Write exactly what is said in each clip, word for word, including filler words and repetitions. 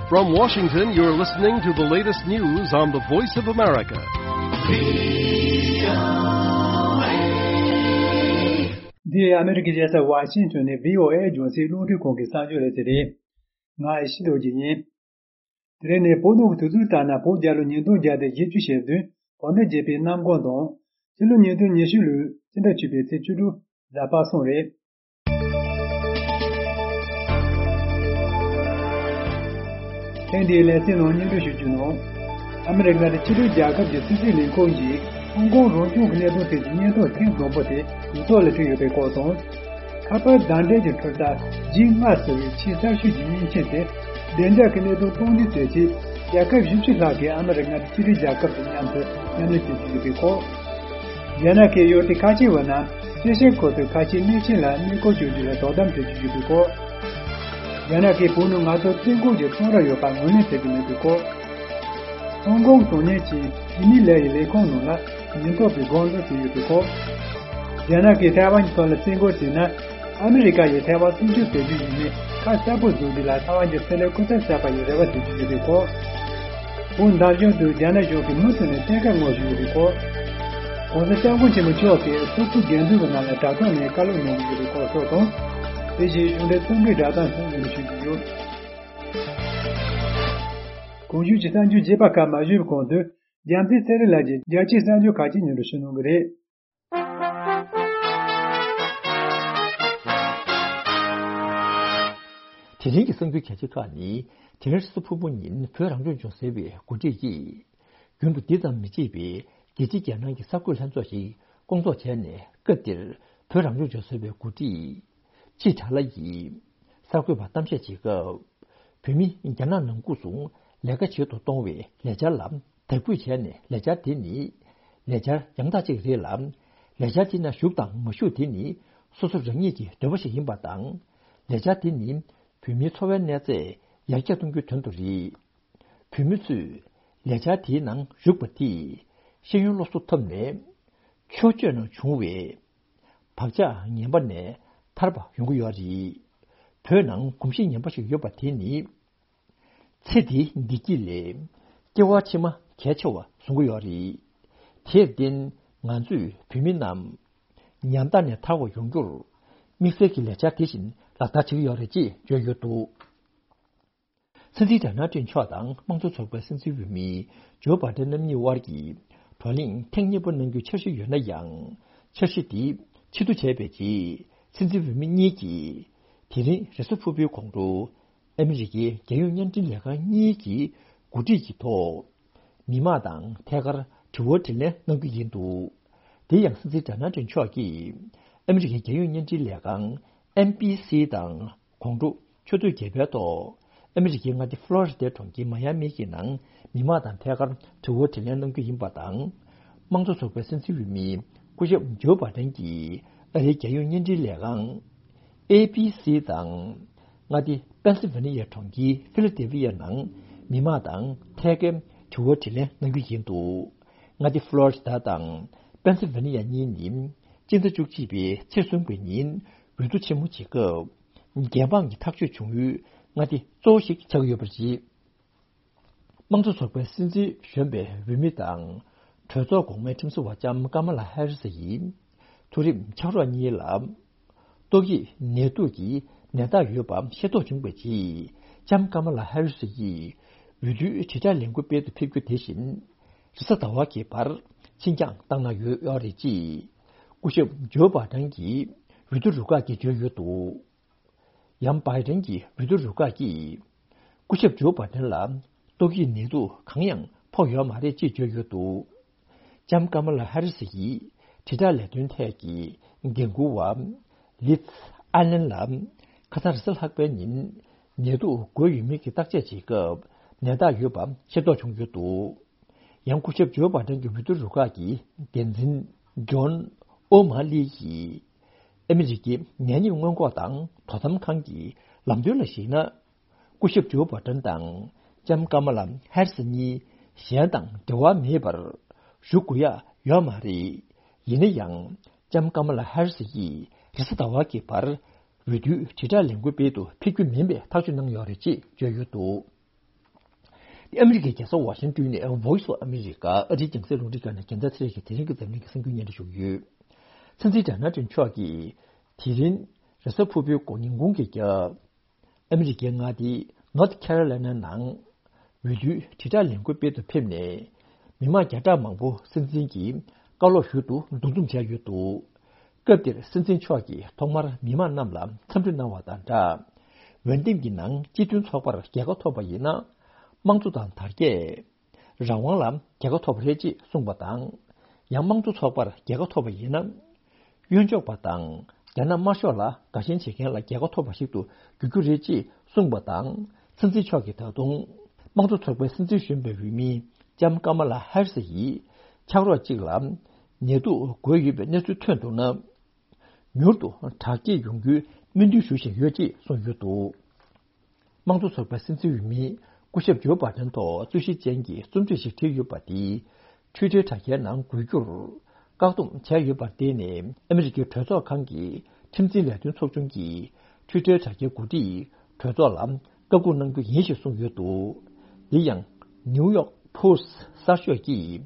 From Washington, you're listening to the latest news on the Voice of America. འདི་ཨ་མེ་རི་ཀའི་རྒྱལ་ས་ཝ་ཤིང་ཊོན་ནས་བྷི་ཨོ་ཨེ་རྒྱང་སྲིང་རླུང་འཕྲིན་ཁང་གི་གསར་འགྱུར་ལས་ཚན་རེད། ང་ཡེ་ཤེས་རྡོ་རྗེ་ཡིན། དེ་རིང་ནི་བོད་ནང་གི་དུས་ཚོད་ལྟར་ན་བོད་རྒྱལ་ལོ་ཉིས་སྟོང་བརྒྱ་དང་བཞི་བཅུ་ཞེ་བདུན་བོད་ཟླ་བརྒྱད་པའི་གནམ་གང་དང་། ཕྱི་ལོ་ཉིས་སྟོང་ཉི་ཤུ་ལོའི་སྤྱི་ཟླ་བཅུ་པའི་ཚེས་བཅུ་དྲུག་གཟའ་པ་སངས་རེད། ཐེངས་འདིའི་ལེ་ཚན་ནང་སྙན་སྒྲོན་ཞུ་རྒྱུ་ནང་། ཨ་མི་རི་ཀ་ནི་ཕྱི་འབྲེལ་རྒྱལ་ཁབ་ཀྱི་སྲིད་འཛིན་ལས་ཁུངས་ཀྱིས་ཧོང་ཀོང་རང་སྐྱོང་གི་གནད་དོན་ཐད་ཀྱི་སྙན་ཐོ་ཐེངས་དང་པོ་དེ་ཡིག་ཐོག་ལ་བྲིས་ཡོད་པའི་སྐོར་དང་། ཁ་པར་བརྡ་འཕྲིན་གྱི་འཕྲུལ་འཁོར་ཇི་ལྔ་ཟེར་བའི་ཆེས་གསར་ཤོས་ཀྱི་མིང་ཆེན་དེ་བདེ་འཇགས་ཀྱི་གནད་དོན་སྟངས་འཛིན་བྱེད་ཆེད་རྒྱལ་ཁབ་བཞི་བཅུ་ལྷག་གིས་ཨ་མི་རི་ཀ་ནི་ཕྱི་འབྲེལ་རྒྱལ་ཁབ་དང་མཉམ་དུ་མཉམ་ལས་བྱེད་ཀྱི་ཡོད་པའི་སྐོར། རྒྱ་ནག་གིས་ཡུལ་དེ་ཁ་ཆེ་བ་རྣམས་ཅི་ཤེས་ཁོ་ཚོའི་ཁ་ཆེའི་གནས་ཆེན་ལ་གནས་སྐོར་བྱུང་རྒྱུ་ལ་དོ་དམ་བྱེད་ཀྱི་ཡོད་པའི་སྐོར། རྒྱ་ནག་གིས་བོད་ནང་ང་ཚོར་བཙན་རྒོལ་གྱི་ཚོང་ར་ཡོད་པ་ངོས་ལེན་བྱེད་ཀྱི་མེད་པའི་སྐོར། ཧོང་ཀོང་དོན་གཉེར་ཅན་ཇི་མི་ལའེ་ཡི་ལས་ཁུངས་ནང་ལ་ཉེན་རྟོག་པས་འགོག་སྲུང་བྱས་ཡོད་པའི་སྐོར། རྒྱ་ནག་གིས་ཐའེ་ཝན་གྱི་ཐོག་ལ་བཙན་རྒོལ་བྱས་ན། ཨ་མི་རི་ཀ་ཡིས་ཐའེ་ཝན་སྲུང་སྐྱོབ་བྱེད་རྒྱུ་ཡིན་མིན་ཁ་གསལ་པོ་བཟོ་རྒྱུ་ལ་ཐའེ་ཝན་གྱི་ཚན་རིག་སྐུ་ཚབ་གསར་པ་ཡིས་རེ་བ་བྱེད་ཀྱི་ཡོད་པའི་སྐོར། བོད་འདར་གཞུང་དུ་རྒྱ་ནག་གཞུང་གིས་མུ་མཐུད་ནས་བཙན་བཀའ་བསྔོག་བཞིན་ཡོད་པའི་སྐོར། ༸གོང་ས་༸སྐྱབས་མགོན་ཆེན་པོ་མཆོག་གིས་སོག་པོའི་དགེ་འདུན་པ་རྣམས་ལ་དྲ་ཐོག་ནས་བཀའ་སློབ་གནང་གི་ཡོད་པའི་སྐོར་སོགས་དང་། དེ་བཞིན་གཞུང་འབྲེལ་རྩོམ་སྒྲིག་སྒྲ་གདངས་སོགས་ཡོད་པ་ཞུ་རྒྱུ་ཡོད། གོང་ཞུས་ཀྱི་གསར་འགྱུར་རྒྱས་པ་ཁག་མ་ཞུས་པའི་གོང་དུ། རྒྱལ་མཚན་ཚེ་རིང་ལགས་ཀྱིས་རྒྱལ་སྤྱིའི་གསར་འགྱུར་ཁག་ཅིག་སྙན་སྒྲོན་ཞུ་གནང་གི་རེད། དེ་རིང་གི་གསར་འགྱུར་གལ་ཆེ་ཁག་ནི། དེ་རིང་རེས་གཟའ་ཕུར་བུ་ཉིན་བོད་རང་སྐྱོང་ལྗོངས་ཟེར་བའི་འགོ་ཁྲིད་ཀྱིས། རྒྱུན་དུ་འདི་ཙམ་མི་བྱེད་པའི་རྒྱལ་སྤྱིའི་རྒྱལ་ནང་གི་གསར་འགོད་ལྷན་ཚོགས་ཤིག་སྐོང་ཚོགས་བྱས་ནས། སྐབས་དེར་བོད་རང་སྐྱོང་ལྗོངས་ཟེར་བའི་འགོ་ཁྲིད་ཅི་དྲ་ལ་ཡིས་གསར་འགོད་པར་གཏམ་བཤད་བྱེད་སྐབས། བོད་མི་རྒྱ་ནག་ནང་ཁུལ་དུ་ལས་ཀ་བྱེད་དུ་གཏོང་བའི་ལས་འཆར་ལ་དད་གུས་བྱས་ནས། ལས་འཆར་དེ་ནི་ལས་འཆར་ཡང་དག་ཅིག་རེད་ལ། ལས་འཆར་དེ་ནང་ཞུགས་དང་མ་ཞུགས་དེ་ནི་སོ་སོ་རང་ཉིད་ཀྱི་འདོད་པ་ཞིག་ཡིན་པ་དང་། ལས་འཆར་དེ་ནི་བོད་མིའི་འཚོ་བའི་གནས་ཚད་ཡར་རྒྱས་གཏོང་རྒྱུའི་དོན་དུ་རེད། བོད་མི་ཚོས་ལས་འཆར་དེའི་ནང་ཞུགས་པ་དེས་ཤེས་ཡོན་སློབ་གསོ་ཐོབ་ནས། ཕྱོགས་བཅུའི་ནང་བྱུང་བའི་བག་ཆགས་ངན་པ་ནས་ཐར་པ་ཡོང་གི་ཡོད་རེད། བོད་ནང་གོམས་གཤིས་ངན་པ་ཞིག་ཡོད་པ་དེ་ནི། ཚེ་འདིའི་བདེ་སྐྱིད་ལས་སྐྱེ་བ་ཕྱི་མ་གལ་ཆེ་བ་བཟུང་གི་ཡོད་རེད། དེར་བརྟེན་ང་ཚོས་བོད་མི་རྣམས་ཉམ་ཐག་ནས་ཐར་བ་ཡོང་རྒྱུར་དམིགས་བསལ་གྱི་ལས་འཆར་དེ་བཞིན་ལག་བསྟར་བྱེད་ཀྱི་ཡོད་རེད་ཅེས་བརྗོད་ཡོད་འདུག། སྲིད་འཛིན་ཌོ་ནལ་ཊམ་མཆོག་དང་དམངས་གཙོ་ཚོགས་པའི་སྲིད་འཛིན་འོས་མི་ཇོ་བྷའི་ཌེན་རྣམ་གཉིས་དབར་གྱི་བགྲོ་གླེང་ཐེངས་གཉིས་པ་གནང་རྒྱུའི་འཆར་གཞི་ཡོད་ན་ཡང་། འཆར་གཞི་དེ་ཕྱིར་བསྡུ་བྱས་པའི་རྗེས། སྲིད་འཛིན་འོས་མི་གཉིས་ཀྱིས་དེ་རིང་རེས་གཟའ་ཕུར་བུའི་གོང་དུ་ཨ་མི་རི་ཀའི་རྒྱལ་ཡོངས་བརྙན་འཕྲིན་ལས་ཁང་གཉིས་ཀྱི་འགོ་ཁྲིད་ཀྱི་ཐོག་མི་མང་དང་ཐད་ཀར་དྲི་བ་དྲིས་ལན་གནང་རྒྱུ་ཡིན་འདུག། དེ་ཡང་སྲིད་འཛིན་ཌོ་ནལ་ཊམ་མཆོག་གིས་ཨ་མི་རི་ཀའི་རྒྱལ་ཡོངས་བརྙན་འཕྲིན་ལས་ཁང་ཨེན་བྷི་སི་དང་། དགོང་དྲོ་ཆུ་ཚོད་བརྒྱད་པའི་ཐོག་ཨ་མི་རི་ཀའི་མངའ་སྡེ་ཕློ་རི་ཌའི་གྲོང་ཁྱེར་མ་ཡ་མི་གི་ནང་མི་མང་དང་ཐད་ཀར་དྲི་བ་དྲིས་ལན་གནང་རྒྱུ་ཡིན་པ་དང་། དམངས་གཙོ་ཚོགས་པའི་སྲིད་འཛིན་འོས་མི་སྐུ་ཞབས་ཇོ་བྷའི་ཌེན་གྱིས་ཨ་རིའི་རྒྱལ་ཡོངས་བརྙན་འཕྲིན་ལས་ཁང་ཨེ་བྷི་སི་དང་མངའ་སྡེ་པེན་སིལ་ཝེ་ནི་ཡའི་གྲོང་ཁྱེར་ཕི་ལ་ཌེལ་ཕི་ཡའི་ནང་མི་མང་དང་ཐད་ཀར་དྲི་བ་དྲིས་ལན་གནང་རྒྱུ་ཡིན་འདུག། མངའ་སྡེ་ཕློ་རི་ཌ་དང་པེན་སིལ་ཝེ་ནི་ཡ་གཉིས་ནི་སྤྱི་ཟླ་བཅུ་གཅིག་པའི་ཚེས་གསུམ་པའི་ཉིན་འོས་བསྡུ་ཆེན་མོ་བྱེད་སྐབས། རྒྱལ་འབངས་ཀྱི་ཐག་གཅོད་བྱུང་ཡུལ་མངའ་སྡེ་གཙོ་བོ་ཞིག་ཆགས་ཀྱི་ཡོད་པ་རེད། དམངས་གཙོ་ཚོགས་པའི་སྲིད་འཛིན་གཞོན་པའི་འོས་མི་དང་། གྲོས་ཚོགས་གོང་མའི་ཁྲིམས་བཟོ་བ་ལྕམ་ཀ་མ་ལ་ཧེ་རི་སི་ཡིས། མཐོ་རིམ་ཕྱག་རོགས་གཉིས་ལ། ཏོག་དབྱིབས་ནད་དུག་གི་ནད་རྟགས་ཡོད་པ་ཤེས་རྟོགས་བྱུང་བའི་རྗེས། ལྕམ་ཀ་མ་ལ་ཧེ་རི་སི་ཡིས། འོས་བསྡུའི་དྲིལ་བསྒྲགས་ལས་འགུལ་སྤེལ་དུ་ཕེབས་རྒྱུ་དེ་བཞིན། རེས་གཟའ་ཟླ་བ་གི་བར་ཕྱིར་འགྱངས་བཏང་གནང་ཡོད་ཡོད་རེད་ཅེས། སྐུ་ཞབས་ཇོ་བྷའི་ཌེན་གྱི་འོས་བསྡུ་རུ་ཁག་གིས་བརྗོད་ཡོད་འདུག། ཡང་བྷའི་ཌེན་གྱི་འོས་བསྡུ་རུ་ཁག་གིས། སྐུ་ཞབས་ཇོ་བྷའི་ཌེན་ལ་ཏོག་དབྱིབས་ནད་དུག་གང་ཡང་ཕོག་ཡོད་མ་རེད་ཅེས་བརྗོད་ཡོད་འདུག། ལྕམ་ཀ་མ་ལ་ཧེ་རི་སི་ཡིས་དྲིལ་བསྒྲགས་ལས་དོན་ཐད་ཀྱི་འགན་འཁུར་བ་ལིཛ་ཨ་ལན་ལ། ཁ་སང་རེས་གཟའ་ལྷག་པའི་ཉིན་ནད་དུག་འགོས་ཡོད་མེད་ཀྱི་བརྟག་དཔྱད་བྱེད་སྐབས་ནད་རྟགས་ཡོད་པ་ཤེས་རྟོགས་བྱུང་ཡོད་འདུག། ཡང་སྐུ་ཞབས་ཇོ་བྷའི་ཌེན་གྱི་འོས་བསྡུ་རུ་ཁག་གི་འགན་འཛིན་ཇོན་ཨོ་མ་ལི་ཡིས། ཨ་མི་རི་ཀའི་ནད་ཡམས་སྔོན་འགོག་དང་དོ་དམ་ཁང་གི་ལམ་སྟོན་ལ་གཞིགས་ན། སྐུ་ཞབས་ཇོ་བྷའི་ཌེན་དང་ལྕམ་ཀ་མ་ལ་ཧེ་རི་སི་གཉིས་གཞན་དང་འབྲེལ་བ་མེད་པར་ཞུ་དགོས་ཡ་ཡོད་མ་རེད། ཡིན་ན་ཡང་ལྕམ་ཀ་མ་ལ་ཧེ་རི་སི་ཡིས་རེས་གཟའ་ཟླ་བ་གི་བར་འོས་བསྡུའི་དྲིལ་བསྒྲགས་ལས་འགུལ་སྤེལ་དུ་ཕེབས་རྒྱུ་མིན་པའི་ཐག་གཅོད་གནང་ཡོད་རེད་ཅེས་བརྗོད་ཡོད་འདུག། ཨ་མི་རི་ཀའི་རྒྱལ་ས་ཝ་ཤིང་ཏོན་ནས་Voice of America ཨ་རིའི་རྒྱང་སྲིང་རླུང་འཕྲིན་ཁང་ནས་རྒྱལ་མཚན་ཚེ་རིང་གིས་དེ་རིང་གི་འཛམ་གླིང་གི་གསར་འགྱུར་སྙན་སྒྲོན་ཞུ་གི་ཡོད། སྲིད་འཛིན་ཌོ་ནལ་ཊམ་མཆོག་གིས་དེ་རིང་རེས་གཟའ་ཕུར་བུའི་དགོང་ཉིན་དགུང་གི་རྒྱབ། ཨ་མི་རི་ཀའི་མངའ་སྡེ་North Carolina ནང་འོས་བསྡུའི་དྲིལ་བསྒྲགས་ལས་འགུལ་སྤེལ་དུ་ཕེབས་ནས། མི་མང་བརྒྱ་ཕྲག་མང་པོ་སྲིད་འཛིན་གྱི་བཀའ་སློབ་ཞུ་རྒྱུ་འདུ་འཛོམས་བྱས་ཡོད་འདུག་སྐབས་དེར་སྲིད་འཛིན་མཆོག་གིས་ཐོག་མར་མི་མང་རྣམས་ལ་འཚམས་འདྲི་གནང་བ་དང་སྦྲགས། འོས་འདེམས་ཀྱི་ནང་སྤྱི་མཐུན་ཚོགས་པར་རྒྱལ་ཁ་ཐོབ་པ་ཡིན་ན། དམངས་གཙོ་དང་དར་རྒྱས། རང་དབང་ལ་རྒྱལ་ཁ་ཐོབ་པ་རེད་ཅེས་གསུངས་པ་དང་། ཡང་དམངས་གཙོ་ཚོགས་པར་རྒྱལ་ཁ་ཐོབ་པ་ཡིན་ན། གཡོན་ཕྱོགས་པ་དང་རྒྱ་ནག་དམར་ཤོག་ལ་དགའ་ཞེན་བྱེད་མཁན་ལ་རྒྱལ་ཁ་ཐོབ་པ་ཞིག་ཏུ་འགྱུར་རྒྱུ་རེད་ཅེས་གསུངས་པ་དང་། སྲིད་འཛིན་མཆོག་གིས་ད་དུང་དམངས་གཙོ་ཚོགས་པའི་སྲིད་འཛིན་གཞོན་པའི་འོས་མི་ལྕམ་ཀ་མ་ལ་ཧེ་རི་སི་ཡིས་ཕྱག་རོགས་གཅིག་ལ་ནད་དུག་འགོས་ཡོད་པའི་གནས་ཚུལ་ཐོན་འདུག་ན། མྱུར་དུ་དྲག་སྐྱེད་ཡོང་རྒྱུའི་སྨོན་འདུན་ཞུ་བཞིན་ཡོད་ཅེས་གསུངས་ཡོད་འདུག་དམངས་གཙོ་ཚོགས་པའི་སྲིད་འཛིན་འོས་མི་སྐུ་ཞབས་ཇོ་བྷ་དན་ཐོག་རྩོད་གཞི་ཅན་གྱི་རྩོམ་སྒྲིག་ཞིག་བྲིས་ཡོད་པ་དེ། Twitter་དྲ་རྒྱའི་ནང་འགོད་རྒྱུར་བཀག་སྡོམ་བྱས་ཡོད་པར་བརྟེན་ནས། ཨ་མི་རི་ཀའི་གྲོས་ཚོགས་ཁང་གི་ཁྲིམས་འཛིན་ལས་དོན་ཚོགས་ཆུང་གིས་Twitter་དྲ་རྒྱའི་འགོ་ཁྲིད་གྲོས་ཚོགས་ལ་བཀའ་བཀོད་གནང་རྒྱུ་ཡིན་ཞེས་གསུངས་ཡོད་འདུག་འདི་ཡང་New York Post་གསར་ཤོག་གིས་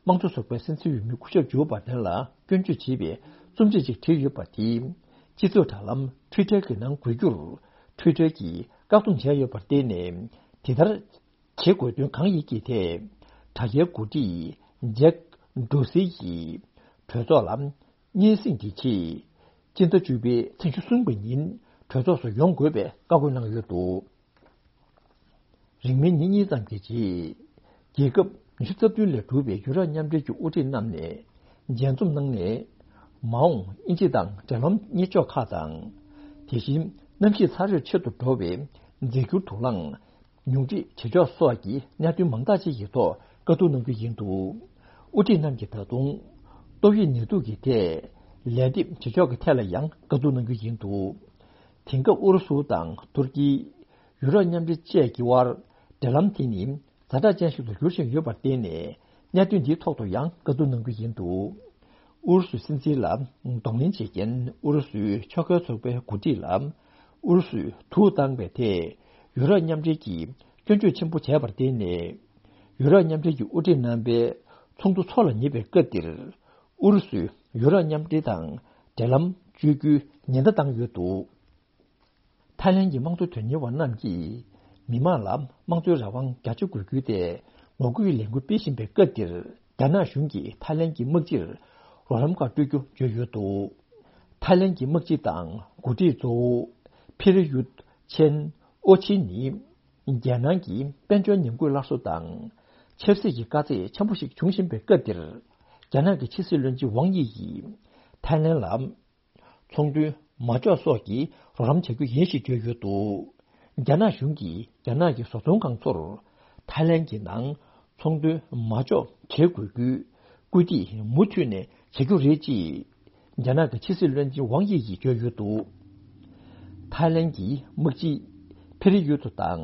དམངས་གཙོ་ཚོགས་པའི་སྲིད་འཛིན་འོས་མི་སྐུ་ཞབས་ཇོ་བྷ་དན་ལ་སྐྱོན་བརྗོད་བྱེད་པའི་རྩོམ་ཆས་ཤིག་བྲིས་ཡོད་པ་དེ། སྤྱི་ཚོགས་དྲ་ལམ་Twitter་གི་ནང་འགོད་རྒྱུར་Twitter་གིས་བཀག་སྡོམ་བྱས་ཡོད་པར་བརྟེན་ནས། དེ་ལྟར་བྱེད་དགོས་དོན་གང་ཡིན་གྱི་ཐད། དྲ་རྒྱའི་འགོ་ཁྲིད་ཇེག་ཌོ་སི་ཡིས་གྲོས་ཚོགས་ལ་སྙན་སེང་གི་ཆེད། སྤྱི་ཟླ་བཅུ་པའི་ཚེས་ཉི་ཤུ་གསུམ་པ་ཉིན་གྲོས་ཚོགས་སུ་ཡོང་དགོས་པའི་བཀའ་བཀོད་གནང་ཡོད་འདུག་རིང་མིན་ཉིན་གཉིས་ཙམ་གྱི་རྗེས། རྒྱལ་ཁབ་ཉི་ཤུ་རྩ་བདུན་ལས་གྲུབ་པའི་ཡུ་རོབ་མཉམ་འབྲེལ་གྱི་དབུ་ཁྲིད་རྣམས་ནས་མཇལ་འཛོམས་གནང་ནས། མ་འོངས་དབྱིན་ཇི་དང་འབྲེལ་ལམ་གཉེར་ཕྱོགས་ཁག་དང་། དེ་བཞིན་གནམ་གཤིས་ཚ་དྲོད་ཆེ་རུ་འགྲོ་བའི་རྫས་འགྱུར་དུག་རླངས་ཉུང་འཕྲི་བྱེད་ཕྱོགས་སོགས་ཀྱི་གནད་དོན་མང་དག་ཅིག་གི་ཐོག་བཀའ་བསྡུར་གནང་རྒྱུ་ཡིན་འདུག་དབུ་ཁྲིད་རྣམས་ཀྱིས་ད་དུང་ཏོག་དབྱིབས་ནད་དུག་གི་ཐད་ལན་འདེབས་བྱེད་ཕྱོགས་ཀྱི་ཐད་ལ་ཡང་བཀའ་བསྡུར་གནང་རྒྱུ་ཡིན་འདུག་དེང་སྐབས་ཨུ་རུ་སུ་དང་ཐུར་ཀི། ཡུ་རོབ་མཉམ་འབྲེལ་བཅས་ཀྱི་དབར་འབྲེལ་ལམ་དེ་ནི་ཛ་དྲག་ཅན་ཞིག་ཏུ་འགྱུར་བཞིན་ཡོད་པར་བརྟེན་ནས། གནད་དོན་འདིའི་ཐོག་ཏུ་ཡང་བཀའ་བསྡུར་གནང་རྒྱུ་ཡིན་འདུག་ཨུ་རུ་སུའི་སྲིད་འཛིན་ལ་གདོང་ལེན་བྱེད་མཁན་ཨུ་རུ་སུའི་ཕྱོགས་འགལ་ཚོགས་པའི་འགོ་ཁྲིད་ལ་ཨུ་རུ་སུས་དུག་བཏང་བའི་ཐད་ཡུ་རོབ་མཉམ་འབྲེལ་གྱིས་སྐྱོན་བརྗོད་ཆེན་པོ་བྱས་པར་བརྟེན་ནས། ཡུ་རོབ་མཉམ་འབྲེལ་གྱི་དབུ་ཁྲིད་རྣམ་པའི་ཚོགས་འདུ་འཚོགས་ལ་ཉེ་བའི་སྐབས་འདིར། ཨུ་རུ་སུས་ཡུ་རོབ་མཉམ་འབྲེལ་དང་འབྲེལ་ལམ་གཅོད་རྒྱུའི་ཉེན་བརྡ་བཏང་ཡོད་འདུག་ཐའི་ལེན་གྱི་དམངས་གཙོ་དོན་གཉེར་བ་རྣམས་ཀྱིས་མི་མང་ལ་དམངས་གཙོའི་རང་དབང་རྒྱ་ཆེ་དགོས་རྒྱུའི་ཐད་ངོ་རྒོལ་གྱི་ལས་འགུལ་སྤེལ་བཞིན་པའི་སྐབས་འདིར། རྒྱ་ནག་གཞུང་གིས་ཐའི་ལེན་གྱི་དམག་སྤྱིར་རོགས་རམ་ཁག་སྤྲོད་རྒྱུ་བརྗོད་ཡོད་འདུག་ཐའི་ལེན་གྱི་དམག་སྤྱི་དང་འགོ་ཁྲིད་གཙོ་བོ་ཕེ་རི་ཡུད་ཆེན་ཨོ་ཆི་ནི། རྒྱལ་ནང་གི་དཔལ་འབྱོར་ཉམས་རྒུད་སླར་གསོ་དང་། ཆབ་སྲིད་ཀྱི་དཀའ་ཚེགས་ཆེན་པོ་ཞིག་འབྱུང་བཞིན་པའི་སྐབས་འདིར། རྒྱ་ནག་གི་ཕྱི་སྲིད་བློན་ཆེན་ཝང་དབྱི་ཡིས་ཐའི་ལེན་ལ། ཚོང་དོན་མ་འཇོག་སོགས་ཀྱི་རོགས་རམ་བྱ་རྒྱུ་ཡིན་ཞེས་བརྗོད་ཡོད་འདུག་རྒྱ་ནག་གཞུང་གིས་རྒྱ་ནག་གི་བཟོ་ཚོང་ཁང་ཚོར་ཐའི་ལེན་གྱི་ནང་ཚོང་དོན་མ་འཇོག་བྱེད་དགོས་རྒྱུའི་སྐུལ་འདེད་མུ་མཐུད་ནས་བྱ་རྒྱུ་རེད་ཅེས་རྒྱ་ནག་གི་ཕྱི་སྲིད་བློན་ཆེན་ཝང་དབྱི་ཡིས་བརྗོད་ཡོད་འདུག་ཐའི་ལེན་གྱི་དམག་སྤྱི་ཕེ་རི་ཡུ་ཐུ་དང་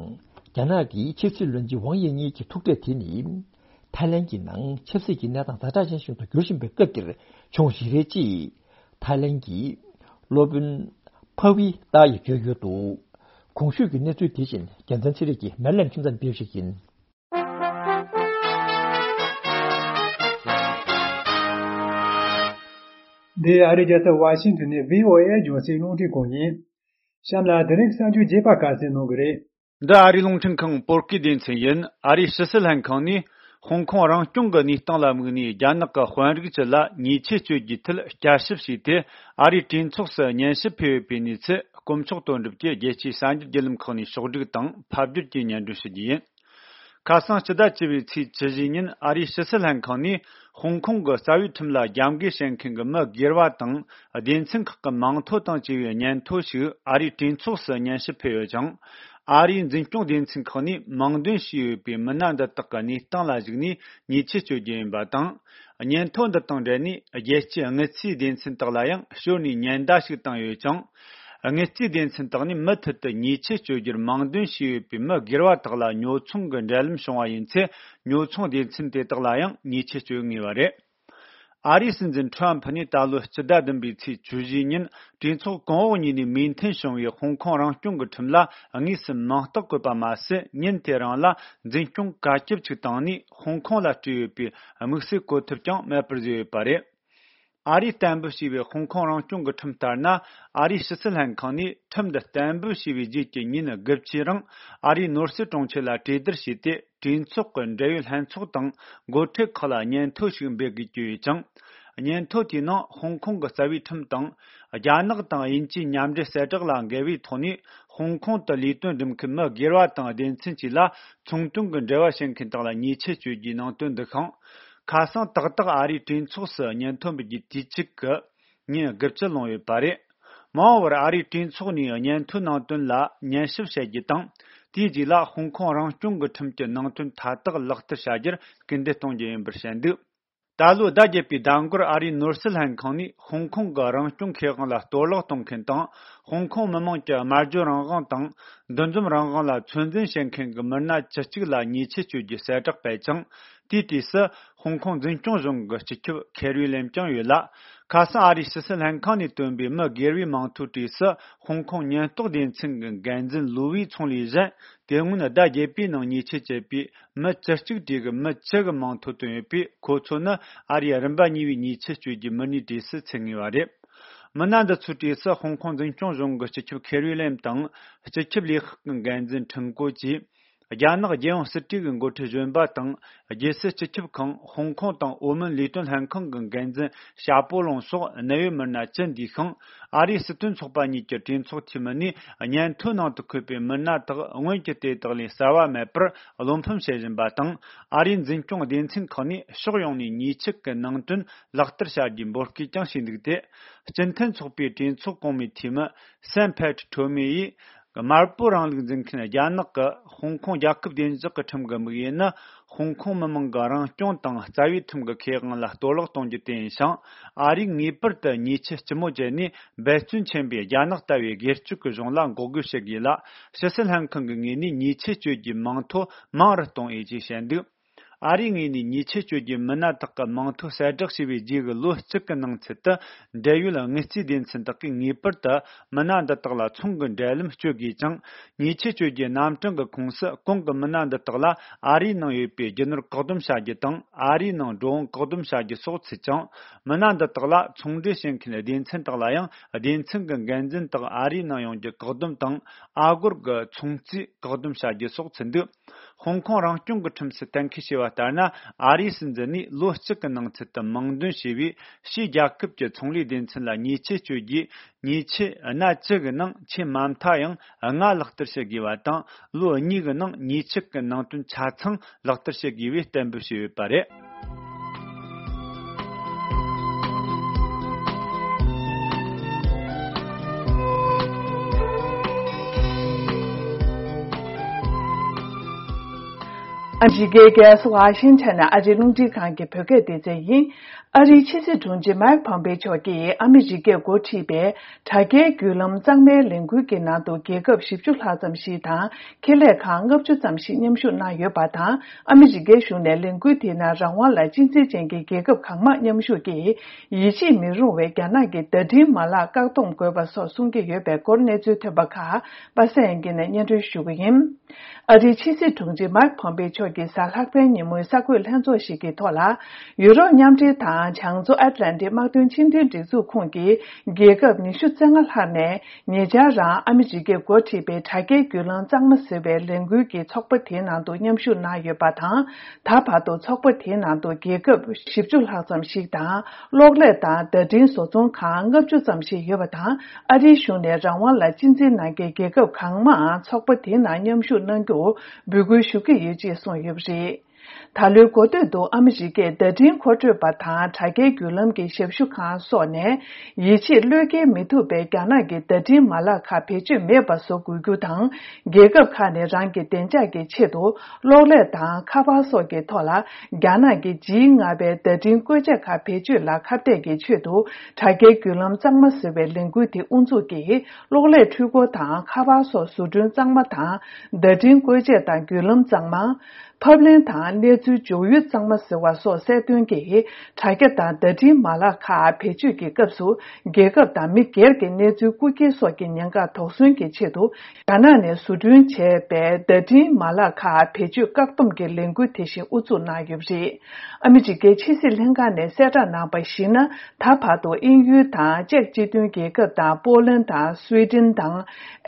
རྒྱ་ནག་གི་ཕྱི་སྲིད་བློན་ཆེན་ཝང་དབྱི་གཉིས་ཀྱི་ཐུག་འཕྲད་དེ་ནི། ཐའི་ལེན་གྱི་ནང་ཆབ་སྲིད་ཀྱི་གནས་སྟངས་ཛ་དྲག་ཅན་ཞིག་ཏུ་འགྱུར་བཞིན་པའི་སྐབས་འདིར་བྱུང་བ་ཞིག་རེད་ཅེས། ཐའི་ལེན་གྱི་སློབ་དཔོན་ཕ་ཝི་ཏཱ་ཡིས་བརྗོད་ཡོད་འདུག་གོང་ཞུས་ཀྱི་གནས་ཚུལ་དེ་བཞིན་རྒྱལ་མཚན་ཚེ་རིང་གིས་མེ་ལན་ཁྱིམ་ཚང་ཕེབས་ཤིག་ཡིན། འདི་ཨ་རིའི་རྒྱལ་ས་ཝ་ཤིང་ཏོན་ནས་བྷི་ཨོ་ཨེ་རྒྱང་སྲིང་རླུང་འཕྲིན་ཁང་ཡིན། གཤམ་ལ་དེ་རིང་གསར་འགྱུར་རྒྱས་པ་ག་ཚོད་གནང་གི་རེད། འདི་ཨ་རིའི་རླུང་འཕྲིན་ཁང་བོད་སྐད་སྡེ་ཚན་ཡིན། ཨ་རིའི་ཕྱི་སྲིད་ལྷན་ཁང་ནས་ཧོང་ཀོང་རང་སྐྱོང་གི་གནས་སྟངས་ལ་དམིགས་ནས། རྒྱ་ནག་གི་དཔོན་རིགས་བཅས་ལ་ཉེས་ཆད་གཅོད་རྒྱུའི་ཐད་བསྐྱར་ཞིབ་བྱས་ཏེ། ཨ་རིའི་གྲོས་ཚོགས་སུ་སྙན་ཞུ་ཕུལ་ཡོད་པའི་གནས་ཚུལ་དཀོན་མཆོག་དོན་གྲུབ་ཀྱིས་རྒྱལ་སྤྱིའི་གསར་འགྱུར་བརྒྱུད་ལམ་ཁག་ནས་ཕྱོགས་བསྒྲིགས་དང་ཕབ་བསྒྱུར་གྱིས་སྙན་སྒྲོན་ཞུ་རྒྱུ་ཡིན། ཁ་སང་སྤྱི་ཟླ་བཅུ་པའི་ཚེས་བཅུ་བཞི་ཉིན་ཨ་རིའི་ཕྱི་སྲིད་ལྷན་ཁང་ནས་ཧོང་ཀོང་གི་རྩ་བའི་ཁྲིམས་ལ་རྒྱབ་འགལ་བྱེད་མཁན་གྱི་མི་སྒེར་བ་དང་སྡེ་ཚན་ཁག་གི་མིང་ཐོ་དང་བཅས་པའི་སྙན་ཐོ་ཞིག་ཨ་རིའི་གྲོས་ཚོགས་སུ་སྙན་ཞུ་ཕུལ་ཡོད་ཅིང་། ཨ་རིའི་འཛིན་སྐྱོང་སྡེ་ཚན་ཁག་ནས་མིང་འདོན་བྱས་ཡོད་པའི་མི་སྣ་འདི་དག་གི་གནས་སྟངས་ལ་གཞིགས་ནས་ཉེས་ཆད་གཅོད་རྒྱུ་ཡིན་པ་དང་། སྙན་ཐོ་འདི་དང་འབྲེལ་ནས་རྒྱལ་སྤྱིའི་དངུལ་རྩིས་སྡེ་ཚན་དག་ལ་ཡང་ཞོར་ནས་ཉེན་བརྡ་ཞིག་བཏང་ཡོད་ཅིང་། དངུལ་རྩིས་སྡེ་ཚན་དག་ནས་མུ་མཐུད་དུ་ཉེས་ཆད་གཅོད་རྒྱུར་མིང་འདོན་བྱས་ཡོད་པའི་མི་སྒེར་བ་དག་ལ་ཉོ་ཚོང་གི་འབྲེལ་ལམ་བྱུང་བ་ཡིན་ཚེ། ཉོ་ཚོང་སྡེ་ཚན་དེ་དག་ལ་ཡང་ཉེས་ཆད་གཅོད་ངེས་པ་རེད། ཨ་རིའི་སྲིད་འཛིན་ཁྲོམ་ཕུ་ནས་ད་ལོའི་སྤྱི་ཟླ་བདུན་པའི་ཚེས་བཅུ་བཞིའི་ཉིན་གྲོས་ཚོགས་གོང་འོག་གཉིས་ནས་མོས་མཐུན་བྱུང་བའི་ཧོང་ཀོང་རང་སྐྱོང་གི་ཁྲིམས་ལ་དངོས་སུ་མིང་རྟགས་བཀོད་པ་མ་ཟད། ཉིན་དེ་རང་ལ་འཛིན་སྐྱོང་བཀའ་ཁྱབ་ཅིག་བཏང་ནས་ཧོང་ཀོང་ལ་སྤྲད་ཡོད་པའི་དམིགས་བསལ་གོ་ཐབས་ཀྱང་མེད་པར་བཟོས་ཡོད་པ་རེད། ཨ་རིས་གཏན་འབེབས་བྱས་པའི་ཧོང་ཀོང་རང་སྐྱོང་གི་ཁྲིམས་ལྟར་ན། ཨ་རིའི་ཕྱི་སྲིད་ལྷན་ཁང་ནས་ཁྲིམས་འདི་གཏན་འབེབས་བྱས་པའི་རྗེས་ཀྱི་ཉིན་དགུ་བཅུའི་རིང་། ཨ་རིའི་ནོར་སྲིད་དྲུང་ཆེ་ལ་གྲོས་བསྡུར་བྱས་ཏེ། གྲོས་ཚོགས་ཀྱི་འབྲེལ་ཡོད་ལྷན་ཚོགས་དང་འགོ་ཁྲིད་ཁག་ལ་སྙན་ཐོ་ཞིག་འབུལ་དགོས་ཀྱི་ཡོད་ཅིང་། སྙན་ཐོ་དེའི་ནང་ཧོང་ཀོང་གི་རྩ་བའི་ཁྲིམས་དང་། རྒྱ་ནག་དང་དབྱིན་ཇིའི་མཉམ་འབྲེལ་གསལ་བསྒྲགས་ལ་འགལ་བའི་ཐོག་ནས། ཧོང་ཀོང་དུ་ལས་དོན་སྒྲུབ་མཁན་མི་སྒེར་བ་དང་སྡེ་ཚན་བཅས་ལ་ཚོང་དོན་གྱི་འབྲེལ་བ་བྱེད་མཁན་དག་ལ་ཉེས་ཆད་གཅོད་རྒྱུའི་ནང་དོན་འདུ་ཤིང་། ཁ་སང་ཏག་ཏག་ཨ་རིའི་གྲོས་ཚོགས་སུ་སྙན་ཐོ་འབུལ་རྒྱུའི་དུས་ཚིགས་ཀྱི་ཉིན་དགུ་བཅུ་ལོངས་ཡོད་པ་རེད། མ་འོངས་པར་ཨ་རིའི་གྲོས་ཚོགས་ནས་སྙན་ཐོའི་ནང་དོན་ལ་ཉན་ཞིབ་བྱེད་རྒྱུ་དང་། དེའི་རྗེས་ལ་ཧོང་ཀོང་རང་སྐྱོང་གི་ཁྲིམས་ཀྱི་ནང་དོན་མཐའ་དག་ལག་བསྟར་བྱ་རྒྱུར་སྐུལ་འདེད་གཏོང་རྒྱུ་ཡིན་པར་བཤད་འདུག་ད་ལོའི་ཟླ་བརྒྱད་པའི་ཟླ་འགོར་ཨ་རིའི་ནོར་སྲིད་ལྷན་ཁང་ནས་ཧོང་ཀོང་གི་རང་སྐྱོང་ཁེ་དབང་ལ་གཏོར་བརླག་གཏོང་མཁན་དང་། ཧོང་ཀོང་མི་དམངས་ཀྱི་སྨྲ་བརྗོད་རང་དབང་དང་། འདུ་འཛོམས་རང་དབང་ལ་ཚོད་འཛིན་བྱེད་མཁན་གྱི་མི་སྣ་བཅུ་གཅིག་ལ་ཉེས་ཆད་གཅོད་རྒྱུའི་གསལ་བསྒྲགས་སྤེལ་ཅིང་། དེའི་གྲས་སུ་ཧོང་ཀོང་འཛིན་སྐྱོང་གཞུང་གི་སྤྱི་ཁྱབ་ཁེ་རི་ལེམ་ཀྱང་ཡོད་ལ། ཁ་སང་ཨ་རིའི་ཕྱི་སྲིད་ལྷན་ཁང་ནས་བཏོན་པའི་མི་སྒེར་བའི་མིང་ཐོའི་གྲས་སུ་ཧོང་ཀོང་ཉེན་རྟོག་སྡེ་ཚན་གྱི་འགན་འཛིན་ལུའུ་ཝེ་ཚུང་ལི་བཞིན། དེ་སྔོན་ཟླ་བརྒྱད་པའི་ནང་ཉེས་ཆད་བཅད་པའི་མི་བཅུ་གཅིག་གྲས་ཀྱི་མི་བཅུ་གི་མིང་ཐོ་བཏོན་ཡོད་པས། ཁོ་ཚོ་ནི་ཨ་རིའི་རིམ་པ་གཉིས་པའི་ཉེས་ཆད་གཅོད་རྒྱུའི་མི་སྣའི་གྲས་སུ་ཚུད་ངེས་པ་རེད། མི་སྣ་འདི་ཚོའི་གྲས་སུ་ཧོང་ཀོང་འཛིན་སྐྱོང་གཞུང་གི་སྤྱི་ཁྱབ་ཁེ་རི་ལེམ་དང་། སྤྱི་ཁྱབ་ལས་ཁག་གི་འགན་འཛིན་ཁྲིན་ཀོ་བཅས། རྒྱ་ནག་རྒྱལ་ཡོངས་སྲིད་གྲོས་ཀྱི་འགོ་ཁྲིད་གཞོན་པ་དང་། རྒྱལ་སྲིད་སྤྱི་ཁྱབ་ཁང་། ཧོང་ཀོང་དང་ཨོ་མོན་ལས་དོན་ལྷན་ཁང་གི་འགན་འཛིན་ཞ་པོ་ལུང་སོགས་གནད་ཡོད་མི་སྣ་བཅུ་འདུས་ཤིང་། ཨ་རིའི་སྲིད་དོན་ཚོགས་པ་གཉིས་ཀྱི་གྲོས་ཚོགས་འཐུས་མི་ནས་སྙན་ཐོའི་ནང་དུ་འཁོད་པའི་མི་སྣ་དག་སྔོན་གྱི་དེ་དག་ལས་གསར་བ་མེད་པར་བློ་ཕམ་བྱེད་བཞིན་པ་དང་། ཨ་རིའི་འཛིན་སྐྱོང་སྡེ་ཚན་ཁག་ནས་ཕྱོགས་ཡོངས་ནས་ཉེས་ཆད་ཀྱི་ནང་དོན་ལག་བསྟར་བྱ་རྒྱུའི་འབོད་སྐུལ་ཀྱང་བྱས་འདུག་སྟེ། སྤྱི་མཐུན་ཚོགས་པའི་གྲོས་ཚོགས་གོང་མའི་འཐུས་མི་སན་ཕེ་ཁྲི་ཁྲོ་མེ་ཡིས། དམར་པོ་རིང་ལུགས་འཛིན་མཁན་རྒྱ་ནག་གི་ཧོང་ཀོང་རྒྱལ་ཁབ་བདེ་འཇགས་ཀྱི་ཁྲིམས་ཀྱི་དམིགས་ཡུལ་ནི། ཧོང་ཀོང་མི་དམངས་ཀྱི་རང་སྐྱོང་དང་རྩ་བའི་ཁྲིམས་ཀྱི་ཁེ་དབང་ལ་གཏོར་བརླག་གཏོང་རྒྱུ་དེ་ཡིན་ཞིང་། ཨ་རིས་ངེས་པར་དུ་ཉེས་ཆད་ལྕི་མོ་བཅད་ནས། འབད་བརྩོན་ཆེན་པོས་རྒྱ་ནག་ལྟ་བུའི་སྒེར་གཅོད་ཀྱི་གཞུང་ལ་འགོག་རྒོལ་བྱེད་དགོས་ལ། ཕྱི་སྲིད་ལྷན་ཁང་གི་ངོས་ནས་ཉེས་ཆད་གཅོད་རྒྱུའི་མིང་ཐོ་མང་རུ་གཏོང་འོས་ཅེས་བཤད་འདུག་ཨ་རིའི་ངོས་ནས་ཉེས་ཆད་གཅོད་རྒྱུའི་མི་སྣ་དག་གི་མིང་ཐོ་གསལ་བསྒྲགས་བྱས་པའི་རྗེས་ཀྱི་ལོ་གཅིག་གི་ནང་ཚུད་དུ། འབྲེལ་ཡོད་དངུལ་རྩིས་སྡེ་ཚན་དག་གིས་ངེས་པར་དུ་མི་སྣ་འདི་དག་ལ་ཚོང་གི་འབྲེལ་ལམ་གཅོད་དགོས་ཅིང་། ཉེས་ཆད་གཅོད་རྒྱུའི་རྣམ་གྲངས་ཀྱི་ཁོངས་སུ་གོང་གི་མི་སྣ་འདི་དག་ལ་ཨ་རིའི་ནང་ཡོད་པའི་རྒྱུ་ནོར་བཀག་སྡོམ་བྱ་རྒྱུ་དང་། ཨ་རིའི་ནང་འགྲོ་འོང་བཀག་སྡོམ་བྱ་རྒྱུ་སོགས་ཚུད་ཅིང་། མི་སྣ་འདི་དག་ལ་ཚོང་འབྲེལ་བྱེད་མཁན་སྡེ་ཚན་དག་ལ་ཡང་སྡེ་ཚན་གྱི་འགན་འཛིན་དག་ཨ་རིའི་ནང་ཡོང་རྒྱུ་བཀག་སྡོམ་དང་། ཨ་སྒོར་གྱི་ཚོང་རྩིས་བཀག་སྡོམ་བྱ་རྒྱུ་སོགས་ཚུད་འདུག་ཧོང་ཀོང་རང་སྐྱོང་གི་ཁྲིམས་སུ་གཏན་འཁེལ་བྱས་པ་ལྟར་ན། ཨ་རིའི་སྲིད་འཛིན་ནས་ལོ་གཅིག་གི་ནང་ཚུད་དུ་མིང་འདོན་བྱས་པའི་ཕྱིའི་རྒྱལ་ཁབ་ཀྱི་ཚོང་ལས་སྡེ་ཚན་ལ་ཉེས་ཆད་གཅོད་རྒྱུའི་ཉེས་ཆད་སྣ་བཅུ་གི་ནང་ཆེས་མ་མཐའ་ཡང་ལྔ་ལག་བསྟར་བྱེད་དགོས་པ་དང་། ལོ་གཉིས་ཀྱི་ནང་ཉེས་ཆད་ཀྱི་ནང་དོན་ཆ་ཚང་ལག་བསྟར་བྱེད་དགོས་པའི་གཏན་འབེབས་བྱས་ཡོད་པ་རེད། ཨ་མི་རི་ཀའི་རྒྱལ་ས་ཝ་ཤིང་ཊོན་ནས་ཨ་རིའི་རླུང་འཕྲིན་ཁང་གི་བོད་སྐད་སྡེ་ཚན་ཡིན། ཨ་རིའི་ཕྱི་སྲིད་དྲུང་ཆེ་མཱིག་ཕོམ་པེ་མཆོག་གིས་ཨ་མི་རི་ཀས་འགོ་ཁྲིད་པའི་དྲ་རྒྱའི་བརྒྱུད་ལམ་གཙང་མའི་ལས་འགུལ་གྱི་ནང་དུ་རྒྱལ་ཁབ་བཞི་བཅུ་ལྷག་ཙམ་ཞིག་དང་། ཁེ་ལས་ཁག་ལྔ་བཅུ་ཙམ་ཞིག་མཉམ་ཞུགས་གནང་ཡོད་པ་དང་། ཨ་མི་རི་ཀའི་གཞུང་ནས་ལས་འགུལ་དེའི་ནང་རང་དབང་ལ་གཅེས་འཛིན་ཅན་གྱི་རྒྱལ་ཁབ་གང་མང་མཉམ་ཞུགས་ཀྱིས། ཡིད་ཆེས་མི་རུང་བའི་རྒྱ་ནག་གི་བརྡ་འཕྲིན་མ་ལག་བཀག་སྡོམ་དགོས་པ་སོགས་གསུང་གི་ཡོད་པའི་སྐོར་གནས་ཚུལ་ཐོན་པ་ཁག་པ་སངས་དབྱངས་སྐྱིད་ནས་སྙན་སྒྲོན་ཞུ་གི་ཡིན། ཨ་རིའི་ཕྱི་སྲིད་དྲུང་ཆེ་མཱིག་ཕོམ་པེ་མཆོག་གིས་གཟའ་ལྷག་པའི་ཉིན་མོའི་གསར་འགོད་ལྷན་ཚོགས་ཤིག་གི་ཐོག་ལ། ཡུ་རོབ་མཉམ་འབྲེལ་དང་བྱང་མཚོ་ཨེཊ་ལན་ཊིག་དམག་དོན་ཕྱི་འབྲེལ་སྒྲིག་འཛུགས་ཁོངས་ཀྱི་རྒྱལ་ཁབ་ཉི་ཤུ་རྩ་ལྔ་ལྷག་ནས། ཉེ་ཆར་རང་ཨ་མི་རི་ཀས་འགོ་ཁྲིད་པའི་དྲ་རྒྱའི་བརྒྱུད་ལམ་གཙང་མ་ཟེར་བའི་ལས་འགུལ་གྱི་ཚོགས་པ་དེའི་ནང་དུ་མཉམ་ཞུགས་གནང་ཡོད་པ་དང་། ད་བར་དུ་ཚོགས་པ་དེའི་ནང་དུ་རྒྱལ་ཁབ་བཞི་བཅུ་ལྷག་ཙམ་ཞིག་དང་། གློག་ཀླད་དང་བརྡ་འཕྲིན་བཟོ་ཚོང་ཁང་ལྔ་བཅུ་ཙམ་ཞིག་ཡོད་པ་དང་། ཨ་རིའི་གཞུང་ནས་རང་དབང་ལ་གཅེས་འཛིན་གནང་མཁན་རྒྱལ་ཁབ་གང་མང་ཚོགས་པ་དེའི་ནང་མཉམ་ཞུགས་གནང་རྒྱུར་འབོད་སྐུལ་ཞུ་གི་ཡོད་ཅེས་གསུངས་ཡོད་པ་རེད། ད་ལོའི་འགོ་སྟོད་དུ་ཨ་མི་རི་ཀས་བརྡ་འཕྲིན་མཁོ་སྤྲོད་པ་དང་དྲ་རྒྱའི་བརྒྱུད་ལམ་གྱི་ཞབས་ཞུ་ཁང་སོགས་ནས། ཡིད་ཆེས་བློས་འགེལ་མི་ཐུབ་པའི་རྒྱ་ནག་གི་བརྡ་འཕྲིན་མ་ལག་ཁག་བེད་སྤྱོད་མེད་པ་བཟོ་དགོས་རྒྱུ་དང་། རྒྱལ་ཁབ་ཁག་ནས་རང་གི་བདེ་འཇགས་ཀྱི་ཆེད་དུ་གློག་ཀླད་དང་ཁ་པར་སོགས་ཀྱི་ཐོག་ལ་རྒྱ་ནག་གི་ཇི་ལྔ་པའི་བརྡ་འཕྲིན་བཀོལ་ཆས་ཁག་བེད་སྤྱོད་ལ་ཁ་གཏད་ཀྱི་ཆེད་དུ། དྲ་རྒྱའི་བརྒྱུད་ལམ་གཙང་མ་ཟེར་བའི་ལས་འགུལ་དེ་དབུ་འཛུགས་ཀྱིས། གློག་ཀླད་འཕྲུལ་འཁོར་དང་ཁ་པར་སོགས་བཟོ་སྐྲུན་གཙང་མ་དང་། བརྡ་འཕྲིན་བཀོལ་ཆས་དང་བརྒྱུད་ལམ་གཙང་མ། ཕབ་ལེན་དང་ གནས་ཚུལ་འབྱུང་ཡུལ་གཙང་མ་ཟེར་བ་སོགས་གསལ་སྟོན་གྱིས་དྲ་རྒྱ་དང་བརྡ་འཕྲིན་མ་ལག་ཁག་བེད་སྤྱོད་ཀྱི་སྐབས་སུ། རྒྱལ་ཁབ་དང་མི་སྒེར་གྱི་གནས་ཚུལ་རྐུ་འཁྱེར་སོགས་ཀྱི་ཉེན་ཁ་དོགས་ཟོན་གྱི་ཆེད་དུ། རྒྱ་ནག་ནས་བཟོ་སྐྲུན་བྱས་པའི་བརྡ་འཕྲིན་མ་ལག་ཁག་བེད་སྤྱོད་བཀག་སྡོམ་གྱི་ལས་འགུལ་དེ་བཞིན་དབུ་འཛུགས་གནང་ཡོད་པ་རེད། ཨ་མི་རི་ཀའི་ཕྱི་སྲིད་ལྷན་ཁང་ནས་གསལ་བསྒྲགས་གནང་བར་གཞིགས་ན། ད་བར་དུ་དབྱིན་ཡུལ་དང་ཅེཀ་སྤྱི་མཐུན་རྒྱལ་ཁབ་དང་པོ་ལན་དང་སུའེ་ཏེན་དང་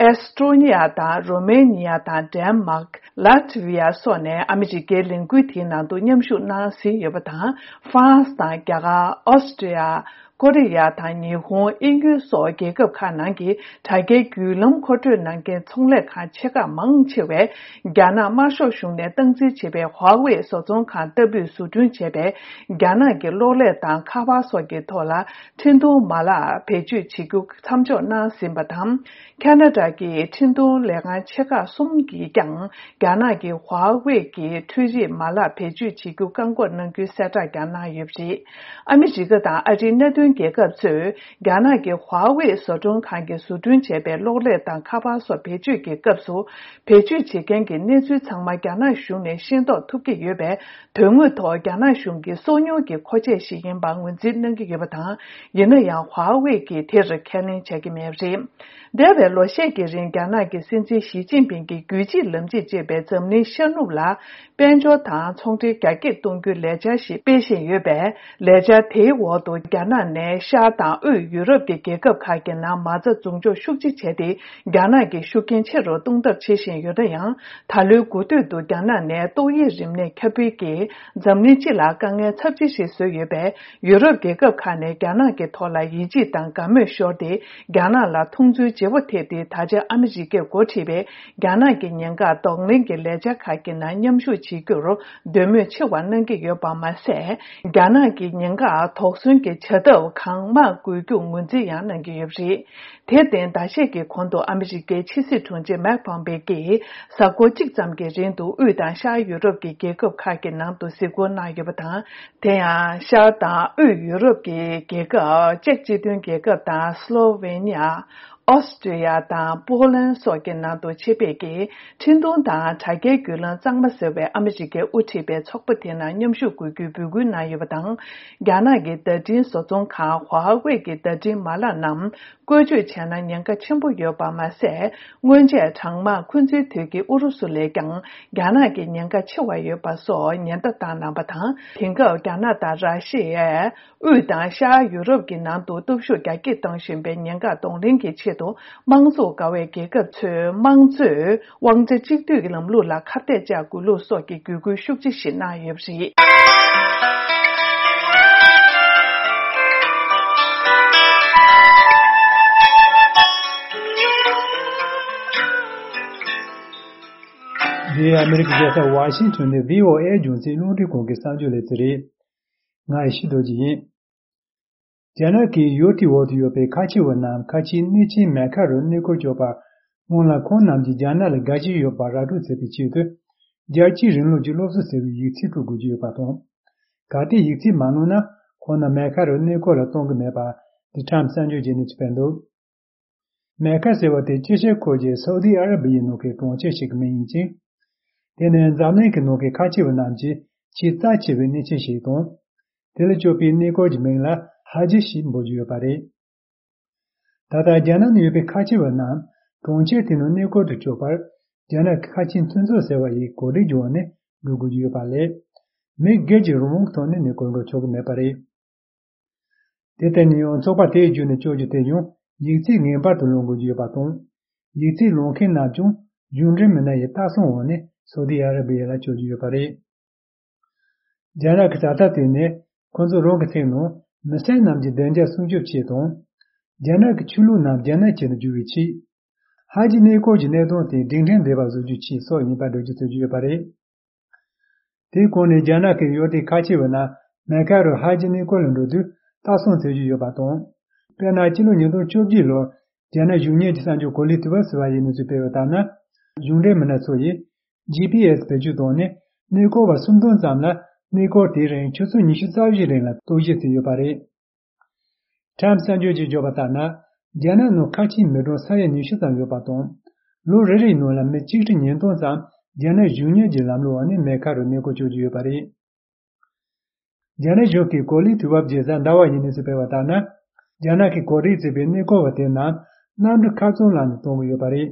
ཨེ་སི་ཀྲོ་ནི་ཡ་དང་རོ་མེ་ནི་ཡ་དང་ཌེན་མཱག་ལ་ཏི་ཝི་ཡ་སོགས་ནས་ཨ་མི་རི་ཀའི་ལས་འགུལ་དེའི་ནང་དུ་མཉམ་ཞུགས་གནང་ཟིན་ཡོད་པ་དང་། ཧྥ་རན་སི་དང་རྒྱ་གར། ཨོ་སི་ཀྲི་ཡ། ཀོ་རི་ཡ་དང་ཉི་ཧོང་། དབྱིན་ཡུལ་སོགས་རྒྱལ་ཁབ་ཁག་ནང་གི་དྲ་རྒྱའི་བརྒྱུད་ལམ་མཁོ་སྤྲོད་གནང་མཁན་ཚོང་ལས་ཁང་ཆེ་ཁག་མང་ཆེ་བས། རྒྱ་ནག་དམར་ཤོག་གཞུང་ནས་སྟངས་འཛིན་བྱེད་པའི་ཧྭ་ཝེ་བཟོ་ཚོང་ཁང་ལྟ་བུས་བཟོ་སྐྲུན་བྱས་པའི་རྒྱ་ནག་གི་གློག་ཀླད་དང་ཁ་པར་སོགས་ཀྱི་ཐོག་ལ་འཕྲིན་གཏོང་མ་ལག་བེད་སྤྱོད་བྱེད་རྒྱུ་མཚམས་འཇོག་གནང་ཟིན་པ་དང་། ཁ་ན་ཌ་གི་འཕྲིན་གཏོང་ལས་ཁང་ཆེ་ཁག་གསུམ་གྱིས་ཀྱང་རྒྱ་ནག་གི་ཧྭ་ཝེ་གི་འཕྲུལ་རིག་མ་ལག་བེད་སྤྱོད་བྱེད་རྒྱུ་བཀག་འགོག་གནང་རྒྱུའི་གསལ་བསྒྲགས་ཀྱང་གནང་ཡོད་པ་རེད། ཨ་མི་རི་ཀ་དང་ཨ་རིའི་མནའ་མཐུན་རྒྱལ་ཁབ་ཚོས་རྒྱ་ནག་གི་ཧྭ་ཝེ་བཟོ་སྐྲུན་ཁང་གིས་བཟོ་སྐྲུན་བྱས་པའི་གློག་ཀླད་དང་ཁ་པར་སོགས་བེད་སྤྱོད་ཀྱི་སྐབས་སུ། བེད་སྤྱོད་བྱེད་མཁན་གྱི་གནས་ཚུལ་ཚང་མ་རྒྱ་ནག་གཞུང་ནས་ཤེས་རྟོགས་ཐུབ་ཀྱི་ཡོད་པས། དོན་དངོས་ཐོག་རྒྱ་ནག་གཞུང་གི་སོ་ཉུལ་གྱི་མཁོ་ཆས་ཤིག་ཡིན་པར་ངོས་འཛིན་གནང་གི་ཡོད་པ་དང་། ཡིན་ན་ཡང་ཧྭ་ཝེ་གིས་དེར་ཁས་ལེན་བྱ་གི་མེད་པ་རེད། འདས་པའི་ལོ་ཤས་ཀྱི་རིང་རྒྱ་ནག་གི་སྲིད་འཛིན་ཞི་ཅིན་ཕིང་གིས་རྒྱུད་གཅིག་ལམ་གཅིག་ཅེས་པའི་འཛམ་གླིང་ཤར་ནུབ་ལ་དཔལ་འབྱོར་དང་ཚོང་འབྲེལ་རྒྱ་སྐྱེད་གཏོང་རྒྱུའི་ལས་འཆར་ཞིག་སྤེལ་བཞིན་ཡོད་པས། ལས་འཆར་དེའི་འོག་ཏུ་རྒྱ་ནག་ནས་ཤར་དང་དབུས་ཡུ་རོབ་ཀྱི་རྒྱལ་ཁབ་ཁག་གི་ནང་མ་རྩ་འཛུགས་འཇོག་ཤུགས་ཆེ་བྱས་ཏེ། རྒྱ་ནག་གི་ཤུགས་རྐྱེན་ཆེ་རུ་གཏོང་ཐབས་བྱེད་བཞིན་ཡོད་ན་ཡང་། ད་ལོའི་འགོ་སྟོད་དུ་རྒྱ་ནག་ནས་ཏོག་དབྱིབས་རིམས་ནད་ཁྱབ་སྤེལ་གྱིས་འཛམ་གླིང་སྤྱི་ལ་དཀའ་ངལ་ཚབས་ཆེ་ཞིག་བཟོས་ཡོད་པས། ཡུ་རོབ་རྒྱལ་ཁབ་ཁག་ནས་རྒྱ་ནག་གི་ཐོག་ལ་ཡིད་ཆེས་དང་དགའ་མོས་ཤོར་ཏེ། རྒྱ་ནག་ལ་མཐོང་ཚུལ་བརྗེ་པོ་ཐེབས་ཏེ། ད་ཆ་ཨ་མི་རི་ཀས་འགོ་ཁྲིད་པའི་རྒྱ་ནག་གི་ཉེན་ཁ་གདོང་ལེན་གྱི་ལས་འཆར་ཁག་གི་ནང་མཉམ་ཞུགས་བྱེད་རྒྱུར་འདོད་མོས་ཆེ་བ་གནང་གི་ཡོད་པ་མ་ཟད། རྒྱ་ནག་གི་ཉེན་ཁ་དོགས་ཟོན་གྱི་བྱ་ཐབས་གང་མང་བཀོལ་རྒྱུ་ངོས་འཛིན་ཡང་གནང་གི་ཡོད་པ་རེད། དེར་བརྟེན། ཟླ་ཤས་ཀྱི་གོང་དུ་ཨ་མི་རི་ཀའི་ཕྱི་སྲིད་དྲུང་ཆེ་མེག་པོམ་པེ་ཀྱིས་གཟའ་འཁོར་གཅིག་ཙམ་གྱི་རིང་དུ་དབུས་དང་ཤར་ཡུ་རོབ་ཀྱི་རྒྱལ་ཁབ་ཁག་གི་ནང་དུ་གཟིགས་སྐོར་གནང་ཡོད་པ་དང་། དེ་ཡང་ཤར་དང་དབུས་ཡུ་རོབ་ཀྱི་རྒྱལ་ཁབ་ཅེཀ་སྤྱི་མཐུན་རྒྱལ་ཁབ་དང་སློ་ཝེ་ནི་ཡ། ཨོ་སི་ཀྲི་ཡ་དང་པོ་ལན་སོགས་ཀྱི་ནང་དུ་ཆེད་ཕེབས་ཀྱིས་འཕྲིན་གཏོང་དང་དྲ་རྒྱའི་བརྒྱུད་ལམ་གཙང་མ་ཟེར་བའི་ཨ་མི་རི་ཀས་དབུ་ཁྲིད་པའི་ཚོགས་པ་དེ་ནང་མཉམ་ཞུགས་དགོས་རྒྱུའི་འབོད་སྐུལ་གནང་ཡོད་པ་དང་། རྒྱ་ནག་གི་བརྡ་འཕྲིན་བཟོ་ཚོང་ཁང་ཧྭ་ཝེ་གི་བརྡ་འཕྲིན་མ་ལག་རྣམས། བཀོལ་སྤྱོད་བྱས་ན་ཉེན་ཁ་ཆེན་པོ་ཡོད་པ་མ་ཟད། སྔོན་ཆད་གྲང་དམག་འཁོན་འཛིན་དུས་ཀྱི་ཨུ་རུ་སུ་ལས་ཀྱང་རྒྱ་ནག་གི་ཉེན་ཁ་ཆེ་བ་ཡོད་པ་སོགས་ཉེན་བརྡ་བཏང་གནང་བ་དང་། དེང་སྐབས་རྒྱ་ནག་དང་ར་ཤི་ཡས་དབུས་དང་ཤར་ཡུ་རོབ་ཀྱི་ནང་དུ་སྟོབས་ཤུགས་རྒྱ་སྐྱེད་གཏོང་བཞིན་པའི་ཉེན་ཁ་གདོང་ལེན་གྱི་ཆེད་དུ། དམངས་གཙོ་དགའ་བའི་རྒྱལ་ཁབ་ཚོས་དམངས་གཙོའི་དབང་ཆ་གཅིག་སྡུད་ཀྱི་ལམ་ལུགས་ལ་ཁ་གཏད་གཅོག་དགོས་ལུགས་སོགས་ཀྱི་བརྒྱུད་སྐུལ་ཤུགས་ཆེ་ཞིག་གནང་ཡོད་པ་རེད། འདི་ཨ་མི་རི་ཀའི་རྒྱལ་ས་ཝ་ཤིང་ཊོན་ནས་བྷི་ཨོ་ཨེ་རྒྱང་སྲིང་རླུང་འཕྲིན་ཁང་གི་གསར་འགྱུར་ལས་ཚན་རེད། ང་ཡེ་ཤེས་རྡོ་རྗེ་ཡིན། རྒྱ་ནག་གིས་ཡུལ་དེའི་འོག་ཏུ་ཡོད་པའི་ཁ་ཆེ་བ་རྣམས་ཁ་ཆེའི་གནས་ཆེན་མེ་ཁ་རུ་གནས་སྐོར་སྐྱོད་པར། སྔོན་ལ་ཁོང་རྣམས་ཀྱིས་རྒྱ་ནག་ལ་དགའ་ཞེན་ཡོད་པར་ར་སྤྲོད་བྱེད་པའི་ཆེད་དུ། རྒྱལ་སྤྱིའི་རིང་ལུགས་ཀྱི་སློབ་གསོ་ཟེར་བའི་ཡིག་ཚད་སྤྲོད་དགོས་ཀྱི་ཡོད་པ་དང་། གལ་ཏེ་ཡིག་ཚད་མ་ལོན་ན། ཁོང་རྣམས་མེ་ཁ་རུ་གནས་སྐོར་ལ་གཏོང་གི་མེད་པ། The Times་གསར་འགྱུར་གྱི་གནས་ཚུལ་སྤེལ་འདུག་མེ་ཁ་ཟེར་བ་དེ་དཀྱིལ་ཤར་ཁུལ་གྱི་སའུ་ཏི་ཨ་ར་བི་ཡའི་ནང་གི་གྲོང་ཁྱེར་ཞིག་གི་མིང་ཡིན་ཅིང་། དེ་ནི་འཛམ་གླིང་གི་ནང་གི་ཁ་ཆེ་བ་རྣམས་ཀྱི་ཆེས་རྩ་ཆེ་བའི་གནས་ཆེན་ཞིག་དང་། དེ་ལ་སྤྱོད་པའི་གནས་སྐོར་གྱི་མིང་ལ་ཧ་ཇི་ཞེས་འབོད་ཀྱི་ཡོད་པ་རེད། ད་ལྟ་རྒྱ་ནག་ནང་ཡོད་པའི་ཁ་ཆེ་བ་རྣམས་གྲོང་ཁྱེར་དེ་ནང་གནས་སྐོར་དུ་བསྐྱོད་པར། རྒྱ་ནག་གི་ཁ་ཆེའི་མཐུན་ཚོགས་ཟེར་བ་ཡི་གོ་སྒྲིག་བྱུང་བ་ནས་འགྲོ་དགོས་ཀྱི་ཡོད་པ་ལས། མི་སྒེར་གྱི་རང་དབང་གི་ཐོག་ནས་གནས་སྐོར་འགྲོ་ཆོག་གི་མེད་པ་རེད། དེ་ལྟར་ཡིན་ཡང་ཚོགས་པ་དེའི་བརྒྱུད་ནས་བསྐྱོད་རྒྱུ་དེ་ཡང་ཡིག་ཚད་ངེས་པར་དུ་ལོན་དགོས་ཀྱི་ཡོད་པ་དང་། ཡིག་ཚད་ལོན་མཁན་རྣམས་ཀྱང་གཞུང་འབྲེལ་མི་སྣ་ཡི་ལྟ་སྲུང་འོག་ནས་སོ་ཏི་ཨ་ར་བི་ཡ་ལ་བསྐྱོད་ཀྱི་ཡོད་པ་རེད། རྒྱ་ནག་གི་བྱ་ཐབས་དེ་ནི་ཁོ་ཚོ་རང་གི་ཚིག་ནང་མི་སེར་རྣམས་ཀྱི་བདེ་འཇགས་སྲུང་སྐྱོབ་ཆེད་དང་། རྒྱ་ནག་གི་ཆོས་ལུགས་རྣམས་རྒྱ་ནག་ཅན་དུ་བསྒྱུར་བའི་ཆེད། ཧ་ཇི་གནས་སྐོར་གྱི་གནད་དོན་དེ་སྒྲིག་ཁྲིམས་ལྡན་པ་བཟོ་རྒྱུའི་ཆེད་སོགས་ཡིན་པར་འགྲེལ་བརྗོད་བྱེད་ཀྱི་ཡོད་པ་རེད། དེའི་གོང་ནས་རྒྱ་ནག་གི་ཡུལ་དེའི་ཁ་ཆེ་བ་རྣམས་མེ་ཁ་རུ་ཧ་ཇི་གནས་སྐོར་ལ་འགྲོ་དུས་ལྟ་སྲུང་བྱེད་ཀྱི་ཡོད་པ་དང་། དཔེར་ན་ཕྱི་ལོ་ཉིས་སྟོང་བཅོ་བརྒྱད་ལོར་རྒྱ་ནག་གཞུང་གཉེར་གྱི་གསར་འགྱུར་གོ་ལི་ཏི་བ་ཟེར་བ་ཡི་གནས་ཚུལ་སྤེལ་བ་ལྟར་ན། གཞུང་འབྲེལ་མི་སྣ་ཚོ་ཡིས་ཇི་པི་ཨེ་སི་བེད་སྤྱོད་བཏང་ནས་གནས་སྐོར་བ་སུམ་སྟོང་ཙམ་ལ་གནས་སྐོར་དེའི་རིང་ཆུ་ཚོད་ཉི་ཤུ་རྩ་བཞི་རིང་ལ་རྟོག་ཞིབ་བྱས་ཡོད་པ་རེད། ཁྲམ་གསར་འགྱུར་གྱིས་བརྗོད་པ་ལྟར་ན། རྒྱ་ནག་ནང་ཁ་ཆེའི་མི་གྲངས་ས་ཡ་ཉི་ཤུ་ཙམ་ཡོད་པ་དང་། ལོ་རེ་རེའི་ནང་ལ་མི་གཅིག་ཁྲི་ཉིས་སྟོང་ཙམ་ རྒྱ་ནག་གཞུང་གཉེར་གྱི་ལམ་ལུགས་འོག་ནས་མེ་ཁ་རུ་གནས་སྐོར་སྐྱོད་ཀྱི་ཡོད་པ་རེད། རྒྱ་ནག་གཞུང་གིས་གོ་ལའི་དུས་བབ་རྒྱལ་ས་ཟླ་བ་ཡི་གནས་ཚུལ་སྤེལ་བ་ལྟར་ན། རྒྱ་ནག་གིས་གོ་ལའི་རྩིག་པའི་གནས་སྐོར་བ་དེ་རྣམས་གནམ་གྲུ་ཁག་ཚང་ལམ་ནས་གཏོང་གི་ཡོད་པ་རེད།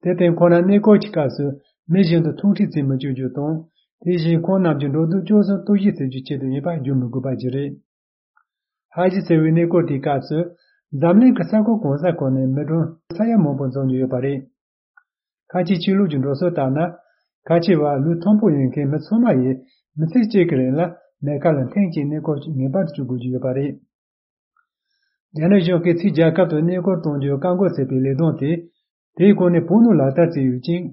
དེར་བརྟེན་ཁོང་རྣམས་གནས་སྐོར་གྱི་སྐབས་སུ་མི་གཞན་དང་ཐུག་འཕྲད་བྱེད་མི་བཅུག་རྒྱུ་དང་། དེ་བཞིན་ཁོང་རྣམས་ཀྱི་འགྲོ་འདུག་སྤྱོད་གསུམ་གཏོར་བཤིག་བྱེད་རྒྱུའི་ཆེད་དུ་ཡིན་པ་བརྗོད་མི་དགོས་པ་ཞིག་རེད། ཧ་ཇི་ཟེར་བའི་གནས་སྐོར་དེའི་སྐབས་སུ། འཛམ་གླིང་གི་ས་ཁུལ་གང་ས་ཁོ་ནས་མི་གྲངས་ས་ཡ་མང་པོ་འཛོམས་ཀྱི་ཡོད་པ་རེད། ཁ་ཆེའི་ཆོས་ལུགས་ཀྱི་འགྲོ་སྲོལ་ལྟར་ན། ཁ་ཆེ་བ་ལུས་ཐོན་པོ་ཡིན་མཁན་མི་ཚང་མ་ཡིས་མི་ཚེ་གཅིག་གི་རིང་ལ་མེ་ཁ་ལ་ཐེངས་གཅིག་གནས་སྐོར་ངེས་པར་དུ་བྱེད་དགོས་ཀྱི་ཡོད་པ་རེད། རྒྱ་ནག་གཞུང་གིས་ཕྱིའི་རྒྱལ་ཁབ་ཏུ་གནས་སྐོར་གཏོང་རྒྱུའི་བཀག་འགོག་བྱེད་པའི་ལས་དོན་དེ། དེའི་སྒོ་ནས་བོད་ནང་ལག་བསྟར་བྱས་ཡོད་ཅིང་།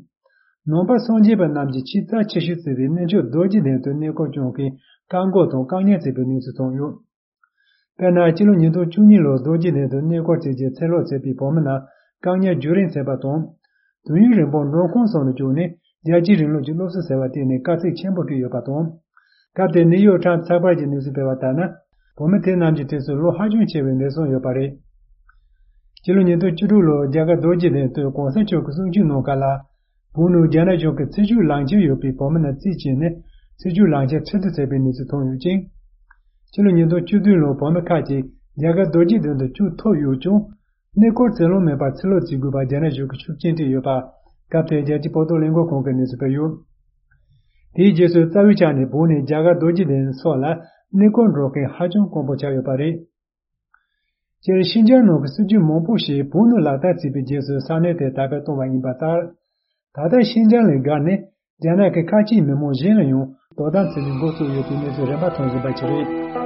ནང་པ་སངས་རྒྱས་པ་རྣམས་ཀྱི་ཆེས་རྩ་ཆེ་ཤོས་ཟེར་བའི་གནས་མཆོག་རྡོ་རྗེ་གདན་དུ་གནས་སྐོར་སྐྱོང་མཁན་བཀག་འགོག་དང་བཀག་ཉར་བྱས་པའི་གནས་ཚུལ་ཐོན་ཡོད། དཔེར་ན། སྤྱི་ལོ་ཉིས་སྟོང་བཅུ་གཉིས་ལོར་རྡོ་རྗེ་གདན་དུ་གནས་སྐོར་བྱེད་རྒྱུ་ཚུར་ལོག་བྱས་པའི་བོད་མི་རྣམས་བཀག་ཉར་བརྒྱུད་རིམ་བྱས་པ་དང་། དུས་ཡུན་རིང་པོར་མགྲོན་ཁང་སོགས་ནས་བསྐྱོད་ནས་རྒྱལ་གཅེས་རིང་ལུགས་ཀྱི་སློབ་གསོ་ཟེར་བ་སྤྲད་ནས་དཀའ་ཚེགས་ཆེན་པོ་སྤྲད་ཡོད་པ་དང་། སྐབས་དེར་ནིའུ་ཡོག་ཊའིམ་ཚགས་པར་གྱིས་གནས་ཚུལ་སྤེལ་བ་ལྟར་ན། བོད་མི་དེ་རྣམས་ཀྱི་གྲས་སུ་ལོ་ཧ་ཅང་ཆེ་བའི་འདས་གསོན་ཡོད་པ་རེད། སྤྱི་ལོ་ཉིས་སྟོང་བཅུ་དྲུག་ལོར་རྒྱ་གར་རྡོ་རྗེ་གདན་དུ་གོང་ས་མཆོག་གི་གསུང་ཆོས་གནང་སྐབས་ལ། བོད་ནང་རྒྱ་ནག་གཞུང་གིས་ཚུར་བཅུག་ལག་འཁྱེར་ཡོད་པའི་བོད་མི་རྣམས་རྩིས་བྱས་ནས་ཚུར་བཅུག་ལག་འཁྱེར་འཕྲལ་སེལ་བྱས་པའི་གནས་ཚུལ་ཐོན་ཡོད་ཅིང་། ཕྱི་ལོ་ཉིས་སྟོང་བཅུ་བདུན་ལོར་བོད་མི་ཁག་ཅིག་རྒྱ་གར་རྡོ་རྗེ་གདན་དུ་བཅུག་ཐུབ་ཡོད་ཀྱང་། གནས་སྐོར་འཚར་ལོངས་མེད་པར་ཕྱིར་ལོག་བྱེད་དགོས་པར་རྒྱ་ནག་གཞུང་གིས་ཤུགས་རྐྱེན་སྤྲད་ཡོད་པ། སྐབས་དེར་རྒྱལ་སྤྱིའི་བོད་དོན་ལས་འགུལ་ཁང་གིས་གནས་ཚུལ་སྤེལ་ཡོད། དེའི་རྗེས་སུ་རྩ་བའི་ཆ་ནས་བོད་ནས་རྒྱ་གར་རྡོ་རྗེ་གདན་སོགས་ལ་གནས་སྐོར་འགྲོ་མཁན་ཧ་ཅང་དཀོན་པོ་ཆགས་ཡོད་པ་རེད། སྤྱིར་ཤིན་ཅང་ནང་གི་སྲིད་ཇུས་མང་པོ་ཞིག་བོད་ནང་ལག་བསྟར་བྱས་པའི་རྗེས་སུ་ས་གནས་དེར་དར་སྤེལ་བཏང་བ་ཡིན་པ་ལྟར། ད་ལྟ་ཤིན་ཅང་ལས་བརྒལ་ནས་རྒྱ་ནག་གི་ཁ་ཆེའི་མི་མང་གཞན་ལ་ཡང་དོ་དམ་བྱེད་ལས་འགོ་བཙུགས་ཡོད་པའི་གནས་ཚུལ་རིམ་པ་ཐོན་བཞིན་པ་ཞིག་རེད།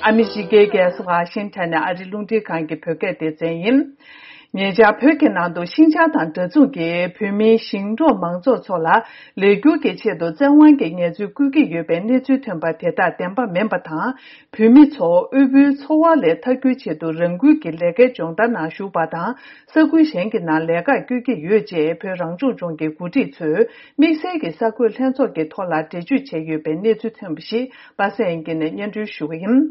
ཨ་མི་རི་ཀའི་རྒྱལ་ས་ཝ་ཤིང་ཊོན་ནས་ཨ་རིའི་རླུང་འཕྲིན་ཁང་གི་བོད་སྐད་སྡེ་ཚན་ཡིན། ཉེ་ཆར་བོད་ཀྱི་ནང་དུ་ཤིན་ཅང་དང་འདྲ་མཚུངས་ཀྱི་བོད་མིའི་ཞིང་འབྲོག་མང་ཚོགས་ཚོ་ལ་ལས་འཁྱུར་གྱི་ཆེད་དུ་བཙན་དབང་གིས་ངལ་རྩོལ་བསྐུལ་གྱི་ཡོད་པའི་གནས་ཚུལ་ཐོན་པ་དེ་དག་བདེན་པ་མིན་པ་དང་། བོད་མི་ཚོ་དབུལ་པོའི་འཚོ་བ་ལས་ཐར་རྒྱུའི་ཆེད་དུ་རང་འགུལ་གྱིས་ལས་ཀའི་སྦྱོང་བརྡར་ནང་ཞུགས་པ་དང་། ས་ཁུལ་གཞན་གྱི་ནང་ལས་ཀར་བསྐྱོད་ཀྱི་ཡོད་ཅེས་བོད་རང་སྐྱོང་ལྗོངས་ཀྱི་འགོ་ཁྲིད་ཚོས་དམིགས་བསལ་གྱི་གསར་འགོད་ལྷན་ཚོགས་ཀྱི་ཐོག་ལ་འགྲེལ་བརྗོད་བྱས་ཡོད་པའི་གནས་ཚུལ་ཐོན་པ་ཞིག་པ་སངས་དབྱངས་སྐྱིད་ནས་སྙན་སྒྲོན་ཞུ་གི་ཡིན།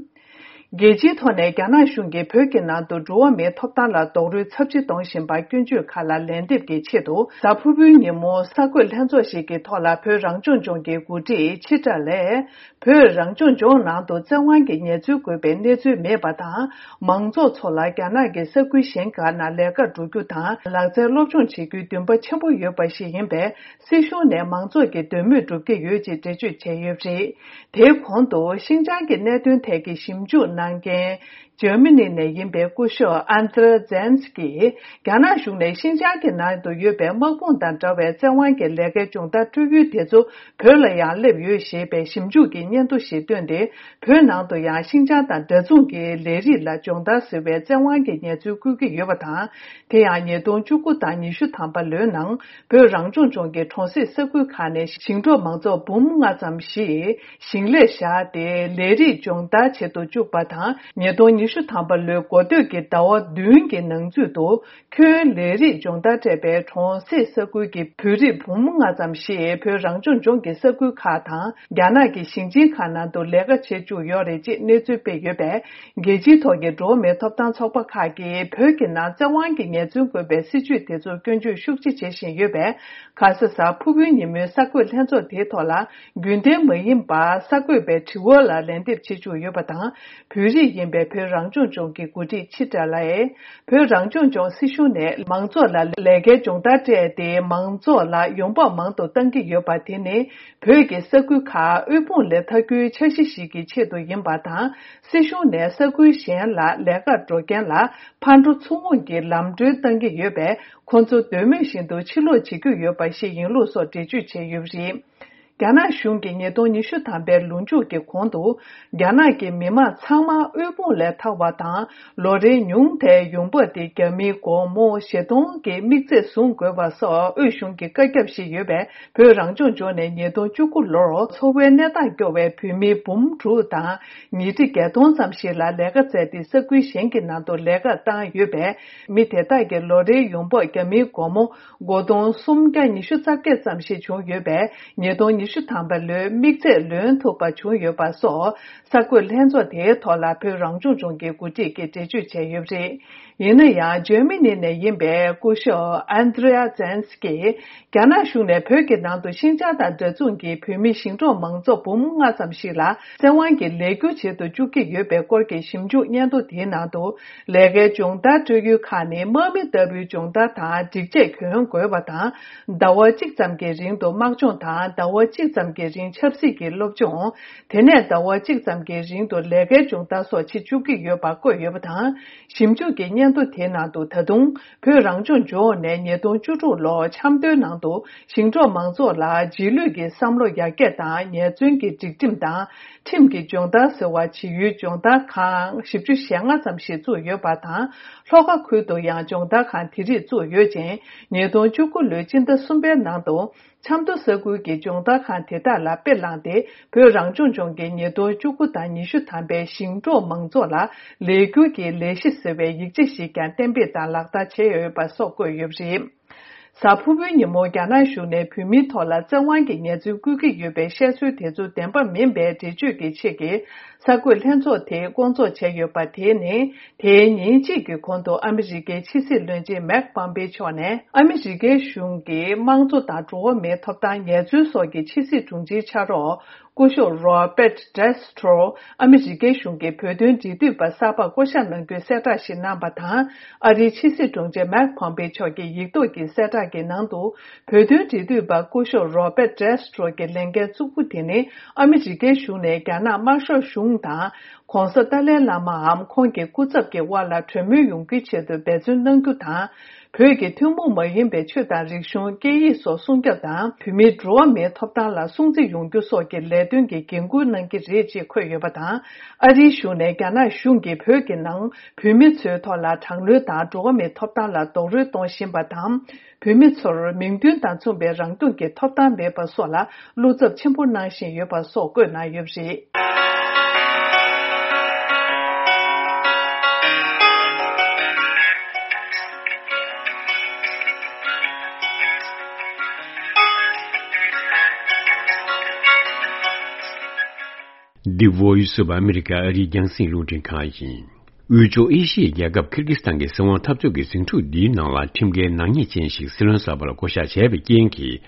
རྒྱལ་སྤྱིའི་ཐོག་ནས་རྒྱ་ནག་གཞུང་གིས་བོད་ཀྱི་ནང་དུ་འགྲོ་བ་མིའི་ཐོབ་ཐང་ལ་རྡོག་རོལ་ཚབས་ཆེ་གཏོང་བཞིན་པར་སྐྱོན་བརྗོད་ཁག་ལ་ལན་འདེབས་ཀྱི་ཆེད་དུ། གཟའ་ཕུར་བུའི་ཉིན་མོ་གསར་འགོད་ལྷན་ཚོགས་ཤིག་གི་ཐོག་ལ་བོད་རང་སྐྱོང་ལྗོངས་ཀྱི་འགོ་ཁྲིད་ཆི་ཏྲ་ལས། བོད་རང་སྐྱོང་ལྗོངས་ནང་དུ་བཙན་དབང་གིས་ངལ་རྩོལ་དགོས་པའི་གནས་ཚུལ་མེད་པ་དང་། མང་ཚོགས་ཚོ་ལ་རྒྱ་ནག་གི་ས་ཁུལ་གཞན་ཁག་ནང་ལས་ཀར་འགྲོ་རྒྱུ་དང་། ལག་རྩལ་སློབ་སྦྱོང་བྱེད་རྒྱུའི་འདུན་པ་ཆེན་པོ་ཡོད་པ་ཞིག་ཡིན་པས། སྲིད་གཞུང་ནས་མང་ཚོགས་ཀྱི་འདོད་མོས་སྒྲུབ་ཀྱི་ཡོད་ཅེས་འགྲེལ་བརྗོད་བྱས་ཡོད་པ་རེད། དེའི་གོང་དུ་ཤིན་ཅང་གི་གནད་དོན་ཐད་ཀྱི་ཞིབ་འཇུག་གནང་མཁན། འཇར་མ་ནི་ནས་ཡིན་པའི་སྐུ་ཞབས་ཨན་ཏྲ་ཛན་སི་ཀྱིས། རྒྱ་ནག་གཞུང་ནས་ཤིན་ཅང་གི་ནང་དུ་ཡོད་པའི་དམག་དཔུང་དང་འདྲ་བའི་བཙན་དབང་གི་ལས་ཀའི་སྦྱོང་བརྡར་སྤྲོད་ཡུལ་དེ་ཚོ་བོད་ལ་ཡང་སླེབས་ཡོད་ཞེས་པའི་ཞིབ་འཇུག་གི་སྙན་ཐོ་ཞིག་བཏོན་ཏེ། བོད་ནང་དུ་ཡང་ཤིན་ཅང་དང་འདྲ་མཚུངས་ཀྱི་ལས་རིགས་ལ་སྦྱོང་བརྡར་ཟེར་བའི་བཙན་དབང་གི་ངལ་རྩོལ་བསྐུལ་གྱི་ཡོད་པ་དང་། དེ་ཡང་ཉིས་སྟོང་བཅུ་དགུ་དང་ཉི་ཤུ་ཐམ་པ་ལོའི་ནང་བོད་རང་སྐྱོང་ལྗོངས་ཀྱི་གྲོང་གསེབ་ས་ཁུལ་ཁག་ནས་ཞིང་འབྲོག་མང་ཚོགས་འབུམ་ལྔ་ཙམ་ཞིག་ཞིང་ལས་བཞག་སྟེ་ལས་རིགས་སྦྱོང་བརྡར་བྱེད་དུ་བཅུག་པ་དང་། ཉིས་སྟོང་ཉི་ཤུ་ཐམ་པ་ལོའི་འགོ་སྟོད་ཀྱི་ཟླ་བ་བདུན་གྱི་ནང་ཚུད་དུ། ཁྱོན་ལས་རིགས་སྦྱོང་བརྡར་སྤྲད་པའི་གྲོང་གསེབ་ས་ཁུལ་གྱི་བོད་རིགས་འབུམ་ལྔ་ཙམ་ཞིག་བོད་རང་སྐྱོང་ལྗོངས་ཀྱི་ས་ཁུལ་ཁག་དང་། རྒྱ་ནག་གི་ཞིང་ཆེན་ཁག་ནང་དུ་ལས་ཀ་བྱེད་བཅུག་ཡོད་རེད་ཅེས་གནས་ཚུལ་སྤེལ་ཡོད་པས། རྒྱལ་སྤྱིའི་ཐོག་གི་འགྲོ་བ་མིའི་ཐོབ་ཐང་ཚོགས་པ་ཁག་གིས་བོད་ཀྱི་ནང་བཙན་དབང་གིས་ངལ་རྩོལ་དགོས་པའི་སྲིད་བྱུས་དེ་ཚོར་སྐྱོན་བརྗོད་ཤུགས་ཆེ་བྱེད་བཞིན་ཡོད་པས། ཁ་ས་གཟའ་ཕུར་བུའི་ཉིན་མོའི་གསར་འགོད་ལྷན་ཚོགས་དེའི་ཐོག་ལ། རྒྱུན་ལྡན་མ་ཡིན་པར་གསར་འགོད་པའི་དྲི་བ་ལ་ལན་འདེབས་བྱེད་བཅུག་ཡོད་པ་དང་། བོད་རིགས་ཡིན་པའི་བོད་རང་སྐྱོང་ལྗོངས་ཀྱི་འགོ་ཁྲིད་ཆི་ཏྲ་ལའེ། བོད་རང་སྐྱོང་ལྗོངས་སྲིད་གཞུང་ནས་མང་ཚོགས་ལ་ལས་ཀའི་སྦྱོང་བརྡར་སྤྲད་དེ། མང་ཚོགས་ལ་ཡོང་འབབ་མང་དུ་གཏང་གི་ཡོད་པ་དེ་ནི། བོད་ཀྱི་ས་ཁུལ་ཁག་དབུལ་ཕོངས་ལས་ཐར་རྒྱུའི་འཆར་གཞི་ཞིག་གི་ཆེད་དུ་ཡིན་པ་དང་། སྲིད་གཞུང་ནས་ས་ཁུལ་གཞན་ལ་ལས་ཀར་འགྲོ་མཁན་ལ་ཕར་འགྲོ་ཚུར་འོང་གི་ལམ་གྲོན་གཏང་གི་ཡོད་པས། ཁོང་ཚོ་འདོད་མོས་བཞིན་དུ་ཕྱིར་ལོག་བྱེད་རྒྱུ་ཡོད་པ་ཞིག་ཡིན་ལུགས་སོགས་འགྲེལ་བརྗོད་བྱས་ཡོད་པ་རེད། རྒྱ་ནག་གཞུང་གིས་ཉིས་སྟོང་ཉི་ཤུ་ཐམ་པའི་ལོ་མཇུག་གི་གོང་དུ། རྒྱ་ནག་གི་མི་མང་ཚང་མ་དབུལ་ཕོངས་ལས་ཐར་བ་དང་། ལོ་རེའི་ཉུང་མཐའི་ཡོང་འབབ་དེ་རྒྱ་མིའི་སྒོར་མོ་བཞི་སྟོང་གི་དམིགས་ཚད་བཟུང་དགོས་པ་སོགས་དབུས་གཞུང་གི་བཀའ་ཁྱབ་བཞེས་ཡོད་པས། བོད་རང་སྐྱོང་ལྗོངས་ནས་ཉིས་སྟོང་བཅུ་དགུ་ལོར་འཚོ་བའི་གནས་སྟངས་སྐྱོ་བའི་བོད་མི་འབུམ་དྲུག་དང་ཉིས་ཁྲི་བརྒྱད་སྟོང་ཙམ་ཞིག་ལ་ལས་ཀ་བཙལ་ཏེ། ས་ཁུལ་གཞན་གྱི་ནང་དུ་ལས་ཀར་བཏང་ཡོད་པས། མི་དེ་དག་གི་ལོ་རེའི་ཡོང་འབབ་རྒྱ་མིའི་སྒོར་མོ་སྒོར་སྟོང་སུམ་བརྒྱ་ཉི་ཤུ་རྩ་བརྒྱད་ཙམ་ཞིག་བྱུང་ཡོད་པས། ཉིས་སྟོང་ཉི་ཤུ་ཐམ་པ་ལོའི་དམིགས་ཚད་ལོན་ཐུབ་པ་བྱུང་ཡོད་པ་སོགས། གསར་འགོད་ལྷན་ཚོགས་དེའི་ཐོག་ལ་བོད་རང་སྐྱོང་ལྗོངས་ཀྱི་འགོ་ཁྲིད་ཀྱིས་འགྲེལ་བརྗོད་བྱས་ཡོད་པ་རེད། ཡིན་ན་ཡང་། འཇར་མ་ནི་ནས་ཡིན་པའི་སྐུ་ཞབས་ཨན་དྲེ་ཡ་ཛན་སི་ཀིས། རྒྱ་ནག་གཞུང་ནས་བོད་ཀྱི་ནང་དུ་ཤིན་ཅང་དང་འདྲ་མཚུངས་ཀྱི་བོད་མི་ཞིང་འབྲོག་མང་ཚོགས་འབུམ་ལྔ་ཙམ་ཞིག་ལ་བཙན་དབང་གིས་ལས་སྒྱུར་བྱེད་དུ་བཅུག་གི་ཡོད་པའི་སྐོར་གྱི་ཞིབ་འཇུག་སྙན་ཐོ་དེའི་ནང་དུ། ལས་ཀའི་སྦྱོང་བརྡར་སྤྲོད་ཡུལ་ཁག་ནི་དམག་མི་ལྟ་བུའི་སྦྱོང་བརྡར་དང་སྒྲིག་ཆས་གྱོན་དགོས་པ་དང་། ཟླ་བ་གཅིག་ཙམ་གྱི་རིང་དུ་དམག་སྦྱོང་དང་། ཟླ་བ་གཅིག་ཙམ་གྱི་རིང་ཆབ་སྲིད་ཀྱི་སློབ་སྦྱོང་། དེ་ནས་ཟླ་བ་གཅིག་ཙམ་གྱི་རིང་དུ་ལས་ཀའི་སྦྱོང་བརྡར་སོགས་བྱེད་བཅུག་གི་ཡོད་པ་བཀོད་ཡོད་པ་དང་། ཞིབ་འཇུག་གི་སྙན་ཐོ་དེའི་ནང་དུ། ད་དུང་བོད་རང་སྐྱོང་ལྗོངས་ནས་ཉིས་སྟོང་བཅུ་དྲུག་ལོ་འཆམ་མཐུན་ནང་དུ་ཞིང་འབྲོག་མང་ཚོགས་ལ་རྗེས་ལུས་ཀྱི་བསམ་བློ་ཡར་རྒྱས་དང་ཉེས་བཙུན་གྱི་སྒྲིག་ཁྲིམས་དང་ཁྲིམས་ཀྱི་སྦྱོང་བརྡར་ཟེར་བ་བྱེད་ཡུལ་སྦྱོང་བརྡར་ཁང་བཞི་བཅུ་ཞེ་ལྔ་ཙམ་ཞིག་བཙུགས་ཡོད་པ་དང་། ལྷོ་ཁ་ཁུལ་དུ་ཡང་སྦྱོང་བརྡར་ཁང་དེ་རིགས་བཙུགས་ཡོད་ཅིང་། ཉིས་སྟོང་བཅུ་དགུ་ལོའི་སྤྱི་ཟླ་གསུམ་པའི་ནང་དུ། ཆབ་མདོ་ས་ཁུལ་གྱི་སྦྱོང་བརྡར་ཁང་དེ་དག་ལ་དཔེ་བླངས་ཏེ། བོད་རང་སྐྱོང་ལྗོངས་ཀྱི་ཉིས་སྟོང་བཅུ་དགུ་དང་ཉི་ཤུ་ཐམ་པའི་ཞིང་འབྲོག་མང་ཚོགས་ལ་ལས་སྒྱུར་གྱི་ལས་གཞི་ཟེར་བའི་ཡིག་ཆ་ཞིག་ཀྱང་གཏན་འབེབས་དང་ལག་བསྟར་བྱས་ཡོད་པ་སོགས་བཀོད་ཡོད་པ་རེད། གཟའ་ཕུར་བུའི་ཉིན་མོ་རྒྱ་ནག་གཞུང་ནས་བོད་མིའི་ཐོག་ལ་བཙན་དབང་གིས་ཉེས་འཛུགས་བཀོད་ཀྱི་ཡོད་པའི་བཤད་སྲོལ་དེ་ཚོ་བདེན་པ་མིན་པའི་འགྲེལ་བརྗོད་ཀྱི་ཆེད་ཀྱི་གསར་འགོད་ལྷན་ཚོགས་དེ་བསྐོང་ཚོགས་བྱས་ཡོད་པ་དེ་ནི། དེའི་ཉིན་གཅིག་གི་གོང་དུ་ཨ་མི་རི་ཀའི་ཕྱི་སྲིད་བློན་ཆེན་མེག་པོམ་པེ་མཆོག་ནས། ཨ་མི་རི་ཀའི་གཞུང་གིས་དམངས་གཙོ་དང་འགྲོ་བ་མིའི་ཐོབ་ཐང་ངལ་རྩོལ་སོགས་ཀྱི་ཕྱི་སྲིད་དྲུང་ཆེའི་ཕྱག་རོགས། སྐུ་ཞབས་རོ་པེ་ཊི་ཌེ་སི་ཊོ། ཨ་མི་རི་ཀའི་གཞུང་གི་བོད་དོན་འབྲེལ་མཐུད་པ་གསར་པར་བསྐོ་གཞག་གནང་རྒྱུའི་གསལ་བསྒྲགས་ཤིག་གནང་བ་དང་། ཨ་རིའི་ཕྱི་སྲིད་དྲུང་ཆེ་མེག་པོམ་པེ་མཆོག་གི་ཡིག་ཐོག་གི་གསལ་བསྒྲགས་ཀྱི་ནང་དུ། བོད་དོན་འབྲེལ་མཐུད་པ་སྐུ་ཞབས་རོ་པེ་ཊི་ཌེ་སི་ཊོ་གི་ལས་འགན་གཙོ་བོ་དེ་ནི། ཨ་མི་རི་ཀའི་གཞུང་ནས་རྒྱ་ནག་དམར་ཤོག་གཞུང་དང་། ྋགོང་ས་ཏཱ་ལའི་བླ་མའམ་ཁོང་གི་སྐུ་ཚབ་ཀྱི་དབར་ལ་གྲོས་མོལ་ཡོང་རྒྱུའི་ཆེད་དུ་འབད་བརྩོན་གནང་རྒྱུ་དང་། བོད་ཀྱི་ཐུན་མོང་མ་ཡིན་པའི་ཆོས་དང་རིག་གཞུང་། སྐད་ཡིག་སོགས་སྲུང་སྐྱོབ་དང་། བོད་མིའི་འགྲོ་བ་མིའི་ཐོབ་ཐང་ལ་སྲུང་བརྩི་ཡོང་རྒྱུ་སོགས་ཀྱི་ལས་དོན་གྱི་འགན་འཁུར་གནང་གི་རེད་ཅེས་འཁོད་ཡོད་པ་དང་། ཨ་རིའི་གཞུང་ནས་རྒྱ་ནག་གཞུང་གིས་བོད་ཀྱི་ནང་བོད་མི་ཚོའི་ཐོག་ལ་དྲག་གནོན་དང་འགྲོ་བ་མིའི་ཐོབ་ཐང་ལ་རྡོག་རོལ་གཏོང་བཞིན་པ་དང་། བོད་མི་ཚོར་མིང་དོན་དང་མཚུངས་པའི་རང་སྐྱོང་གི་ཐོབ་ཐང་མེད་པ་སོགས་ལ་བློ་འཚབ་ཆེན་པོ་གནང་བཞིན་ཡོད་པ་སོགས་བཀོད་གནང་ཡོད་པ་རེད། The Voice of America ཨ་རིའི་རྒྱང་སྲིང་རླུང་འཕྲིན་ཁང་ཡིན། དབུས་ཕྱོགས་ཨེ་ཤི་ཡའི་རྒྱལ་ཁབ་ཁིར་གི་སི་ཐན་གྱི་སྲིད་དབང་འཐབ་རྩོད་ཀྱི་ཟིང་འཁྲུག་འདིའི་ནང་ལ་ཁྲིམས་འགལ་ནག་ཉེས་ཅན་ཞིག་སྲིད་བློན་གསར་པ་ལ་བསྐོ་གཞག་བྱས་པའི་རྐྱེན་གྱིས།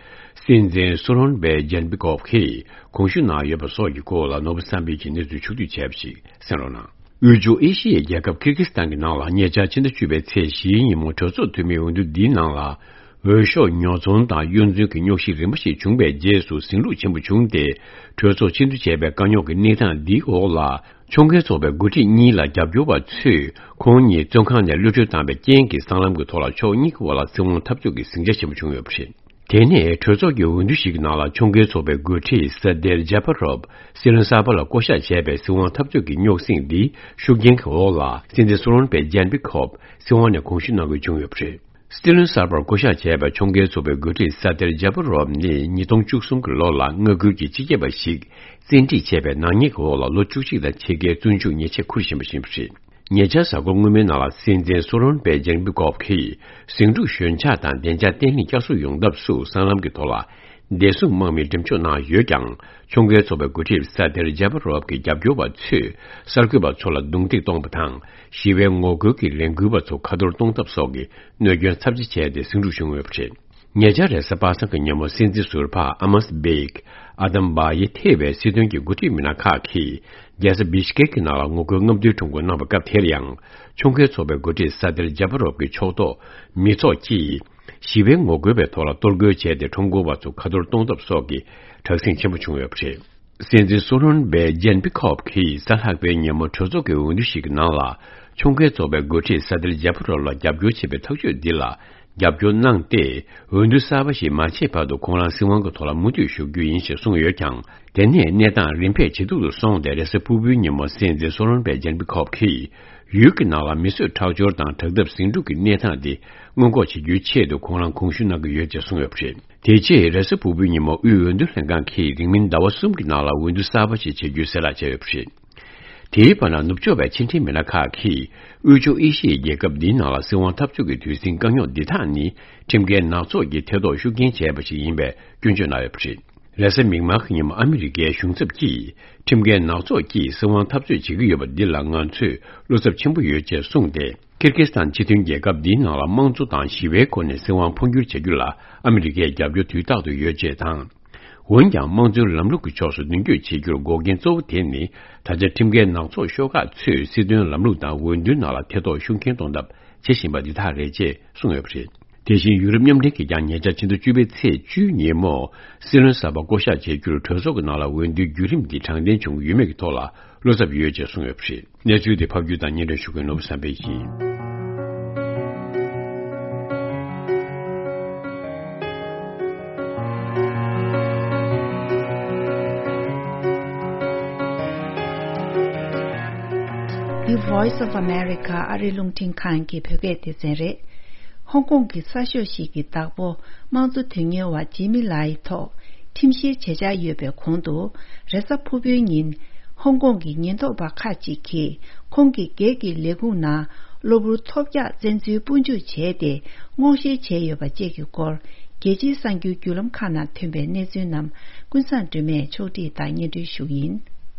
སྲིད་འཛིན་སུ་རོན་བྷེ་ཇན་པི་ཀོབ་ཀྱིས་དགོངས་ཞུ་གནང་ཡོད་པ་སོགས་ཀྱི་སྐོར་ལ་ནོར་བུ་བསམ་འཕེལ་གྱིས་གནས་ཚུལ་ཕྱོགས་བསྡུས་བྱས་པ་ཞིག་གསན་རོགས་གནང་། དབུས་ཕྱོགས་ཨེ་ཤི་ཡའི་རྒྱལ་ཁབ་ཁིར་གི་སི་ཐན་གྱི་ནང་ལ་ཉེ་ཆར་ཕྱི་ཟླ་བཅུ་པའི་ཚེས་བཞིའི་ཉིན་མོ་གྲོས་ཚོགས་འཐུས་མིའི་འོས་བསྡུ་འདིའི་ནང་ལ། འོས་ཤོག་ཉོ་ཚོང་དང་གཡོ་འཛུལ་གྱི་རྙོག་གཞི་རིམ་པ་ཞིག་བྱུང་བའི་རྗེས་སུ་ཟིང་འཁྲུག་ཆེན་པོ་བྱུང་སྟེ། གྲོས་ཚོགས་ཕྱིར་འཐེན་བྱས་པའི་དཀའ་རྙོག་གི་གནས་སྟངས་འདིའི་འོག་ལ། ཕྱོགས་འགལ་ཚོགས་པའི་འགོ་ཁྲིད་གཉིས་ལ་རྒྱབ་སྐྱོར་བ་ཚོས་ཁོང་གཉིས་བཙོན་ཁང་ནས་གློད་གྲོལ་བཏང་བའི་རྐྱེན་གྱིས། སྲང་ལམ་གྱི་ཐོག་ལ་ཕྱོགས་གཉིས་ཀྱི་དབར་ལ་སྲིད་དབང་འཐབ་རྩོད་ཀྱི་ཟིང་ཆ་ཆེན་པོ་བྱུང་ཡོད་པ་རེད། དེ་ནས་གྲོས་ཚོགས་ཀྱི་འོས་བསྡུ་ཞིག་གི་ནང་ལ་ཕྱོགས་འགལ་ཚོགས་པའི་འགོ་ཁྲིད་ས་དེར་ཇཱ་པ་རོབ་སྲིད་བློན་གསར་པ་ལ་བསྐོ་གཞག་བྱས་པའི་སྲིད་དབང་འཐབ་རྩོད་ཀྱི་རྙོག་ཟིང་འདི་ཤུགས་རྐྱེན་གྱི་འོག་ལ། སྲིད་འཛིན་སུ་རོན་བྷེ་ཇན་པི་ཁོབ་སྲིད་དབང་ནས་དགོངས་ཞུ་གནང་དགོས་བྱུང་ཡོད་པ་རེད། སྲིད་བློན་གསར་པར་བསྐོ་གཞག་བྱས་པའི་ཕྱོགས་འགལ་ཚོགས་པའི་འགོ་ཁྲིད་ས་དེར་ཇཱ་པ་རོབ་ནི་ཉིས་སྟོང་བཅུ་གསུམ་གྱི་ལོ་ལ་མངའ་ཁུལ་གྱི་སྤྱི་ཁྱབ་པ་ཞིག་བཙན་ཁྲིད་བྱས་པའི་ནག་ཉེས་ཀྱི་འོག་ལ་ལོ་བཅུ་གཅིག་དང་ཕྱེད་ཀའི་བཙོན་འཇུག་ཉེས་ཆད་འཁུར་བཞིན་པ་ཡིན་པ་རེད། ཉེ་ཆར་གཟའ་འཁོར་སྔོན་མའི་ནང་ལ་སྲིད་འཛིན་སུ་རོན་བྷེ་ཇན་པི་ཀོབ་ཀྱིས་ཟིང་འཁྲུག་ཞོད་འཇགས་དང་བདེ་འཇགས་བརྟན་ལྷིང་བསྐྱར་གསོ་ཡོང་ཐབས་སུ་སྲང་ལམ་གྱི་ཐོག་ལ་བདེ་སྲུང་དམག་མི་འགྲེམས་འཇོག་གནང་ཡོད་ཀྱང་། ཕྱོགས་འགལ་ཚོགས་པའི་འགོ་ཁྲིད་ས་དེར་ཇཱ་པ་རོབ་ཀྱི་རྒྱབ་སྐྱོར་བ་ཚོས་གསར་འགོད་པ་ཚོ་ལ་རྡུང་རྡེག་གཏོང་བ་དང་། ཞི་བའི་ངོ་རྒོལ་གྱི་ལས་འགུལ་བ་ཚོ་ཁ་ཐོར་གཏོང་ཐབས་སོགས་ཀྱི་གནོད་སྐྱོན་ཚབས་ཆེ་བྱས་ཏེ་ཟིང་འཁྲུག་བྱུང་ཡོད་པ་རེད། ཉེ་ཆར་རེས་གཟའ་པ་སངས་ཀྱི་ཉིན་མོ་སྲིད་འཛིན་ཟུར་པ་ཨ་མཱས་བྷེ་ཨ་དམ་བྷ་ཡེ་ཐེ་བའི་སྲིད་དོན་གྱི་འགོ་ཁྲིད་མི་སྣ་ཁག་གིས་རྒྱལ་ས་བི་ཤ་ཀེ་གི་ནང་ལ་ངོ་རྒོལ་རྔམ་སྟོན་ཁྲོམ་སྐོར་གནང་བའི་སྐབས་དེར་ཡང་། ཕྱོགས་འགལ་ཚོགས་པའི་འགོ་ཁྲིད་ས་དེར་ཇཱ་པ་རོབ་ཀྱི་ཕྱོགས་གཏོགས་མི་ཚོགས་ཀྱིས་ཞི་བའི་ངོ་རྒོལ་བའི་ཐོག་ལ་གཏོར་རྒོལ་བྱས་ཏེ། ཁྲོམ་སྐོར་བ་ཚོ་ཁ་ཐོར་གཏོང་ཐབས་སོགས་ཀྱི་དྲག་ཟིང་ཆེན་པོ་བྱུང་ཡོད་པ་རེད། སྲིད་འཛིན་སུ་རོན་བྷེ་ཇན་པི་ཁོབ་ཀྱིས་གཟའ་ལྷག་པའི་ཉིན་མོ་གྲོས་ཚོགས་ཀྱི་འོས་བསྡུ་ཞིག་གི་ནང་ལ། ཕྱོགས་འགལ་ཚོགས་པའི་འགོ་ཁྲིད་ས་དེར་ཇཱ་པ་རོབ་ལ་རྒྱབ་སྐྱོར་བྱེད་པའི་ཐག་གཅོད་འདི་ལ། རྒྱབ་སྐྱོར་གནང་སྟེ། འོས་བསྡུ་གསར་པ་ཞིག་མ་བྱས་བར་དུ་ཁོང་རང་སྲིད་དབང་གི་ཐོག་ལ་མུ་མཐུད་བཞུགས་རྒྱུ་ཡིན་ཞེས་གསུངས་ཡོད་ཀྱང་། དེ་ནས་གནས་སྟངས་རིམ་པས་ཇེ་སྡུག་ཏུ་སོང་སྟེ། རེས་གཟའ་ཕུར་བུའི་ཉིན་མོ་སྲིད་འཛིན་སོ་ལོན་པེ་ཇན་པི་ཁོབ་ཀྱིས། ཡུལ་གྱི་ནང་ལ་མི་གསོད་ཁྲག་སྦྱོར་དང་དྲག་འཐབ་ཟིང་འཁྲུག་གི་གནས་སྟངས་དེ་སྔོན་འགོག་བྱེད་རྒྱུའི་ཆེད་དུ་ཁོང་རང་དགོངས་ཞུ་གནང་གི་ཡོད་ཅེས་གསུངས་ཡོད་པ་རེད། དེ་རྗེས་རེས་གཟའ་ཕུར་བུའི་ཉིན་མོ་དབུས་འོས་བསྡུ་ལྷན་ཁང་གིས་རིང་མིན་ཟླ་བ་གསུམ་གྱི་ནང་ལ་འོས་བསྡུ་གསར་པ་ཞིག་བྱེད་རྒྱུའི་གསལ་བསྒྲགས་བྱས་ཡོད་པ་རེད། དེའི་བར་ན་ནུབ་ཕྱོགས་པའི་ཕྱི་འབྲེལ་མི་སྣ་ཁག་གིས། དབུས་ཕྱོགས་ཨེ་ཤི་ཡའི་རྒྱལ་ཁབ་འདིའི་ནང་ལ་སྲིད་དབང་འཐབ་རྩོད་ཀྱི་དུས་ཟིང་དཀའ་རྙོག་འདི་དག་ནི། ཁྲིམས་འགལ་ནག་ཚོགས་ཀྱིས་ཐེ་གཏོགས་ཤུགས་རྐྱེན་བྱས་པ་ཞིག་ཡིན་པའི་སྐྱོན་བརྗོད་གནང་ཡོད་པ་རེད། རེས་གཟའ་མིག་དམར་གྱི་ཉིན་མོ་ཨ་མི་རི་ཀའི་གཞུང་ཚབ་ཀྱིས། ཁྲིམས་འགལ་ནག་ཚོགས་ཀྱིས་སྲིད་དབང་འཐབ་རྩོད་བྱེད་ཀྱི་ཡོད་པ་འདི་ལ་ང་ཚོས་བློ་འཚབ་ཆེན་པོ་ཡོད་ཅེས་གསུངས་ཏེ། ཀིར་ཀིས་ཐན་སྤྱི་མཐུན་རྒྱལ་ཁབ་འདིའི་ནང་ལ་དམངས་གཙོ་དང་ཞི་བའི་སྒོ་ནས་སྲིད་དབང་འཕོ་འགྱུར་བྱ་རྒྱུ་ལ་ཨ་མི་རི་ཀས་རྒྱབ་སྐྱོར་དུས་རྟག་ཏུ་ཡོད་ཅེས་དང་། འོན་ཀྱང་། དམངས་གཙོའི་ལམ་ལུགས་ཀྱི་ཕྱོགས་སུ་མདུན་སྐྱོད་བྱེད་རྒྱུར་འགོག་རྐྱེན་གཙོ་བོ་དེ་ནི། ད་ཆ་ཁྲིམས་འགལ་ནག་ཚོགས་ཤོག་ཁག་ཚོས་སྲིད་དོན་ལམ་ལུགས་དང་འོས་བསྡུའི་ནང་ལ་ཐེ་གཏོགས་ཤུགས་རྐྱེན་གཏོང་ཐབས་བྱེད་བཞིན་པ་འདི་དག་རེད་ཅེས་གསུངས་ཡོད་པ་རེད། དེ་བཞིན་ཡུ་རོབ་མཉམ་འབྲེལ་གྱིས་ཀྱང་ཉེ་ཆར་ཕྱི་ཟླ་བཅུ་པའི་ཚེས་བཅུའི་ཉིན་མོ། སྲིད་བློན་གསར་པ་བསྐོ་གཞག་བྱེད་རྒྱུར་གྲོས་ཚོགས་ཀྱི་ནང་ལ་འོས་བསྡུའི་བརྒྱུད་རིམ་འདི་དྲང་བདེན་བྱུང་ཡོད་མེད་ཀྱི་ཐོག་ལ་བློ་འཚབ་ཡོད་ཅེས་གསུངས་ཡོད་པ་རེད། གནས་ཚུལ་དེ་ཕབ་སྒྱུར་དང་སྙན་སྒྲོན་ཞུ་མཁན་ནོར་བུ་བསམ་འཕེལ་ཡིན། The Voice of America ཨ་རིའི་རླུང་འཕྲིན་ཁང་གི་བོད་སྐད་སྡེ་ཚན་རེད། ཧོང་ཀོང་གི་གསར་ཤོག་ཞིག་གི་བདག་པོ་དམངས་གཙོ་དོན་གཉེར་བ་ཇི་མི་ལའི་ཐོག་ཁྲིམས་བཤེར་བྱེད་འཆར་ཡོད་པའི་གོང་དུ། རེས་གཟའ་ཕུར་བུའི་ཉིན། ཧོང་ཀོང་གི་ཉེན་རྟོག་པ་ཁག་ཅིག་གིས་ཁོང་གི་སྒེར་གྱི་ལས་ཁུངས་ནང་གློ་བུར་ཐོལ་རྒྱག་བཙན་འཛུལ་སྤོ་འཇུག་བྱས་ཏེ། སྔོག་བཤེར་བྱས་ཡོད་པ་བཅས་ཀྱི་སྐོར། རྒྱལ་སྤྱིའི་གསར་འགྱུར་བརྒྱུད་ལམ་ཁག་ནང་ཐོན་པའི་གནས་ཚུལ་རྣམས་ཀུན་བཟང་སྒྲོལ་མས་ཕྱོགས་སྒྲིག་དང་སྙན་སྒྲོན་ཞུ་གི་ཡིན།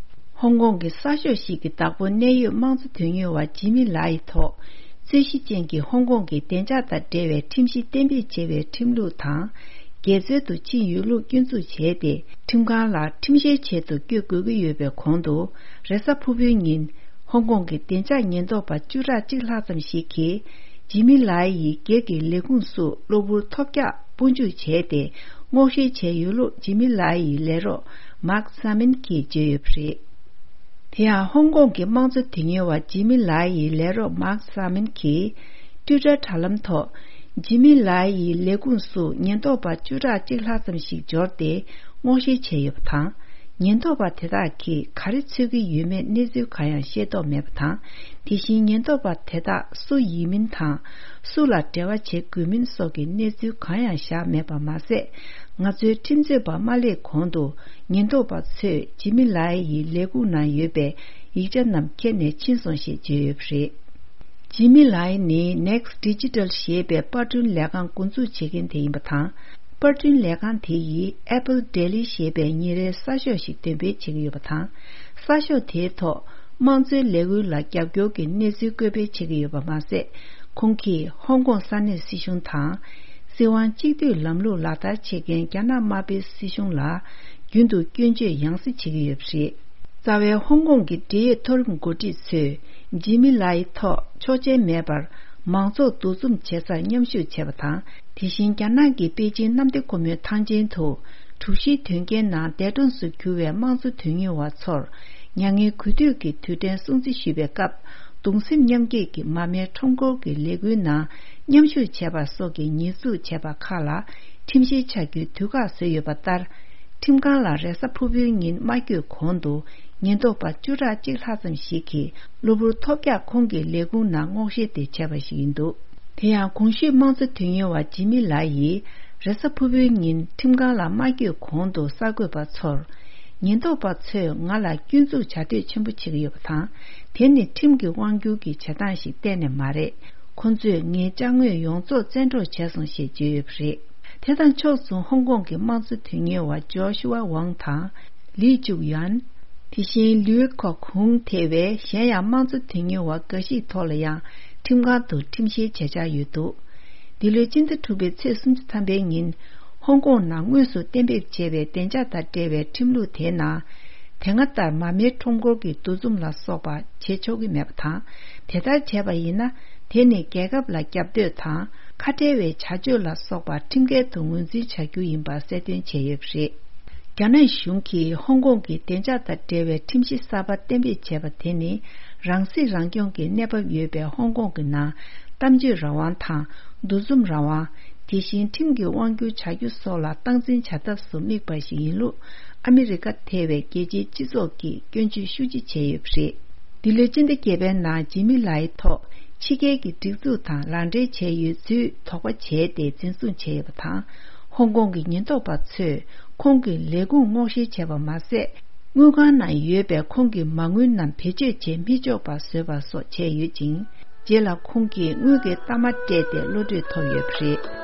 ཧོང་ཀོང་གི་གསར་ཤོག་ཞིག་གི་བདག་པོ་གནད་ཡོད་དམངས་གཙོ་དོན་གཉེར་བ་ཇི་མི་ལའི་ཐོག་རྩོད་གཞི་ཅན་གྱི་ཧོང་ཀོང་གི་བདེ་འཇགས་དང་འབྲེལ་བའི་ཁྲིམས་གཞི་གཏན་འབེབས་བྱས་པའི་ཁྲིམས་ལུགས་དང་། འགལ་འཛོལ་དུ་ཕྱིན་ཡོད་ལུགས་སྐྱོན་འཛུགས་བྱས་ཏེ། ཁྲིམས་ཁང་ལ་ཁྲིམས་བཤེར་ཆེད་དུ་བསྐྱོད་དགོས་ཀྱི་ཡོད་པའི་གོང་དུ། རེས་གཟའ་ཕུར་བུའི་ཉིན། ཧོང་ཀོང་གི་བདེ་འཇགས་ཉེན་རྟོག་པ་བཅུ་ཕྲག་གཅིག་ལྷག་ཙམ་ཞིག་གིས། ཇི་མི་ལའི་ཡི་སྒེར་གྱི་ལས་ཁུངས་སུ་གློ་བུར་ཐོལ་རྒྱག་སྤོ་འཇུག་བྱས་ཏེ། སྔོག་བཤེར་བྱས་ཡོད་ལུགས་ཇི་མི་ལའི་ཡི་ལས་རོགས་མཱག་ས་མིན་གྱིས་བརྗོད་ཡོད་པ་རེད། དེ་ཡང་ཧོང་ཀོང་གི་དམངས་གཙོ་དོན་གཉེར་བ་ཇི་མི་ལའི་ཡི་ལས་རོགས་མཱག་ས་མིན་གྱིས། ཊུའི་ཊར་དྲ་ལམ་ཐོག་ཇི་མི་ལའི་ཡི་ལས་ཁུངས་སུ་ཉེན་རྟོག་པ་བཅུ་ཕྲག་གཅིག་ལྷག་ཙམ་ཞིག་འབྱོར་ཏེ། སྔོག་བཤེར་བྱས་ཡོད་པ་དང་། ཉེན་རྟོག་པ་དེ་དག་གིས་ག་རེ་འཚོལ་གྱི་ཡོད་མེད་གནས་ཚུལ་གང་ཡང་ཤེས་རྟོགས་མེད་པ་དང་། དེ་བཞིན་ཉེན་རྟོག་པ་དེ་དག་སུ་ཡིན་མིན་དང་། སུ་ལ་འབྲེལ་བ་བྱེད་དགོས་མིན་སོགས་ཀྱི་གནས་ཚུལ་གང་ཡང་བཞག་མེད་པ་མ་ཟད། ང་ཚོའི་ཁྲིམས་རྩོད་པ་མ་སླེབས་གོང་དུ། ཉེན་རྟོག་པ་ཚོས་ཇི་མི་ལའི་ཡི་ལས་ཁུངས་ནང་ཡོད་པའི་ཡིག་ཆ་རྣམས་ཁྱེར་ནས་ཕྱིན་སོང་ཞེས་བརྗོད་ཡོད་པ་རེད། ཇི་མི་ལའི་ནི་Next Digital ཞེས་པའི་པར་སྐྲུན་ལས་ཁང་འགོ་འཛུགས་བྱེད་མཁན་དེ་ཡིན་པ་དང་། པར་སྐྲུན་ལས་ཁང་དེ་ཡིས་Apple Daily ཞེས་པའི་ཉིན་རེའི་གསར་ཤོག་ཞིག་འདོན་སྤེལ་བྱེད་ཀྱི་ཡོད་པ་དང་། གསར་ཤོག་དེའི་ཐོག་དམངས་གཙོའི་ལས་འགུལ་ལ་རྒྱབ་སྐྱོར་གྱི་གནས་ཚུལ་བཀོད་སྤེལ་བྱེད་ཀྱི་ཡོད་པ་མ་ཟད། ཁོང་གིས་ཧོང་ཀོང་ས་གནས་སྲིད་གཞུང་དང་། སྲིད་དབང་གཅིག་སྡུད་ལམ་ལུགས་ལག་བསྟར་བྱེད་མཁན་རྒྱ་ནག་དམར་པོའི་སྲིད་གཞུང་ལ་རྒྱུན་དུ་སྐྱོན་བརྗོད་ཡང་སེ་བྱེད་ཀྱི་ཡོད་པ་རེད། རྩ་བའི་ཧོང་ཀོང་གི་འབྲེལ་ཡོད་མཐོ་རིམ་འགོ་ཁྲིད་ཚོས་ཇི་མི་ལའི་ཐོག་ཆོག་མཆན་མེད་པར་མང་ཚོགས་འདུ་འཛོམས་བྱེད་སར་མཉམ་ཞུགས་བྱས་པ་དང་། དེ་བཞིན་རྒྱ་ནག་གི་པེ་ཅིང་གནམ་བདེ་སྒོ་མོའི་ཐང་ཆེན་དུ་གྲུ་བཞིའི་དོན་རྐྱེན་ནང་འདས་གྲོངས་སུ་གྱུར་བའི་དམངས་གཙོ་དོན་གཉེར་བ་ཚོར་མྱ་ངན་གུས་འདུད་ཀྱི་དུས་དྲན་སྲུང་བརྩི་ཞུས་པའི་སྐབས། གདུང་སེམས་མཉམ་སྐྱེད་ཀྱི་མར་མེའི་ཁྲོམ་སྐོར་གྱི་ལས་འགུལ་ནང་མཉམ་ཞུགས་བྱས་པ་སོགས་ཀྱི་ཉེས་འཛུགས་བྱས་པ་ཁག་ལ་ཁྲིམས་བཤེར་བྱ་རྒྱུའི་དུས་བཀག་བཟོས་ཡོད་པ་ལྟར། ཁྲིམས་ཁང་ལ་རེས་གཟའ་ཕུར་བུའི་ཉིན་མ་བསྐྱོད་གོང་དུ་ཉེན་རྟོག་པ་བཅུ་ཕྲག་གཅིག་ལྷག་ཙམ་ཞིག་གིས་གློ་བུར་ཐོལ་རྒྱག་ཁོང་གི་ལས་ཁུངས་ནང་སྔོག་བཤེར་དེ་བྱས་པ་ཞིག་ཡིན་འདུག་དེ་ཡང་གོང་ཞུས་དམངས་གཙོ་དོན་གཉེར་བ་ཇི་མི་ལ་ཡིས་རེས་གཟའ་ཕུར་བུའི་ཉིན་ཁྲིམས་ཁང་ལ་མ་བསྐྱོད་གོང་དུ་གསར་འགོད་པ་ཚོར། ཉེན་རྟོག་པ་ཚོས་ང་ལ་སྐྱོན་འཛུགས་བྱ་འདོད་ཆེན་པོ་བྱེད་ཀྱི་ཡོད་པ་དང་། དེ་ནི་ཁྲིམས་ཀྱི་དབང་སྒྱུར་གྱི་བྱེད་སྟངས་ཤིག་གཏན་ནས་མ་རེད། ཁོ་ཚོས་ངའི་ཅ་དངོས་ཡོངས་རྫོགས་བཙན་འཕྲོག་བྱས་སོང་ཞེས་བརྗོད་ཡོད་པ་རེད། དེ་དང་ཕྱོགས་མཚུངས་ཧོང་ཀོང་གི་དམངས་གཙོ་དོན་གཉེར་བ་ཇོ་ཤུ་ཝ་ཝང་དང་། ལི་ཅུག་ཡན། དེ་བཞིན་ལུའི་ཁོ་ཁུང་ཐེ་བའི་གཞན་ཡང་དམངས་གཙོ་དོན་གཉེར་བ་འགའ་ཞིག་ཐོག་ལ་ཡང་ཁྲིམས་ཁང་དུ་ཁྲིམས་བཤེར་བྱེད་འཆར་ཡོད་འདུག་འདི་ལོའི་སྤྱི་ཟླ་དྲུག་པའི་ཚེས་སུམ་ཅུ་ཐམ་པའི་ཉིན། ཧོང་ཀོང་ནང་དངོས་སུ་གཏན་འབེབས་བྱས་པའི་བདེ་འཇགས་དང་འབྲེལ་བའི་ཁྲིམས་ལུགས་དེའི་ནང་། དེ་སྔ་ལྟར་མར་མེའི་ཁྲོམ་སྐོར་གྱི་འདུ་འཛོམས་ལ་སོགས་པ་བྱེད་ཆོག་གི་མེད་པ་དང་། དེ་ལྟར་བྱས་པ་ཡིན་ན། དེ་ནི་རྒྱལ་ཁབ་ལ་རྒྱབ་གཏོད་དང་། ཁ་བྲལ་བའི་བྱ་སྤྱོད་ལ་སོགས་པ་ཁྲིམས་འགལ་དུ་ངོས་འཛིན་བྱ་རྒྱུ་ཡིན་པ་གསལ་སྟོན་བྱས་ཡོད་པ་རེད། རྒྱ་ནག་གཞུང་གིས་ཧོང་ཀོང་གི་བདེ་འཇགས་དང་འབྲེལ་བའི་ཁྲིམས་གཞི་གསར་པ་གཏན་འབེབས་བྱས་པ་དེ་ནི། རང་སྲིད་རང་སྐྱོང་གི་གནས་བབ་ཡོད་པའི་ཧོང་ཀོང་གི་ནང་། གཏམ་བརྗོད་རང་དབང་དང་། འདུ་འཛོམས་རང་དབང་། དེ་བཞིན་ཁྲིམས་ཀྱི་དབང་སྒྱུར་བྱ་རྒྱུ་སོགས་ལ་སྟངས་འཛིན་བྱ་ཐབས་སུ་དམིགས་པ་ཞིག་ཡིན་ལུགས། ཨ་མི་རི་ཀ་ཐེ་བའི་རྒྱལ་སྤྱིའི་སྤྱི་ཚོགས་ཀྱིས་སྐྱོན་བརྗོད་ཤུགས་ཆེ་བྱས་ཡོད་པ་རེད། འདི་ལོའི་སྤྱི་ཟླ་བརྒྱད་པའི་ནང་ཇི་མི་ལའི་ཐོག་ཕྱི་རྒྱལ་གྱི་སྒྲིག་འཛུགས་དང་ལག་འབྲེལ་བྱས་ཡོད་ཚུལ་དོགས་པ་བྱས་ཏེ་འཛིན་བཟུང་བྱས་ཡོད་པ་དང་། ཧོང་ཀོང་གི་ཉེན་རྟོག་པ་ཚོས་ཁོང་གི་ལས་ཁུངས་སྔོག་བཤེར་བྱས་པ་མ་ཟད། དངུལ་ཁང་ནང་ཡོད་པའི་ཁོང་གི་མ་དངུལ་རྣམས་བེད་སྤྱོད་བྱེད་མི་ཆོག་པ་བཟོས་པ་སོགས་བྱས་ཡོད་ཅིང་། རྗེས་ལ་ཁོང་གིས་དངུལ་གྱི་གཏའ་མ་སྤྲད་དེ་གློད་གྲོལ་ཐོབ་ཡོད་པ་རེད།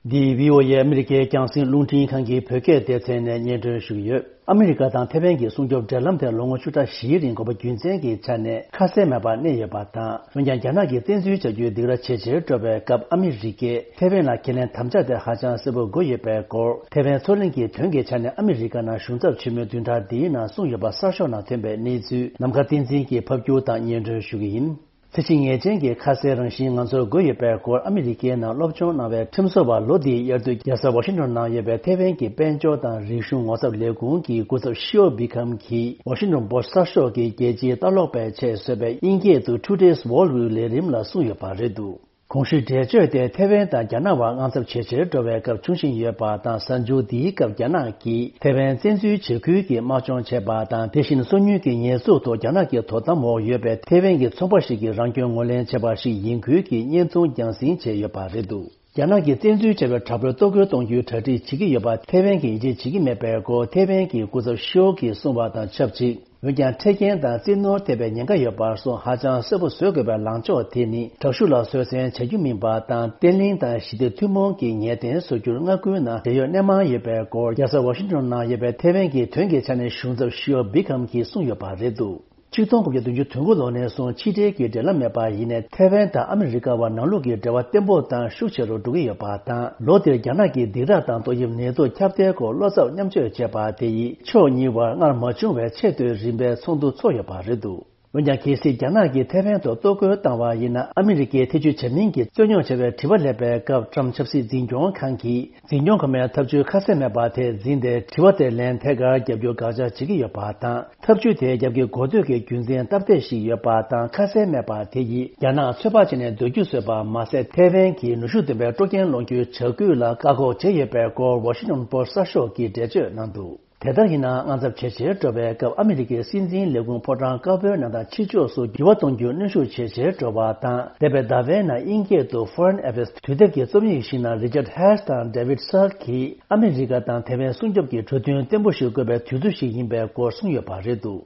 འདི་བྷི་ཨོ་ཨེ་ཨ་མི་རི་ཀའི་རྒྱང་སྲིང་རླུང་འཕྲིན་ཁང་གི་བོད་སྐད་སྡེ་ཚན་ནས་སྙན་སྒྲོན་ཞུ་གི་ཡོད། ཨ་མི་རི་ཀ་དང་ཐེ་ཝན་གྱི་སྲུང་སྐྱོབ་འབྲེལ་ལམ་དེ་ལོ་ངོ་བཅུ་ཕྲག་བཞིའི་རིང་དགོས་པ་རྒྱུ་མཚན་གྱི་ཆ་ནས་ཁ་གསལ་མེད་པར་གནས་ཡོད་པ་དང་། འོན་ཀྱང་རྒྱ་ནག་གིས་བཙན་འཛུལ་བྱ་རྒྱུའི་སྡིགས་ར་ཇེ་ཆེར་འགྲོ་བའི་སྐབས། ཨ་མི་རི་ཀས་ཐེ་ཝན་ལ་ཁས་ལེན་དམ་བཅའ་དེ་ཧ་ཅང་གསལ་པོ་དགོས་ཡོད་པའི་སྐོར། ཐེ་ཝན་མཚོ་གླིང་གི་དོན་གྱི་ཆ་ནས་ཨ་མི་རི་ཀ་ནང་གཞུང་ཚབ་ཆེན་མོའི་བདུན་ཕྲག་འདིའི་ནང་གསུངས་ཡོད་པ་གསར་ཤོག་ནང་ཐོན་པའི་གནས་ཚུལ་ནམ་མཁའ་བསྟན་འཛིན་གྱིས་ཕབ་སྒྱུར་དང་སྙན་སྒྲོན་ཞུ་གི་ཡིན། ཚད་གཞི་ངེས་ཅན་གྱི་ཁ་གསལ་རང་བཞིན་ང་ཚོར་དགོས་ཡོད་པའི་སྐོར། ཨ་མི་རི་ཀའི་ནང་སློབ་སྦྱོང་གནང་བའི་ཁྲིམས་བཟོ་བ་ལོ་འདིའི་དབྱར་དུས་རྒྱལ་ས་ཝ་ཤིང་ཏོན་ནང་ཡོད་པའི་ཐེ་ཝན་གྱི་དཔལ་འབྱོར་དང་རིག་གཞུང་ངོ་ཚབ་ལས་ཁུངས་ཀྱི་སྐུ་ཚབ་ཤིའོ་བི་ཁམ་གྱིས་ཝ་ཤིང་ཏོན་པོ་སི་གསར་ཤོག་གི་རྒྱལ་སྤྱིའི་ལྟ་ཀློག་པའི་ཆེད་བཟོས་པའི་དབྱིན་སྐད་དུ་Today's World་ལས་རིམ་ལ་གསུངས་ཡོད་པ་རེད་འདུག། གོང་ཞུས་འགྲེལ་བརྗོད་དེ་ཐེ་ཝན་དང་རྒྱ་ནག་བར་དངངས་འཚབ་ཇེ་ཆེར་འགྲོ་བའི་སྐབས་བྱུང་བཞིན་ཡོད་པ་དང་། གཟའ་མཇུག་འདིའི་སྐབས་རྒྱ་ནག་གིས་ཐེ་ཝན་བཙན་འཛུལ་བྱེད་ཁུལ་གྱི་དམག་སྦྱོང་བྱས་པ་དང་། དེ་བཞིན་སོ་ཉུལ་གྱི་ཉེས་འཛུགས་ཐོག་རྒྱ་ནག་གི་དོ་དམ་འོག་ཡོད་པའི་ཐེ་ཝན་གྱི་ཚོང་པ་ཞིག་གིས་རང་སྐྱོན་ངོས་ལེན་བྱས་པ་ཞིག་ཡིན་ཁུལ་གྱིས་བརྙན་ཐུང་རྒྱང་སྲིང་བྱས་ཡོད་པ་རེད་འདུག། རྒྱ་ནག་གིས་བཙན་འཛུལ་བྱས་པའི་དྲག་པོའི་གཏོར་རྒོལ་གཏོང་རྒྱུའི་གྲ་སྒྲིག་བྱེད་ཀྱི་ཡོད་པ་ཐེ་ཝན་གྱིས་ཡིད་ཆེས་བྱེད་ཀྱི་མེད་པའི་སྐོར་ཐེ་ཝན་གྱི་སྐུ་ཚབ་ཤིའོ་གིས་གསུངས་པ་དང་ཆབས་ཅིག། འོན་ཀྱང་། འཕྲལ་རྐྱེན་དང་བཙན་གནོན་ཐེབས་པའི་ཉེན་ཁ་ཡོད་པར་སོང་། ཧ་ཅང་གསལ་པོ་བཟོ་དགོས་པའི་ལངས་ཕྱོགས་དེ་ནི། དྲག་ཤུགས་ལ་བཟོད་བསྲན་བྱ་རྒྱུ་མིན་པ་དང་། བརྟན་ལྷིང་དང་ཞི་བདེ་ཐུན་མོང་གི་ངེས་གཏན་བཟོ་རྒྱུར་སྔ་འགྱུར་ནང་འབྲེལ་ཡོད་སྣེ་མང་ཡོད་པའི་སྐོར། རྒྱལ་ས་ཝ་ཤིང་ཏོན་ནང་ཡོད་པའི་ཐེ་ཝན་གྱི་དོན་གྱི་ཆ་ནས་གཞུང་ཚབ་ཤིའོ་བི་ཁམ་གྱིས་གསུངས་ཡོད་པ་རེད་འདུག། ཆིག་སྟོང་དགུ་བརྒྱ་བདུན་ཅུ་དོན་དགུ་ལོ་ནས་བཟུང་ཕྱི་འབྲེལ་གྱི་འབྲེལ་ལམ་མེད་པ་ཡིན་ནའི། ཐེ་ཝན་དང་ཨ་མི་རི་ཀ་བར་ནང་ལུགས་ཀྱི་འབྲེལ་བ་བརྟན་པོ་དང་ཤུགས་ཆེ་རུ་འགྲོ་གི་ཡོད་པ་དང་། ལོ་འདིར་རྒྱ་ནག་གིས་སྡིགས་ར་དང་ཏོག་དབྱིབས་ནད་དུག་ཁྱབ་གདལ་སྐོར་བློ་འཚབ་མཉམ་སྤྱོད་བྱས་པ་དེ་ཡིས། ཕྱོགས་གཉིས་བར་སྔར་མ་བྱུང་བའི་ཆེས་མཐོའི་རིམ་པའི་ཚོགས་འདུ་ཚོགས་ཡོད་པ་རེད་འདུག། འོན་ཀྱང་། གལ་སྲིད་རྒྱ་ནག་གིས་ཐེ་ཝན་ཐོག་གཏོར་རྒོལ་བཏང་བ་ཡིན་ན། ཨ་མི་རི་ཀས་ཐེ་ཇུས་བྱ་མིན་གྱི་རྩོད་རྙོག་ཆེ་བའི་དྲི་བ་སླེབས་པའི་སྐབས། ཊམ་ཆབ་སྲིད་འཛིན་སྐྱོང་ཁང་གིས། འཛིན་སྐྱོང་ཁོ་མའི་ཐབས་ཇུས་ཁ་གསལ་མེད་པ་དེ་འཛིན་ཏེ། དྲི་བ་དེར་ལན་ཐད་ཀར་བརྒྱབ་རྒྱུ་དགག་བྱ་བྱེད་ཀྱི་ཡོད་པ་དང་། ཐབས་ཇུས་དེ་རྒྱབ་ཀྱི་གོ་ཐོས་ཀྱི་རྒྱུ་མཚན་སྟབས་བདེ་ཞིག་ཡོད་པ་དང་། ཁ་གསལ་མེད་པ་དེ་ཡིས་རྒྱ་ནག་ཚོད་དཔག་བྱས་ནས་སྡོད་རྒྱུ་བཟོས་པ་མ་ཟད། ཐེ་ཝན་གྱི་ནུས་ཤུགས་ལྡན་པའི་སྤྲོ་འགེམས་སློང་རྒྱུའི་བྱ་འགུལ་ལ་བཀག་འགོག་བྱས་ཡོད་པའི་སྐོར། ཝ་ཤིང་ཏོན་པོ་སི་གསར་ཤོག་གིས་འགྲེལ་བརྗོད་གནང་འདུག། དེ་ལྟར་ཡིན་ནའང་། དངངས་འཚབ་ཇེ་ཆེར་འགྲོ་བའི་སྐབས། ཨ་མི་རི་ཀའི་སྲིད་འཛིན་ལས་ཁུངས་ཕོ་བྲང་དཀར་པོའི་ནང་དང་ཕྱི་ཕྱོགས་སུ་འགྱུར་བ་གཏོང་རྒྱུར་གནོན་ཤུགས་ཇེ་ཆེར་འགྲོ་བ་དང་། འདས་པའི་ཟླ་བའི་ནང་དབྱིན་སྐད་དུ་Foreign Affairs་དུས་དེབ་ཀྱི་རྩོམ་ཡིག་ཞིག་ནང་Richard Hess་དང་David Sacks་གིས། ཨ་མི་རི་ཀ་དང་ཐེ་ཝན་སྲུང་སྐྱོབ་ཀྱི་གྲོས་མཐུན་བརྟན་པོ་ཞིག་དགོས་པའི་དུས་ཚོད་ཞིག་ཡིན་པའི་སྐོར་གསུངས་ཡོད་པ་རེད་འདུག།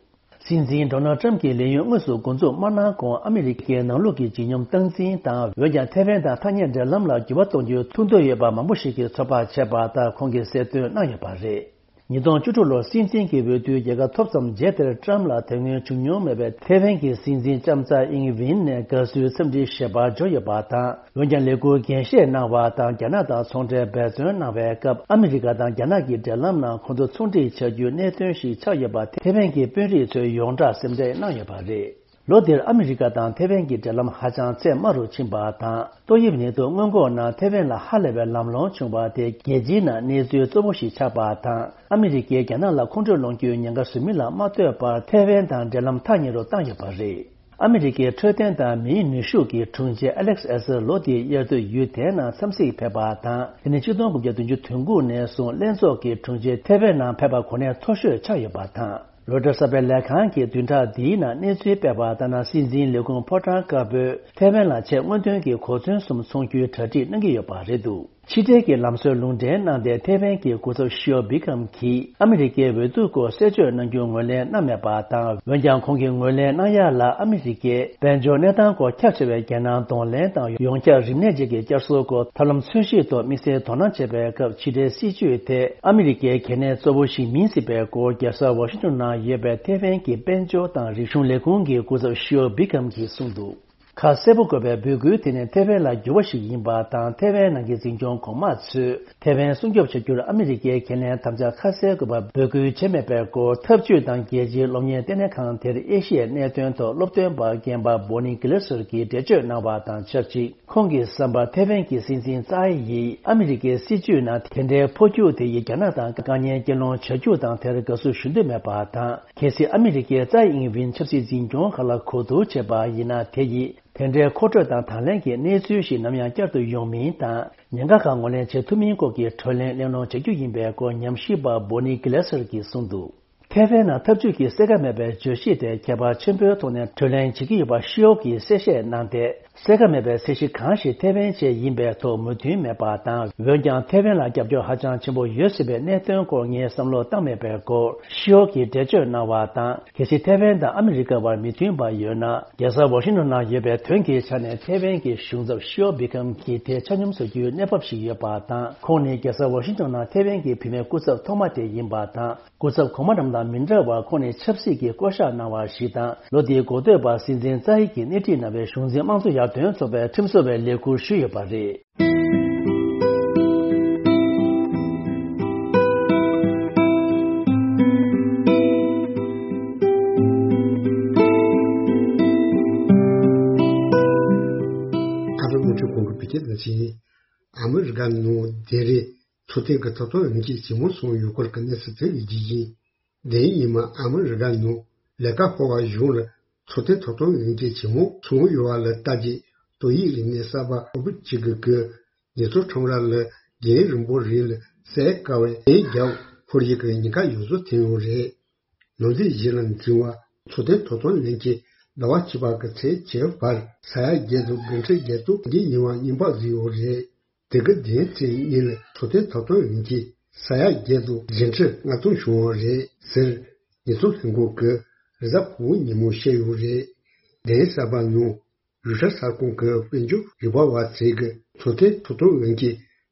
སྲིད་འཛིན་ཌོ་ནལ་ཊམ་གྱི་ལས་ཡུན་དངོས་སུ་འགོ་འཛུགས་མ་གནང་གོང་། ཨ་མི་རི་ཀའི་ནང་ལུགས་ཀྱི་ལྗིད་སྙོམས་སྟངས་འཛིན་དང་། འོན་ཀྱང་། ཐེ་ཝན་དང་ཐག་ཉེ་འབྲེལ་ལམ་ལ་འགྱུར་བ་གཏོང་རྒྱུའི་ཐུགས་འདོད་ཡོད་པ་མང་པོ་ཞིག་གིས་ཚོད་དཔག་བྱས་པ་ལྟར། ཁོང་གིས་གསལ་སྟོན་གནང་ཡོད་པ་རེད། ཉིས་སྟོང་བཅུ་དྲུག་ལོར་སྲིད་འཛིན་གྱི་འོས་བསྡུའི་རྒྱལ་ཁ་ཐོབ་མཚམས། རྗེས་དེར་ཊམ་ལ་དོན་སྔོན་བྱུང་མྱོང་མེད་པའི་ཐེ་ཝན་གྱི་སྲིད་འཛིན་ལྕམ་ཚའེ་ཨིང་ཝིན་ནས་དགའ་བསུའི་འཚམས་འདྲི་ཞལ་པར་འབྱོར་ཡོད་པ་དང་། འོན་ཀྱང་། ལས་འཁུར་འགན་བཞེས་གནང་བ་དང་། རྒྱ་ནག་དང་ཚོང་འབྲེལ་འབད་བརྩོན་གནང་བའི་སྐབས། ཨ་མི་རི་ཀ་དང་རྒྱ་ནག་གི་འབྲེལ་ལམ་ནང་ཁོང་ཚོ་ཚོང་འགྲིག་བྱ་རྒྱུའི་གནད་དོན་ཞིག་ཆགས་ཡོད་པ། ཐེ་ཝན་གྱི་དཔོན་རིགས་ཚོས་ཡོངས་གྲགས་སེམས་ཁྲལ་གནང་ཡོད་པ་རེད། ལོ་འདིར་ཨ་མི་རི་ཀ་དང་ཐེ་ཝན་གྱི་འབྲེལ་ལམ་ཧ་ཅང་ཚད་དམའ་རུ་ཕྱིན་པ་དང་། ཏོག་དབྱིབས་ནད་དུག་སྔོན་འགོག་ནང་ཐེ་ཝན་ལ་ཧ་ལས་པའི་ལམ་ལྷོང་བྱུང་བ་དེ། རྒྱལ་སྤྱིའི་ནང་གནས་ཚུལ་གཙོ་བོ་ཞིག་ཆགས་པ་དང་། ཨ་མི་རི་ཀས་རྒྱ་ནག་ལ་ཁོང་ཁྲོ་སློང་རྒྱུའི་ཉེན་ཁ་བཟོ་མིན་ལ་མ་ལྟོས་པར། ཐེ་ཝན་དང་འབྲེལ་ལམ་ཐག་ཉེ་རུ་བཏང་ཡོད་པ་རེད། ཨ་མི་རི་ཀའི་འཕྲོད་བསྟེན་དང་མིའི་ནུས་ཤུགས་ཀྱི་དྲུང་ཆེ་ཨ་ལེག་སི་ཨེ་སི་ལོ་འདིའི་དབྱར་དུས་ཡུལ་དེའི་ནང་འཚམས་གཟིགས་ཕེབས་པ་དང་། དེ་ནི་ཆིག་སྟོང་དགུ་བརྒྱ་བདུན་ཅུ་དོན་དགུ་ནས་བཟུང་ལྷན་ཚོགས་ཀྱི་དྲུང་ཆེ་ཐེ་ཝན་ནང་ཕེབས་པ་གོ་གནས་མཐོ་ཤོས་ཆགས་ཡོད་པ་དང་། རོའི་ཊར་གསར་པའི་ལས་ཁང་གིས་བདུན་ཕྲག་འདིའི་ནང་གནས་ཚུལ་སྤེལ་བ་ལྟར་ན། སྲིད་འཛིན་ལས་ཁུངས་ཕོ་བྲང་དཀར་པོས་ཐེ་ཝན་ལ་ཆེས་སྔོན་ཐོན་གྱི་གོ་མཚོན་གསུམ་འཚོང་རྒྱུའི་གྲ་སྒྲིག་གནང་གི་ཡོད་པ་རེད་འདུག། ཕྱི་འབྲེལ་གྱི་ལམ་སྲོལ་ལུང་འདྲེན་གནང་སྟེ། ཐེ་ཝན་གྱི་སྐུ་ཚབ་ཤིའོ་བི་ཁམ་གྱིས་ཨ་མི་རི་ཀའི་འོས་བསྡུ་སྐོར་གསལ་བརྗོད་གནང་རྒྱུ་ངོས་ལེན་གནང་མེད་པ་དང་། འོན་ཀྱང་། ཁོང་གིས་ངོས་ལེན་གནང་ཡ་ལ་ཨ་མི་རི་ཀས་དཔལ་འབྱོར་གནས་སྟངས་སྐོར་ཁྱབ་ཆེ་བའི་འགན་གནང་གདོང་ལེན་དང་། ཡོངས་ཁྱབ་རིམས་ནད་ཅན་གྱི་བསྐྱར་གསོའི་སྐོར་ཐབས་ལམ་འཚོལ་ཞིབ་ཐོག་དམིགས་བསལ་དོ་སྣང་བྱེད་པའི་སྐབས། ཕྱི་འབྲེལ་སྲིད་ཇུས་དེ་ཨ་མི་རི་ཀའི་གལ་གནད་གཙོ་བོ་ཞིག་མིན་སྲིད་པའི་སྐོར། རྒྱལ་ས་ཝ་ཤིང་ཏོན་ནང་ཡོད་པའི་ཐེ་ཝན་གྱི་དཔལ་འབྱོར་དང་རིག་གཞུང་ལས་ཁུངས་ཀྱི་སྐུ་ཚབ་ཤིའོ་བི་ཁམ་གྱིས་གསུངས་འདུག། ཁ་གསལ་པོ་དགོས་པའི་འབོད་སྐུལ་དེ་ནི་ཐེ་ཝན་ལ་འགྱུར་བ་ཞིག་ཡིན་པ་དང་། ཐེ་ཝན་ནང་གི་འཛིན་སྐྱོང་གོང་མ་ཚོས་ཐེ་ཝན་སྲུང་སྐྱོབ་བྱ་རྒྱུར་ཨ་མི་རི་ཀའི་འགན་ལེན་དམ་བཅའ་ཁ་གསལ་དགོས་པ་འབོད་སྐུལ་བྱས་མེད་པའི་སྐོར། འཐབ་ཇུས་དང་རྒྱལ་སྤྱིའི་སློབ་གཉེར་ལྟེ་གནས་ཁང་དེར་ཨེ་ཤི་ཡའི་གནད་དོན་ཐོག་སློབ་སྟོན་པ་རྒན་པ་Bonnie Glaser གྱིས་འགྲེལ་བརྗོད་གནང་བ་དང་ཆབས་ཅིག་ཁོང་གི་བསམ་པར་ཐེ་ཝན་གྱི་སྲིད་འཛིན་ཙའེ་ཡིས་ཨ་མི་རི་ཀའི་སྲིད་ཇུས་ནང་དེ་འདྲའི་འཕོ་འགྱུར་དེ་ཡིས་རྒྱ་ནག་དང་དཀའ་ངལ་གྱེན་ལངས་བྱ་རྒྱུ་དང་དེར་དགའ་བསུ་ཞུ་འདོད་མེད་པ་དང་། གལ་སྲིད་ཨ་མི་རི་ཀས་ཙའེ་ཨིང་ཝིན་ཆབ་སྲིད་འཛིན་སྐྱོང་ཁག་ལ་གོ་བསྡུར་བྱས་པ་ཡིན་ན། དེ་ཡིས་དེ་འདྲའི་མཁོ་སྤྲོད་དང་དང་ལེན་གྱི་གནས་ཚུལ་ཞིག་ནམ་ཡང་བསྐྱར་དུ་ཡོང་མིན་དང་། ཉེན་ཁ་ཁག་ངོས་ལེན་བྱེད་ཐུབ་མིན་སྐོར་གྱི་གྲོས་གླེང་གླེང་སློང་བྱ་རྒྱུ་ཡིན་པའི་སྐོར་ཉམས་ཞིབ་པ་Bonnie Glaser གྱིས་གསུངས་འདུག་ཐེ་ཝན་ནང་འཐབ་ཇུས་ཀྱི་གསལ་ཁ་མེད་པའི་བརྗོད་གཞི་དེ་ཁྱད་པར་ཆེན་པོའི་ཐོག་ནས་གྲོས་གླེང་བྱེད་ཀྱི་ཡོད་པ་ཤི་ཨོ་གིས་གསལ་བཤད་གནང་སྟེ། གསལ་ཁ་མེད་པའི་ཚད་གཞི་གང་ཞིག་ཐེ་ཝན་ཆེད་ཡིན་པའི་ཐོག་མོས་མཐུན་མེད་པ་དང་། འོན་ཀྱང་ཐེ་ཝན་ལ་རྒྱབ་སྐྱོར་ཧ་ཅང་ཆེན་པོ་ཡོད་སྲིད་པའི་གནད་དོན་སྐོར་ངས་བསམ་བློ་བཏང་མེད་པའི་སྐོར་ཤི་ཨོ་གིས་འགྲེལ་བརྗོད་གནང་བ་དང་། གལ་སྲིད་ཐེ་ཝན་དང་ཨ་མི་རི་ཀ་བར་མི་མཐུན་པ་ཡོད་ན། རྒྱལ་ས་ཝ་ཤིང་ཊོན་ནང་ཡོད་པའི་དོན་གྱི་ཆ་ནས་ཐེ་ཝན་གྱི་གཞུང་ཚབ་ཤི་ཨོ་བི་ཁམ་གྱིས་དེ་ཆ་སྙོམས་བཟོ་རྒྱུའི་གནས་བབ་ཞིག་ཡོད་པ་དང་། ཁོང་ནི་རྒྱལ་ས་ཝ་ཤིང་ཊོན་ནང་ཐེ་ཝན་གྱི་བུད་མེད་སྐུ་ཚབ་ཐོག་མ་དེ་ཡིན་པ་དང་། སྐུ་ཚབ་གོང་མ་རྣམས་དང་མི་འདྲ་བར་ཁོང་ནི་ཆབ་སྲིད་ཀྱི་བསྐོ་བཞག་གནང་བ་ཞིག་དང་། ལོ་འདིའི་འགོ་སྟོད་པར་སྲིད་འཛིན་ཙའེ་ཡིས་སྣེ་ཁྲིད་གནང་བའི་གཞུང་འཛིན་དམངས་གཙོ་ཡར་ཐོན་ཚོགས་པའི་ཁྲིམས་བཟོ་བའི་ལས་ཁུར་ཞུས་ཡོད་པ་རེད། ཨ་རི་རླུང་འཕྲིན་ཁང་གི་བོད་སྐད་སྡེ་ཚན། ཨ་མི་རི་ཀ་ནང་དེ་རིང་འཚོ་རྟེན་གྱི་ཐོབ་ཐང་ལེན་མཁན་ཇེ་མང་སོང་ཡོད་སྐོར་གྱི་གནས་ཚུལ་ཐོན་ཡོད་རྒྱུ་ཡིན། དེ་ཡིན་མིན་ཨ་མི་རི་ཀ་ནང་ལས་ཀ་ཧོལ་བ་གཞུང་ལ་འཚོ་རྟེན་ཐོབ་ཐང་ལེན་མཁན་ཇེ་མང་སོང་ཡོད་པ་ལ་ལྟ་རྒྱུ། ཏོག་དབྱིབས་རིམས་ནད་གསར་པ་ཁོ་བོད་སྤྱི་གི་གི་ཉེས་ཚབས་ཁྲོམ་ར་ལ་རྒན་རིང་པོ་རིང་ལ་སེལ་དཀའ་བའི་ནད་རྒྱག་འཕུར་ཡིག་གི་ཉེན་ཁ་ཡོངས་རྫོགས་ཐོན་ཡོད་རེད། ནང་འཛིན་གཞི་ལ་འཛིན་པ་འཚོ་རྟེན་ཐོབ་ཐང་ལེན་གྱི་ཟླ་བ་གཅིག་པ་གི་ཚེས་བཅུ་བར་ས་ཡ་བརྒྱད་དང་དགུ་ཁྲི་བརྒྱད་སྟོང་གི་ཉེ་བ་སྙན་པ་བཟོས་ཡོད་རེད། དེ་གི་དེའི་ཚེས་གཉིས་ལ་འཚོ་རྟེན་ཐོབ་ཐང་ཡིན་གྱི་ས་ཡ་བརྒྱད་དང་བཞི་ཁྲི་ལྔ་སྟོང་བྱུང་བ་རེད་ཟེར། ཉེས་ཚབས་ལྷན་ཁང་གི་རེས་གཟའ་ཕུར་བུ་ཉིན་མོ་བཤད་ཡོད་རེད། དེའི་གསར་པ་ནང་ཡུལ་ཤུལ་ས་ཁོངས་ཀྱི་དཔལ་འབྱོར་རིག་པ་བ་ཚོས་ཀྱི་འཚོ་རྟེན་ཐོབ་ཐང་ཡིན་གྱི་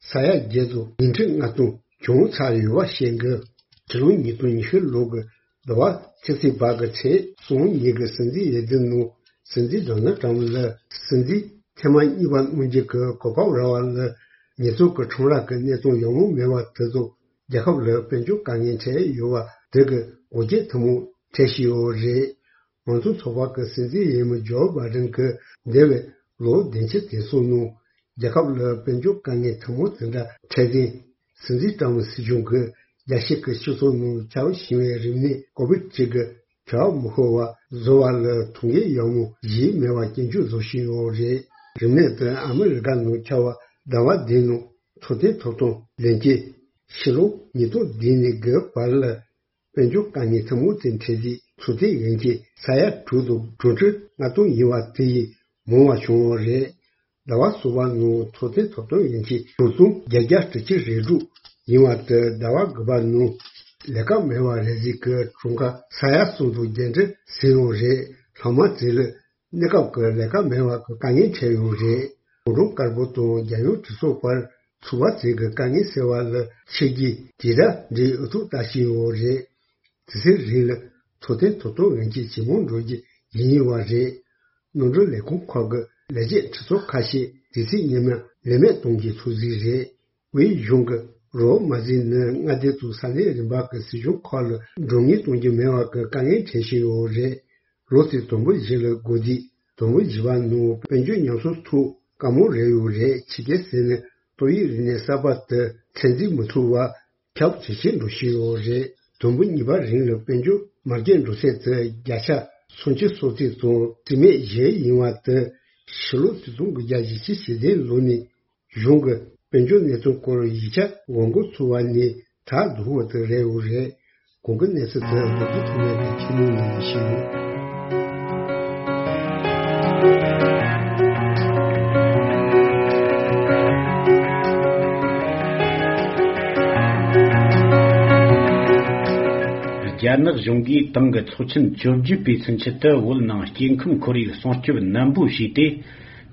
ས་ཡ་བརྒྱད་དང་ཉི་ཁྲི་ལྔ་སྟོང་བྱུང་ཚར་ཡོད་པ་བཤད་འདུག་ཕྱི་ལོ་ཉིས་སྟོང་ཉི་ཤུ་ལོ་གི་ཟླ་བ་ཆིག་ཚེས་བར་གྱི་ཚེས་སོ་གཉིས་ཀྱི་སྲིད་འཛིན་འོས་བསྡུ་ནང་སྲིད་འཛིན་ཌོ་ནལ་ཊྲམ་ལ་སྲིད་འཛིན་ཐེངས་མ་གཉིས་པ་གནང་རྒྱུ་གི་གོ་སྐབས་རག་པ་ལ་ཉེས་ཚབས་ཀྱི་ཁྲོམ་ར་གི་གནས་སྟངས་ཡག་པོ་མེད་པ་དེ་ཚོ་རྒྱལ་ཁབ་ལ་དཔལ་འབྱོར་དཀའ་ངལ་འཕྲད་ཡོད་པ་དེ་གི་འགོག་རྐྱེན་ཐུན་མོང་འཕྲད་བཞིན་ཡོད་རེད། ང་ཚོའི་ཚོགས་པ་གི་སྲིད་འཛིན་འོས་མི་ཇོ་བྷའི་ཌེན་གྱིས་འདས་པའི་ལོ་བདུན་ཅུ་དེ་ཚོའི་ནང་རྒྱལ་ཁབ་ལ་དཔལ་འབྱོར་དཀའ་ངལ་ཐུན་མོང་དེ་འདྲ་འཕྲད་དུས། སྲིད་འཛིན་ཊྲམ་སྲིད་གཞུང་གིས་རྒྱལ་སྤྱི་གི་སྤྱི་ཚོགས་ནང་ཁྱབ་བཞིན་པའི་རིམས་ནད་ཀོ་བིད་བཅུ་དགུ་ཁྱབ་མི་ཤོར་བ་བཟོ་བ་ལ་ཐུགས་འགན་ཡག་མོ་བཞེས་མེད་པ་སྐྱོན་བརྗོད་བཟོ་བཞིན་ཡོད་རེད། རིམས་ནད་དེ་ཨ་མི་རི་ཀ་ནང་ཁྱབ་པ་ཟླ་བ་འདིའི་ནང་འཚོ་རྟེན་ཐོབ་ཐང་ལེན་གྱི་ཕྱི་ལོ་ཉིས་སྟོང་བདུན་ནས་དགུ་བར་ལ། དཔལ་འབྱོར་དཀའ་ངལ་ཐུན་མོང་དུ་འཕྲད་དུས་འཚོ་རྟེན་ཡོང་གི་ས་ཡ་དྲུག་དང་དྲུག་ཁྲི་ལྔ་སྟོང་ཡིན་པ་དེ་ཡིས་མང་བ་བྱུང་བ་རེད། ཟླ་བ་གསུམ་པ་ནང་འཚོ་རྟེན་ཐོབ་ཐང་ཡོང་གི་དྲུག་སྟོང་བརྒྱད་བརྒྱ་དྲུག་ཅུ་རེ་དྲུག་ཡིན་པ་དེ་ཟླ་བ་དགུ་པ་ནང་ལས་ཀ་མེད་པ་རེ་ཟིག་གི་གྲངས་ཀ་ས་ཡ་གསུམ་དང་བརྒྱད་ཁྲི་ཟིན་ཡོད་རེད། ལྷག་མ་དེ་ལ་གནས་སྐབས་ཀྱི་ལས་ཀ་མེད་པ་གི་དཀའ་ངལ་འཕྲད་ཡོད་རེད། གུང་ཁྲན་དཀར་པོ་དང་རྒྱལ་ཡོངས་གྲོས་ཚོགས་བར་ཚོགས་པ་ཚོས་ཀྱི་དཀའ་ངལ་སེལ་བ་ལ་ཆིག་བརྒྱའི་དེ་འདྲ་འདྲའི་འུ་ཐུག་ལྟ་བཞིན་ཡོད་རེད། དེ་ཚེ་རིང་ལ་འཚོ་རྟེན་ཐོབ་ཐང་ཡོང་གི་ཇེ་མང་འགྲོ་རྒྱུ་ཡིན་ཡིན་བ་རེད། ནོར་འཁྲུལ་ལས་ཁུངས་ཁག་གི་ལས་བྱེད་གྲོས་ཚོགས་ཁ་ཤས་དེ་ཚེ་ཉི་མ་ལས་མེད་གཏོང་རྒྱུའི་ཚོད་རྩིས་རེད། དབུས་གཞུང་གི་རོགས་མ་ཟིན་ནི་མངའ་སྡེ་དང་ས་གནས་རིམ་པ་གི་སྲིད་གཞུང་ཁག་ལ་མགྲོན་གཉེར་གཏོང་རྒྱུ་མེད་པ་གི་དཀའ་ངལ་འཕྲད་བཞིན་ཡོད་རེད། ལོ་དེའི་དུམ་བུ་བཞི་ལ་འགོ་དུས་དུམ་བུ་བཞི་པ་ནང་དཔལ་འབྱོར་ཉམས་གསོ་ཐུབ་དཀའ་མོ་རེད་ཡོད་རེད། ཕྱི་རྒྱལ་ཟེར་ནས་ཏོག་དབྱིབས་རིམས་ནད་གསར་པ་དེ་ཚོད་འཛིན་མི་ཐུབ་པ་ཁྱབ་ཇེ་ཆེར་འགྲོ་བཞིན་ཡོད་རེད། དུམ་བུ་གཉིས་པ་རིང་ལ་དཔལ་འབྱོར་མ་རྒྱས་འགྲོ་ཚད་དེ་བརྒྱ་ཆ་སུམ་ཅུ་སོ་གཅིག་དང་རྩིས་མེད་བཞི་ཡིན་པ་དེ་ཕྱི་ལོ་ཆིག་སྟོང་དགུ་བརྒྱ་བཞི་བཅུ་ཞེ་བདུན་ལོ་ནས། གཞུང་གི་དཔལ་འབྱོར་གནས་ཚུལ་སྐོར་ཡིག་ཆ་འགོད་འགོ་ཚུགས་པ་ནས་ད་བསྡུར་བ་དེ་རེད་ཡོད་རེད། གོང་གི་གནས་ཚུལ་དེ་རྡོ་རྗེ་ཐོགས་མེད་ཀྱིས་ཁྱེར་ནས་ནང་བཞིན། རྒྱ་ནག་གཞུང་གིས་ཏང་གི་ཚོགས་ཆེན་བཅོ་བརྒྱད་པའི་ཚུན་ཆད་དུ་བོད་ནང་སྐྱེ་ཁམས་ཁོར་ཡུག་སྲུང་སྐྱོབ་ནན་པོ་བྱས་ཏེ།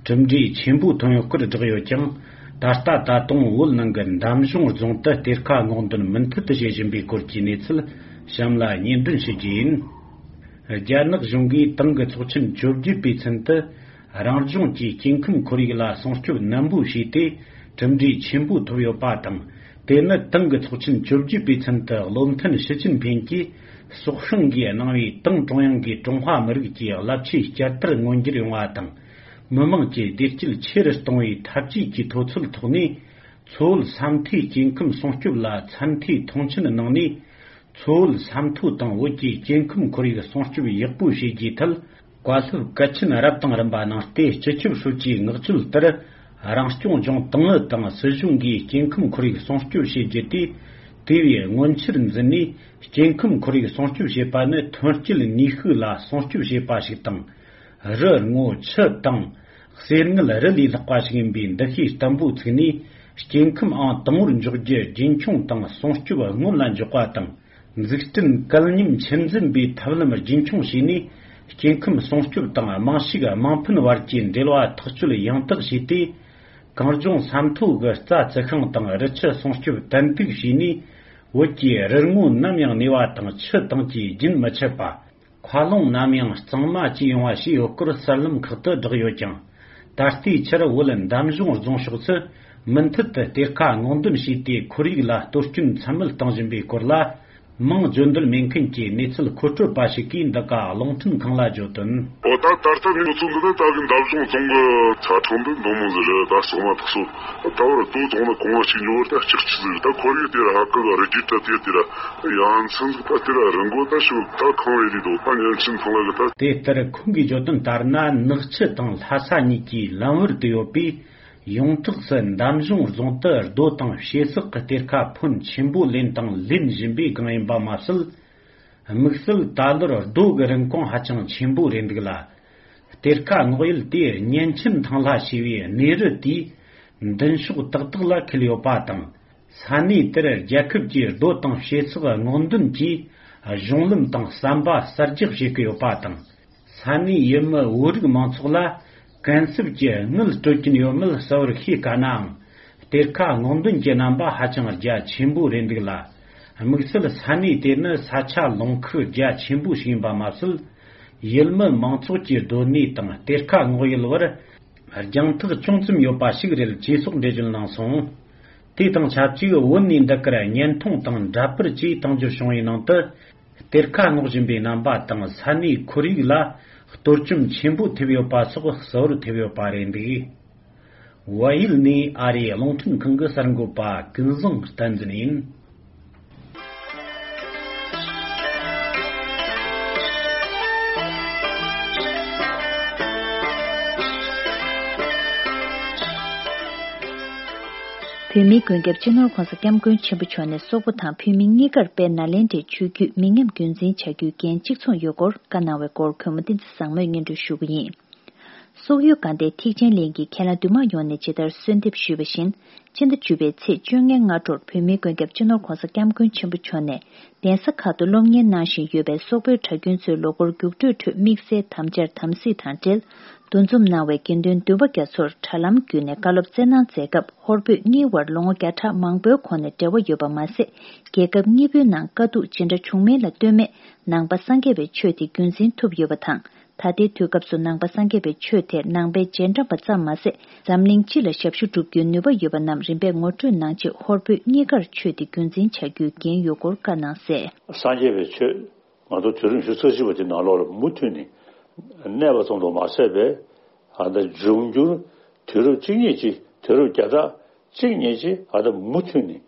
གྲུབ་འབྲས་ཆེན་པོ་ཐོན་ཡོད་སྐོར་བསྒྲགས་ཡོད་ཀྱང་། ད་ལྟ་ད་དུང་བོད་ནང་གི་འདམ་གཞུང་རྫོང་དུ་གཏེར་ཁ་སྔོག་འདོན་མུ་མཐུད་དུ་བྱེད་བཞིན་པའི་སྐོར་གྱི་གནས་ཚུལ་གཤམ་ལ་སྙན་སྒྲོན་ཞུ་རྒྱུ་ཡིན། རྒྱ་ནག་གཞུང་གིས་ཏང་གི་ཚོགས་ཆེན་བཅོ་བརྒྱད་པའི་ཚུན་དུ། རང་ལྗོངས་ཀྱི་སྐྱེ་ཁམས་ཁོར་ཡུག་ལ་སྲུང་སྐྱོབ་ནན་པོ་བྱས་ཏེ། གྲུབ་འབྲས་ཆེན་པོ་ཐོབ་ཡོད་པ་དང་། དེ་ནི་ཏང་གི་ཚོགས་ཆེན་བཅོ་བརྒྱད་པའི་ཚུན་དུ་བློ་མཐུན་ཞི་ཅིན་ཕིང་གིས་སྲོག་ཤིང་གིས་གནང་བའི་ཏང་ཀྲུང་དབྱང་གིས་ཀྲུང་ཧྭ་མི་རིགས་ཀྱི་རླབས་ཆེའི་བསྐྱར་དར་མངོན་འགྱུར་ཡོང་བ་དང་། མི་དམངས་ཀྱི་བདེ་སྐྱིད་ཆེ་རུ་གཏོང་བའི་འཐབ་ཇུས་ཀྱི་མཐོ་ཚད་ཐོག་ནས། མཚོ་བོད་ས་མཐོའི་སྐྱེ་ཁམས་སྲུང་སྐྱོབ་ལ་ཚད་མཐོའི་མཐོང་ཆེན་གནང་ནས། མཚོ་བོད་ས་མཐོ་དང་བོད་ཀྱི་སྐྱེ་ཁམས་ཁོར་ཡུག་སྲུང་སྐྱོབ་ཡག་པོ་བྱེད་རྒྱུའི་ཐད། བཀའ་སློབ་གལ་ཆེན་རབ་དང་རིམ་པ་གནང་སྟེ། སྤྱི་ཁྱབ་ཧྲུའུ་ཅིའི་མངགས་བཅོལ་ལྟར། རང་སྐྱོང་ལྗོངས་ཏང་ཨུ་དང་སྲིད་གཞུང་གིས་སྐྱེ་ཁམས་ཁོར་ཡུག་སྲུང་སྐྱོབ་བྱེད་རྒྱུ་དེ། དེ་བས་མངོན་ཆེར་འཛིན་ནས། སྐྱེ་ཁམས་ཁོར་ཡུག་སྲུང་སྐྱོབ་བྱེད་པ་ནི་ཐོན་སྐྱེད་ནུས་ཤུགས་ལ་སྲུང་སྐྱོབ་བྱེད་པ་ཞིག་དང་། རི་སྔོ་ཆུ་དྭངས། གསེར་དངུལ་རི་ལས་ལྷག་པ་ཞིག་ཡིན་པའི་འདུ་ཤེས་བརྟན་པོ་ཚུགས་ནས། སྐྱེ་ཁམས་ཨང་དང་པོར་འཇོག་རྒྱུ་རྒྱུན་འཁྱོངས་དང་སྲུང་སྐྱོབ་སྔོན་ལ་འཇོག་པ་དང་། འཛུགས་སྐྲུན་གལ་མཉམ་ཆུད་འཛིན་པའི་ཐབས་ལམ་རྒྱུན་འཁྱོངས་བྱས་ནས། སྐྱེ་ཁམས་སྲུང་སྐྱོབ་དང་རྨང་ཕྱུག་དམངས་ཕན་བར་གྱི་འབྲེལ་བ་ཐག་གཅོད་ཡང་དག་བྱས་ཏེ། གངས་ལྗོངས་ས་མཐོ་གི་རྩྭ་རྩི་ཤིང་དང་རི་ཆུ་སྲུང་སྐྱོབ་ཏན་ཏིག་བྱས་ནས། བོད་ཀྱི་རི་སྔོ་ནམ་ཡང་གནས་པ་དང་ཆུ་དྭངས་ཀྱིས་རྒྱུན་མི་འཆད་པ། མཁའ་རླུང་ནམ་ཡང་གཙང་མ་བཅས་ཡོང་བ་བྱས་ཡོད་སྐོར་གསར་ལམ་ཁག་ཏུ་བསྒྲགས་ཡོད་ཀྱང་། ད་ལྟའི་ཆར་བོད་འདམ་གཞུང་རྫོང་ཕྱོགས་སུ་མུ་མཐུད་དུ་གཏེར་ཁ་སྔོག་འདོན་བྱས་ཏེ། ཁོར་ཡུག་ལ་གཏོར་སྐྱོན་ཚད་མེད་གཏོང་བཞིན་པའི་སྐོར་ལ། མང་འབྱོར་འདོད་མེད་མཁན་གྱི་གནས་ཚུལ་མཁོ་སྤྲོད་པ་ཞིག་གིས་འདི་ག་རླུང་འཕྲིན་ཁང་ལ་བརྗོད་དོན། འོ་ད་ད་ལྟ་ནས་ཁོ་ཚོ་འདི་ནི་ད་གི་འདམ་གཞུང་རྫོང་གི་ཆ་ཚང་འདི་འདོན་མོ་ཟེར་རེད། ད་ཟོག་མ་ཐག་སོ་ད་བར་རྡོ་ཚོང་ན་གོང་ང་ཞིག་ཉོ་བར་ད་ལྕགས་ཆུ་ཟིག་ད་ཁོར་ཡུག་དེ་ར་ཧ་ཀི་ག་རི་རྒྱུད་ད་དེ་དེ་ར་ཡང་ཚན་ཟིག་ད་དེ་ར་རི་མགོ་ད་ཞོ་ད་ཁང་བའི་རི་དོ་ད་ཉན་ཆིན་ཚང་ལ་གི་ད། དེ་ལྟར་ཁོང་གིས་བརྗོད་དོན་ལྟར་ན། ནག་ཆུ་དང་ལྷ་ས་གཉིས་ཀྱི་ལམ་བར་དུ་ཡོད་པའི་ཡོངས་གྲགས་སུ་འདམ་གཞུང་རྫོང་དུ་རྡོ་དང་བྱེ་ཟག་གི་གཏེར་ཁ་ཕོན་ཆེན་པོ་ལེན་དང་ལེན་བཞིན་པའི་སྒང་ཡིན་པ་མ་ཟད། དམིགས་བསལ་ད་ལོར་རྡོ་གི་རིན་གོང་ཧ་ཅང་ཆེན་པོ་རེད་འདུག་ལ། གཏེར་ཁ་སྔོག་ཡུལ་དེ་གཉན་ཆེན་ཐང་ལྷ་ཞེས་པའི་གནས་རི་དེའི་མདུན་ཕྱོགས་ཏག་ཏག་ལ་འཁེལ་ཡོད་པ་དང་། ས་གནས་དེར་རྒྱལ་ཁབ་ཀྱི་རྡོ་དང་བྱེ་ཟག་སྔོག་འདོན་གྱི་གཞུང་ལམ་དང་ཟམ་པ་གསར་རྒྱག་བྱེད་ཀྱི་ཡོད་པ་དང་། ས་གནས་ཡུལ་མི་བོད་རིགས་མང་ཚོགས་ལ་གུན་གསབ་ཀྱི་དངུལ་སྤྲོད་ཀྱིན་ཡོད་མེད་གསལ་བོར་ཤེས་དཀའ་ནའང་། གཏེར་ཁ་སྔོག་འདོན་གྱི་རྣམ་པ་ཧ་ཅང་རྒྱ་ཆེན་པོ་རེད་འདུག་ལ། དམིགས་བསལ་ས་གནས་དེ་ནི་ས་ཆ་ལུང་ཁུག་རྒྱ་ཆེན་པོ་ཞིག་ཡིན་པ་མ་ཟད། ཡུལ་མི་མང་ཚོགས་ཀྱི་སྡོད་གནས་དང་གཏེར་ཁ་སྔོག་ཡུལ་བར་རྒྱང་ཐག་ཅུང་ཙམ་ཡོད་པ་ཞིག་རེད། ཅེས་སོགས་འགྲེལ་བརྗོད་གནང་སོང་། དེ་དང་ཆབས་ཅིག་བོད་ནས་འདི་གར་བརྙན་ཐུང་དང་འདྲ་པར་བཅས་བཏང་རྒྱུ་བྱུང་བའི་ནང་དུ། གཏེར་ཁ་སྔོག་བཞིན་པའི་རྣམ་པ་དང་ས་གནས་ཁོར་ཡུག་ལ་གཏོར་སྐྱོན་ཆེན་པོ་ཐེབས་ཡོད་པ་སོགས་གསལ་བོར་ཐེབས་ཡོད་པ་རེད་འདུག། བལ་ཡུལ་ནས་ཨ་རིའི་རླུང་འཕྲིན་ཁང་གི་གསར་འགོད་པ་ཀུན་བཟང་བསྟན་འཛིན་ཡིན། བོད་མིའི་མགོན་སྐྱབས་སྤྱི་ནོར་༧གོང་ས་༧སྐྱབས་མགོན་ཆེན་པོ་མཆོག་ནས་སོག་པོ་དང་བོད་མི་གཉིས་ཀར་དཔལ་ནཱ་ལེནྡྲའི་ཆོས་བརྒྱུད་མི་ཉམས་རྒྱུན་འཛིན་བྱ་རྒྱུའི་འགན་གཅིག་མཚུངས་ཡོད་སྐོར་བཀའ་གནང་བའི་སྐོར་གུས་མོ་བསྟན་འཛིན་བཟང་མོས་སྙན་སྒྲོན་ཞུ་གི་ཡིན། སོག་ཡུལ་དགའ་ལྡན་ཐེག་ཆེན་གླིང་གི་མཁན་བླ་འདུས་མང་ཡོངས་ནས་ཇི་ལྟར་གསོལ་འདེབས་ཞུས་པ་བཞིན། སྤྱི་ཟླ་བཅུ་པའི་ཚེས་བཅོ་ལྔའི་སྔ་དྲོར་བོད་མིའི་མགོན་སྐྱབས་སྤྱི་ནོར་༧གོང་ས་༧སྐྱབས་མགོན་ཆེན་པོ་མཆོག་ནས་གདན་ས་ཁག་ཏུ་སློབ་གཉེར་གནང་བཞིན་ཡོད་པའི་སོག་པོའི་གྲྭ་རྒྱུན་ཚོའི་ལོ་འཁོར་རྒྱུགས་སྤྲོད་ཁྲོད་དམིགས་བསལ་དམ་བཅར་དམ་སྲི་དང་འབྲེལ་འདུ་འཛོམས་གནང་བའི་དགེ་འདུན་འདུས་པ་རྒྱ་མཚོར་དྲ་ལམ་བརྒྱུད་ནས་བཀའ་སློབ་སྩལ་གནང་མཛད་སྐབས། ཧོར་བོད་གཉིས་དབར་ལོ་ངོ་བརྒྱ་ཕྲག་མང་པོའི་གོང་ནས་འབྲེལ་བ་ཡོད་པ་མ་ཟད། རྒྱལ་ཁབ་གཉིས་པོའི་ནང་དཀའ་སྡུག་ཇི་འདྲ་བྱུང་མིན་ལ་ལྟོས་མེད་ནང་པ་སངས་རྒྱས་པའི་ཆོས་དེ་རྒྱུན་འཛིན་ཐུབ་ཡོད་པ་དང་། ད་ལྟའི་དུས་སྐབས་སུ་ནང་པ་སངས་རྒྱས་པའི་ཆོས་དེ་ནང་པའི་རྗེས་འབྲང་པ་ཙམ་མ་ཟད། འཛམ་གླིང་སྤྱི་ལ་ཞབས་ཞུ་སྒྲུབ་རྒྱུའི་ནུས་པ་ཡོད་པ་རྣམས་རིམ་པས་ངོ་སྤྲོད་གནང་ཆེད། ཧོར་བོད་གཉིས་ཀར་ཆོས་དེ་རྒྱུན་འཛིན་བྱ་རྒྱུའི་འགན་ཡོད་སྐོར་བཀའ་གནང་གསལ། སངས་རྒྱས་པའི་ཆོས་ང་ཚོ་དུས་རིམ་བཞི་རྩ་གཅིག་པ་དེ་ནང་ལོགས་ལ་མུ་མཐུད་ནས་གནས་པ་ཙམ་དུ་མ་ཟད་པའི་ཨ་ད་འབྱུང་འགྱུར་དུས་རབས་གཅིག་གཉིས་ཀྱི་དུས་རབས་བརྒྱ་ཕྲག་གཅིག་གཉིས་ཀྱི་ཨ་ད་མུ་མཐུད་ནས་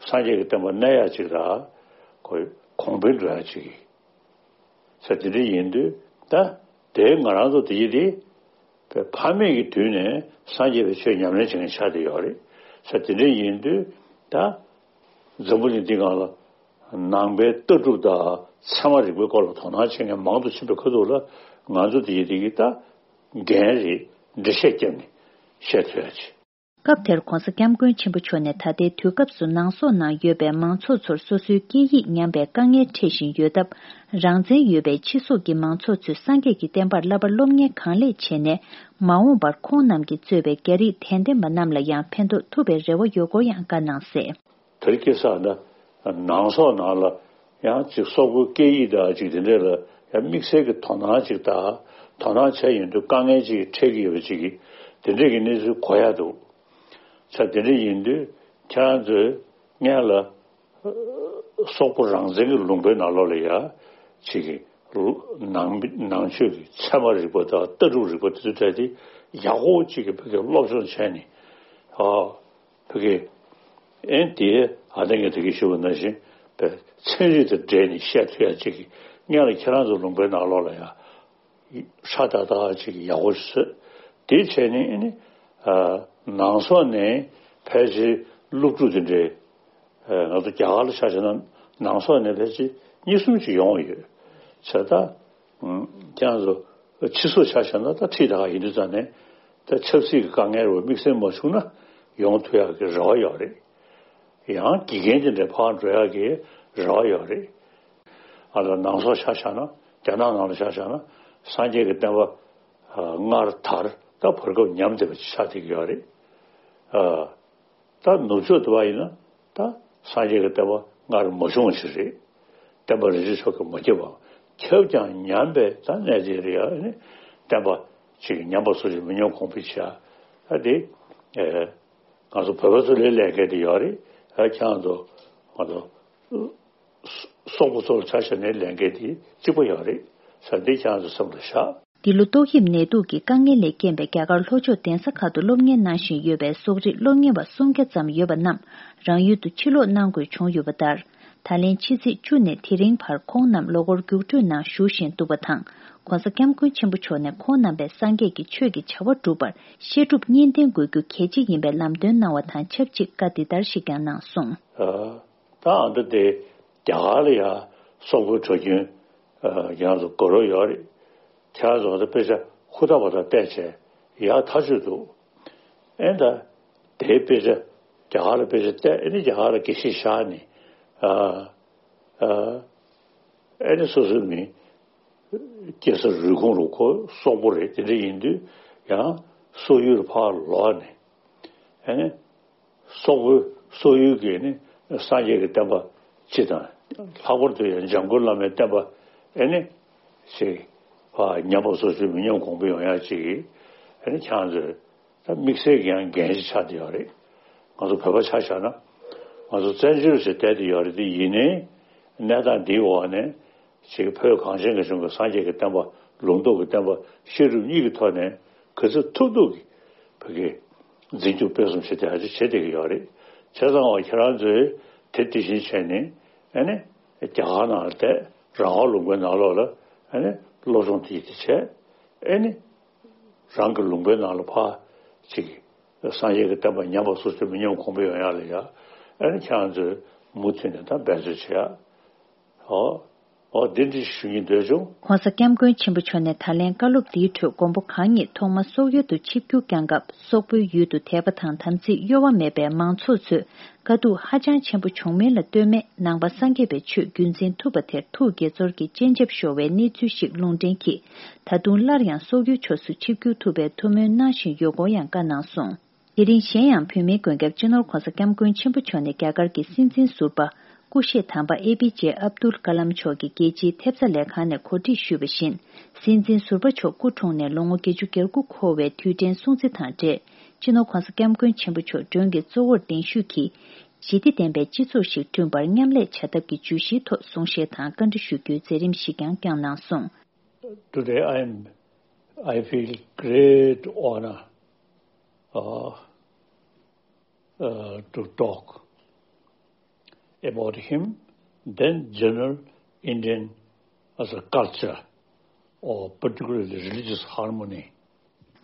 སངས་རྒྱས་ཀྱི་བསྟན་པ་གནས་ཡག་ཅིག་ར་ཁོ་གོང་འཕེལ་འགྲོ་ཡག་ཅིག་ཡིན། ས་དེ་འདྲ་ཡིན་དུས་ད་དེ་ང་རང་ཚོ་དེ་ཡི་དེ་ཕ་མེས་ཀྱི་དུས་ནས་སངས་རྒྱས་པའི་ཆོས་ཉམས་ལེན་བྱེད་མཁན་ཆགས་བསྡད་ཡོད་རེད། ས་དེ་འདྲ་ཡིན་དུས་ད་འཛམ་བུ་གླིང་འདི་སྒང་ལ་ནང་པའི་ལྟ་གྲུབ་དང་ཚད་མ་རིག་པའི་སྐོར་ལ་དོ་སྣང་བྱེད་མཁན་མང་དུ་ཕྱིན་པའི་ཁ་ཐུག་ལ་ང་ཚོ་དེ་ཡི་དེ་གི་ད་འགན་རེད། འགྲེལ་བཤད་བརྒྱབ་ནས་བཤད་ཐུབ་ཡ་ཆེ། སྐབས་དེར་༧གོང་ས་༧སྐྱབས་མགོན་ཆེན་པོ་མཆོག་ནས་ད་ལྟའི་དུས་སྐབས་སུ་ནང་སོག་ནང་ཡོད་པའི་མང་ཚོགས་ཚོར་སོ་སོའི་སྐད་ཡིག་ཉམས་པའི་དཀའ་ངལ་འཕྲད་བཞིན་ཡོད་སྟབས། རང་བཙན་ཡོད་པའི་ཕྱི་སོག་གི་མང་ཚོགས་ཚོས་སངས་རྒྱས་ཀྱི་བསྟན་པར་བསླབ་པ་སློབ་གཉེར་གང་ལེགས་བྱས་ནས། མ་འོངས་པར་ཁོང་རྣམས་ཀྱིས་གཙོས་པའི་རྒྱ་རིགས་དད་ལྡན་པ་རྣམས་ལ་ཡང་ཕན་ཐོགས་ཐུབ་པའི་རེ་བ་ཡོད་སྐོར་ཡང་བཀའ་གནང་གསལ། དེར་སྐྱེས་ས་ན་ནང་སོག་ནང་ལ་ཡང་ཅིག་སོག་པོའི་སྐད་ཡིག་དང་ཅིག་དེ་འདྲས་ལ་ཡང་དམིགས་བསལ་གྱི་དོ་སྣང་ཅིག་དང་ དོ་སྣང་བྱས་ཡོང་དུས་དཀའ་ངལ་ཅིག་འཕྲད་ཀྱི་ཡོད་པ་ཅིག་གིས་དེ་འདྲས་ཀྱི་གནས་ཚུལ་གོ་ཡག་འདུག་ས། དེ་འདྲས་ཡིན་དུས་ཁྱེད་རང་ཚོས་སྔོན་ལ་སོག་པོ་རང་བཙན་གྱི་ལུང་པའི་ནང་ལོགས་ལ་ཡ་ཅིག་གི་ནང་ནང་ཆོས་ཀྱི་ཚད་མ་རིག་པ་དང་ལྟ་གྲུབ་རིག་པ་དེ་ཚོ་སྤྲད་དེ་ཡག་པོ་ཅིག་གི་བོད་སྐད་སློབ་སྦྱོང་བྱས་ནས་ཨ། བོད་སྐད། ཨེ་དེ་ཨ་ནེ་ངས་དེ་གི་ཞུ་བ་ནང་བཞིན་པའི་ཚན་རིག་དང་འབྲེལ་ནས་བཤད་ཐུབ་ཡ་ཅིག་གི་སྔོན་ལ་ཁྱེད་རང་ཚོ་ལུང་པའི་ནང་ལོགས་ལ་ཡ་ཧྲ་ཏག་ཏག་ཅིག་ཡག་པོ་ཞིག་བཟོས། དེ་བྱས་ནས་ཨེ་ནི་ཨ་ནང་སོག་ནས་ཕལ་ཆེར་སློབ་ཕྲུག་དེ་འདྲའི་ཨ་ང་ཚོ་རྒྱ་གར་ལ་ཆ་བཞག་ན་ནང་སོག་ནས་ཕལ་ཆེར་གཉིས་གསུམ་ཅིག་ཡོང་ཡོད། བྱས་ད། ཁྱེད་རང་ཚོ་ཕྱི་སོག་ཆ་བཞག་ན་ད་ཁྲིད་ད་ག་ཡིན་དུས་ཙང་ནས་ད་ཆབ་སྲིད་ཀྱི་དཀའ་ངལ་རུ་དམིགས་བསལ་མ་བྱུང་ན་ཡོང་ཐུབ་ཡག་གི་རེ་བ་ཡོད་རེད། ཡང་དགེ་རྒན་དེ་འདྲ་ཕར་འགྲོ་ཡག་གི་རེ་བ་ཡོད་རེད། ཨ་ལ་ནང་སོག་ཆ་བཞག་ན་རྒྱ་ནག་ནང་ལ་ཆ་བཞག་ན་སངས་རྒྱས་ཀྱི་བསྟན་པ་སྔར་དར་ད་བར་སྐབས་ཉམས་བསྡད་པ་ཆགས་བསྡད་ཀྱི་ཡོད་རེད། ཨ། ད་ནུབ་ཕྱོགས་དུ་བ་ཡིན་ན་ད་སངས་རྒྱས་ཀྱི་བསྟན་པ་སྔར་མ་བྱུང་བ་ཞིག་རེད། བསྟན་པ་རིན་ཆེན་མཆོག་གིས་མ་ཁྱབ་པ། ཁྱབ་ཀྱང་ཉམས་པའི་ད་གནས་དེ་རེད་ཡ་ནི། བསྟན་པ་ཅིག་ཉམས་པ་སོ་སོ་མི་ཉམས་གོང་འཕེལ་བྱ། ད་དེ་ཨེ་ང་ཚོ་བོད་པ་ཚོ་ལས་ལས་འགན་དེ་ཡོད་རེད། ཨ་ཁྱེད་རང་ཚོ་ང་ཚོ་སོག་པོ་ཚོ་ལ་ཆ་བཞག་ནས་ལས་འགན་དེ་གཅིག་པ་ཡོད་རེད་ས། འདི་ཁྱེད་རང་ཚོ་སེམས་ལ་བཞག། འདི་ལོ་ཏོག་དབྱིབས་ནད་དུག་གི་དཀའ་ངལ་ལས་རྐྱེན་པས་རྒྱ་གར་ལྷོ་ཕྱོགས་གདན་ས་ཁག་ཏུ་སློབ་གཉེར་གནང་བཞིན་ཡོད་པའི་སོག་རིགས་སློབ་གཉེར་བ་སུམ་བརྒྱ་ཙམ་ཡོད་པ་རྣམས་རང་ཡུལ་དུ་ཕྱིར་ལོག་གནང་དགོས་བྱུང་ཡོད་པ་ལྟར། ད་ལན་ཕྱི་ཚེས་བཅུ་ནས་དེ་རིང་བར་ཁོང་རྣམས་ལོ་འཁོར་རྒྱུགས་སྤྲོད་ནང་ཞུགས་བཞིན་འདུག་པ་དང་། ྋགོང་ས་ྋསྐྱབས་མགོན་ཆེན་པོ་མཆོག་ནས་ཁོང་རྣམ་པས་སངས་རྒྱས་ཀྱི་ཆོས་ཀྱི་བྱ་བ་སྒྲུབ་པར་བཤད་སྒྲུབ་གཉིས་ལྡན་དགོས་རྒྱུ་གལ་ཆེ་ཡིན་པའི་ལམ་སྟོན་གནང་བ་དང་ཆབས་ཅིག་བཀའ་འདི་ལྟར་ཞིག་ཀྱང་གནང་སོང་། ད་ཨ་འདྲ་དེ་རྒྱ་གར་ལ་ཡང་སོག་པོའི་གྲྭ་རྒྱུན་ཡང་དུ་དགོས་རོགས་ཡོད་རེད། ཁྱེད་རང་ཚོ་ད་དཔེ་ཆ་ཧུར་ཐག་པ་ཐག་བལྟས་བྱས་ཡག་ཐག་ཆོད་འདུག་ཨེ་ད་དེའི་དཔེ་ཆ་རྒྱ་གར་ལ་དཔེ་ཆ་བལྟས་ཨེ་ནི་རྒྱ་གར་ལ་དགེ་བཤེས་བཞག་ནས་ཨ་ཨ་ཨེ་ནི་སོ་སོའི་མི་སྐྱེས་ས་རུས་ཁུངས་རུ་ཁོ་སོག་པོ་རེད། དེ་འདྲ་ཡིན་དུས་ཡང་སོག་ཡུལ་ཕར་ལོག་ནས་ཨེ་ནི། སོག་པོའི་སོག་ཡུལ་གྱི་ནི་སངས་རྒྱས་ཀྱི་བསྟན་པ་སྤྱི་དང་། ལྷག་པར་དུ་ཡང་འཇམ་མགོན་བླ་མའི་བསྟན་པ་ཨེ་ནི་ཞེས་ཕར་ཉམས་པ་སོར་ཆུད་མི་ཉམས་གོང་འཕེལ་ཡོང་ཡག་ཅིག་གིས་ཨེ་ནི་ཁྱེད་རང་ཚོས་ད་དམིགས་བསལ་གྱི་ཡང་འགན་ཞིག་ཆགས་བསྡད་ཡོད་རེད། ང་ཚོ་བོད་པ་ཆ་བཞག་ན་ང་ཚོ་བཙན་བྱོལ་ཞིག་བསྡད་བསྡད་ཡོད་རེད། དེ་ཡིན་ནའི་གནས་སྟངས་འདིའི་འོག་ནས། ཅིག་བོད་གངས་ཅན་གྱི་ལྗོངས་ཀྱི་སངས་རྒྱས་ཀྱི་བསྟན་པ། ལུང་རྟོགས་ཀྱི་བསྟན་པ་བཤད་སྒྲུབ་གཉིས་ཀྱི་ཐོག་ནས་ག་ཚོད་ཐུབ་ཐུབ་ཀྱིས་བོད་ཀྱི་འཛིན་སྐྱོང་སྤེལ་གསུམ་བྱེད་བསྡད་ཡག་ཅིག་བྱེད་བསྡད་ཀྱི་ཡོད་རེད། བྱས་ཙང་བ་ཁྱེད་རང་ཚོས་དེ་དེ་བཞིན་བྱས་ནས་ཨ་ནི་རྒྱ་གར་ནང་ལ་བསྡད། རང་དབང་ལུང་པའི་ནང་ལོགས་ལ་ཨ་ནི་སློབ་སྦྱོང་དེ་དེ་བྱས། ཨ་ནི་རང་གི་ལུང་པའི་ནང་ལ་ཕར་ཅིག་སངས་རྒྱས་ཀྱི་བསྟན་པ་ཉམས་པ་སོར་ཆུད་མི་ཉམས་གོང་འཕེལ་ཡོང་ཡག་ལ་ཡ་ཨ་ནི་ཁྱེད་རང་ཚོས་མུ་མཐུད་ནས་ད་འབད་རྩོལ་བྱེད་ཡག་ཨོ། ཨོ་འདི་འདྲ་ཞུ་སྙིང་འདོད་བྱུང་། ྋགོང་ས་ྋསྐྱབས་མགོན་ཆེན་པོ་མཆོག་ནས་ད་ལན་བཀའ་སློབ་འདིའི་ཁྲོད་མགོན་པོ་གང་ཉིད་ཐོག་མར་སོག་ཡུལ་དུ་ཆིབས་བསྒྱུར་བསྐྱངས་སྐབས་སོག་པོའི་ཡུལ་དུ་དད་པ་དང་དམ་ཚིག་གཡོ་བ་མེད་པའི་མང་ཚོགས་ཚོས་དཀའ་སྡུག་ཧ་ཅང་ཆེན་པོ་བྱུང་མིན་ལ་ལྟོས་མེད་ནང་པ་སངས་རྒྱས་པའི་ཆོས་རྒྱུན་འཛིན་ཐུབ་པ་དེར་ཐུགས་དགྱེས་ཚོར་གྱི་སྤྱན་ཆབ་ཤོར་བའི་གནས་ཚུལ་ཞིག་ལུང་འདྲེན་གྱིས། ད་དུང་སླར་ཡང་སོག་ཡུལ་ཕྱོགས་སུ་ཆིབས་བསྒྱུར་ཐུབ་པའི་ཐུགས་སྨོན་གནང་བཞིན་ཡོད་སྐོར་ཡང་བཀའ་གནང་སོང་། དེ་རིང་གཞན་ཡང་བོད་མིའི་མགོན་སྐྱབས་སྤྱི་ནོར་ྋགོང་ས་ྋསྐྱབས་མགོན་ཆེན་པོ་མཆོག་ནས་རྒྱ་གར་གྱི་སྲིད་འཛིན་ཟུར་པ་སྐུ་གཤེགས་དམ་པ་ཨེ་པི་ཇེ་ཨབ་དུལ་ཀ་ལམ་མཆོག་གིས་རྒྱལ་སྤྱིའི་ཐེབས་རྩ་ལས་ཁང་ནས་གོ་སྒྲིག་ཞུས་པ་བཞིན། སྲིད་འཛིན་ཟུར་པ་མཆོག་སྐུ་འཁྲུངས་ནས་ལོ་ངོ་བརྒྱད་ཅུ་གྱ་དགུ་འཁོར་བའི་དུས་དྲན་སྲུང་བརྩི་དང་འབྲེལ། སྤྱི་ནོར་ྋགོང་ས་ྋསྐྱབས་མགོན་ཆེན་པོ་མཆོག་མགྲོན་གྱི་གཙོ་བོར་གདན་ཞུས་ཀྱིས། ཞི་བདེ་ལྡན་པའི་སྤྱི་ཚོགས་ཤིག་བསྐྲུན་པར་མཉམ་ལས་བྱ་ཐབས་ཀྱི་བརྗོད་གཞིའི་ཐོག་གསུང་བཤད་དང་བཀའ་འདྲི་ཞུ་རྒྱུའི་མཛད་རིམ་ཞིག་ཀྱང་བསྐྱངས་གནང་སོང་། Today I am, I feel great honor, uh, uh, to talk about him, then general Indian as a culture, or particularly religious harmony.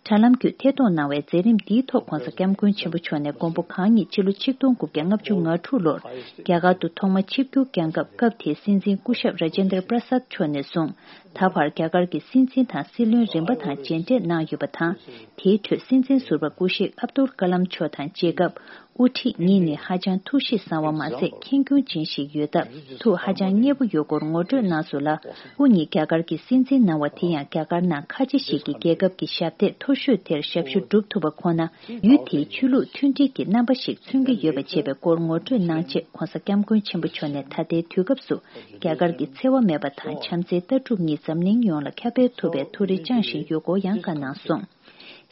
དྲ་ལམ་བརྒྱུད་ཐད་གཏོང་གནང་བའི་མཛད་རིམ་འདིའི་ཐོག་ྋགོང་ས་ྋསྐྱབས་མགོན་ཆེན་པོ་མཆོག་ནས་མགོན་པོ་གང་ཉིད་ཕྱི་ལོ་ཆིག་སྟོང་དགུ་བརྒྱ་ལྔ་བཅུ་ང་དྲུག་ལོར་རྒྱ་གར་དུ་ཐོག་མ་ཆིབས་བསྒྱུར་བསྐྱངས་སྐབས། སྐབས་དེའི་སྲིད་འཛིན་སྐུ་ཞབས་Rajendra Prasad མཆོག་ནས་བཟུང་ད་བར་རྒྱ་གར་གྱི་སྲིད་འཛིན་དང་སྲིད་བློན་རིམ་པ་དང་མཇལ་འཕྲད་གནང་ཡོད་པ་དང་། དེའི་ཁྲོད་སྲིད་འཛིན་ཟུར་པ་སྐུ་གཤེགས་ཨབ་དུལ་ཀ་ལམ་མཆོག་དང་མཇལ་སྐབས། དབུ་ཁྲིད་གཉིས་ནི་ཧ་ཅང་ཐུགས་གཤིས་བཟང་བ་མ་ཟད་ཁྱེད་སྐྱོན་ཅན་ཞིག་ཡོད་སྟབས་ཐུགས་ཧ་ཅང་མཉེས་པོ་ཡོད་སྐོར་ངོ་སྤྲོད་གནང་སོང་ལ། སྐུ་ཉིད་རྒྱ་གར་གྱི་སྲིད་འཛིན་གནང་བ་དེ་ཡང་རྒྱ་གར་ནང་ཁ་ཆེ་ཞིག་གི་རྒྱལ་ཁབ་ཀྱི་ཞབས་སྟེགས་མཐོ་ཤོས་དེར་ཞབས་ཞུ་སྒྲུབ་ཐུབ་པ་ཁོ་ན་ཡུལ་དེའི་ཆོས་ལུགས་མཐུན་སྒྲིལ་གྱི་རྣམ་པ་ཞིག་མཚོན་གྱི་ཡོད་པ་བྱས་པའི་སྐོར་ངོ་སྤྲོད་གནང་རྗེས་༧གོང་ས་༧སྐྱབས་མགོན་ཆེན་པོ་མཆོག་ནས་ད་ལྟའི་དུས་སྐབས་སུ་རྒྱ་གར་གྱི་འཚེ་བ་མེད་པ་དང་བྱམས་བརྩེའི་ལྟ་གྲུབ་གཉིས་འཛམ་གླིང་ཡོངས་ལ་ཁྱབ་སྤེལ་ཐུབ་པའི་ཐུགས་རེ་བཅངས་བཞིན་ཡོད་སྐོར་ཡང་བཀའ་གནང་སོང་།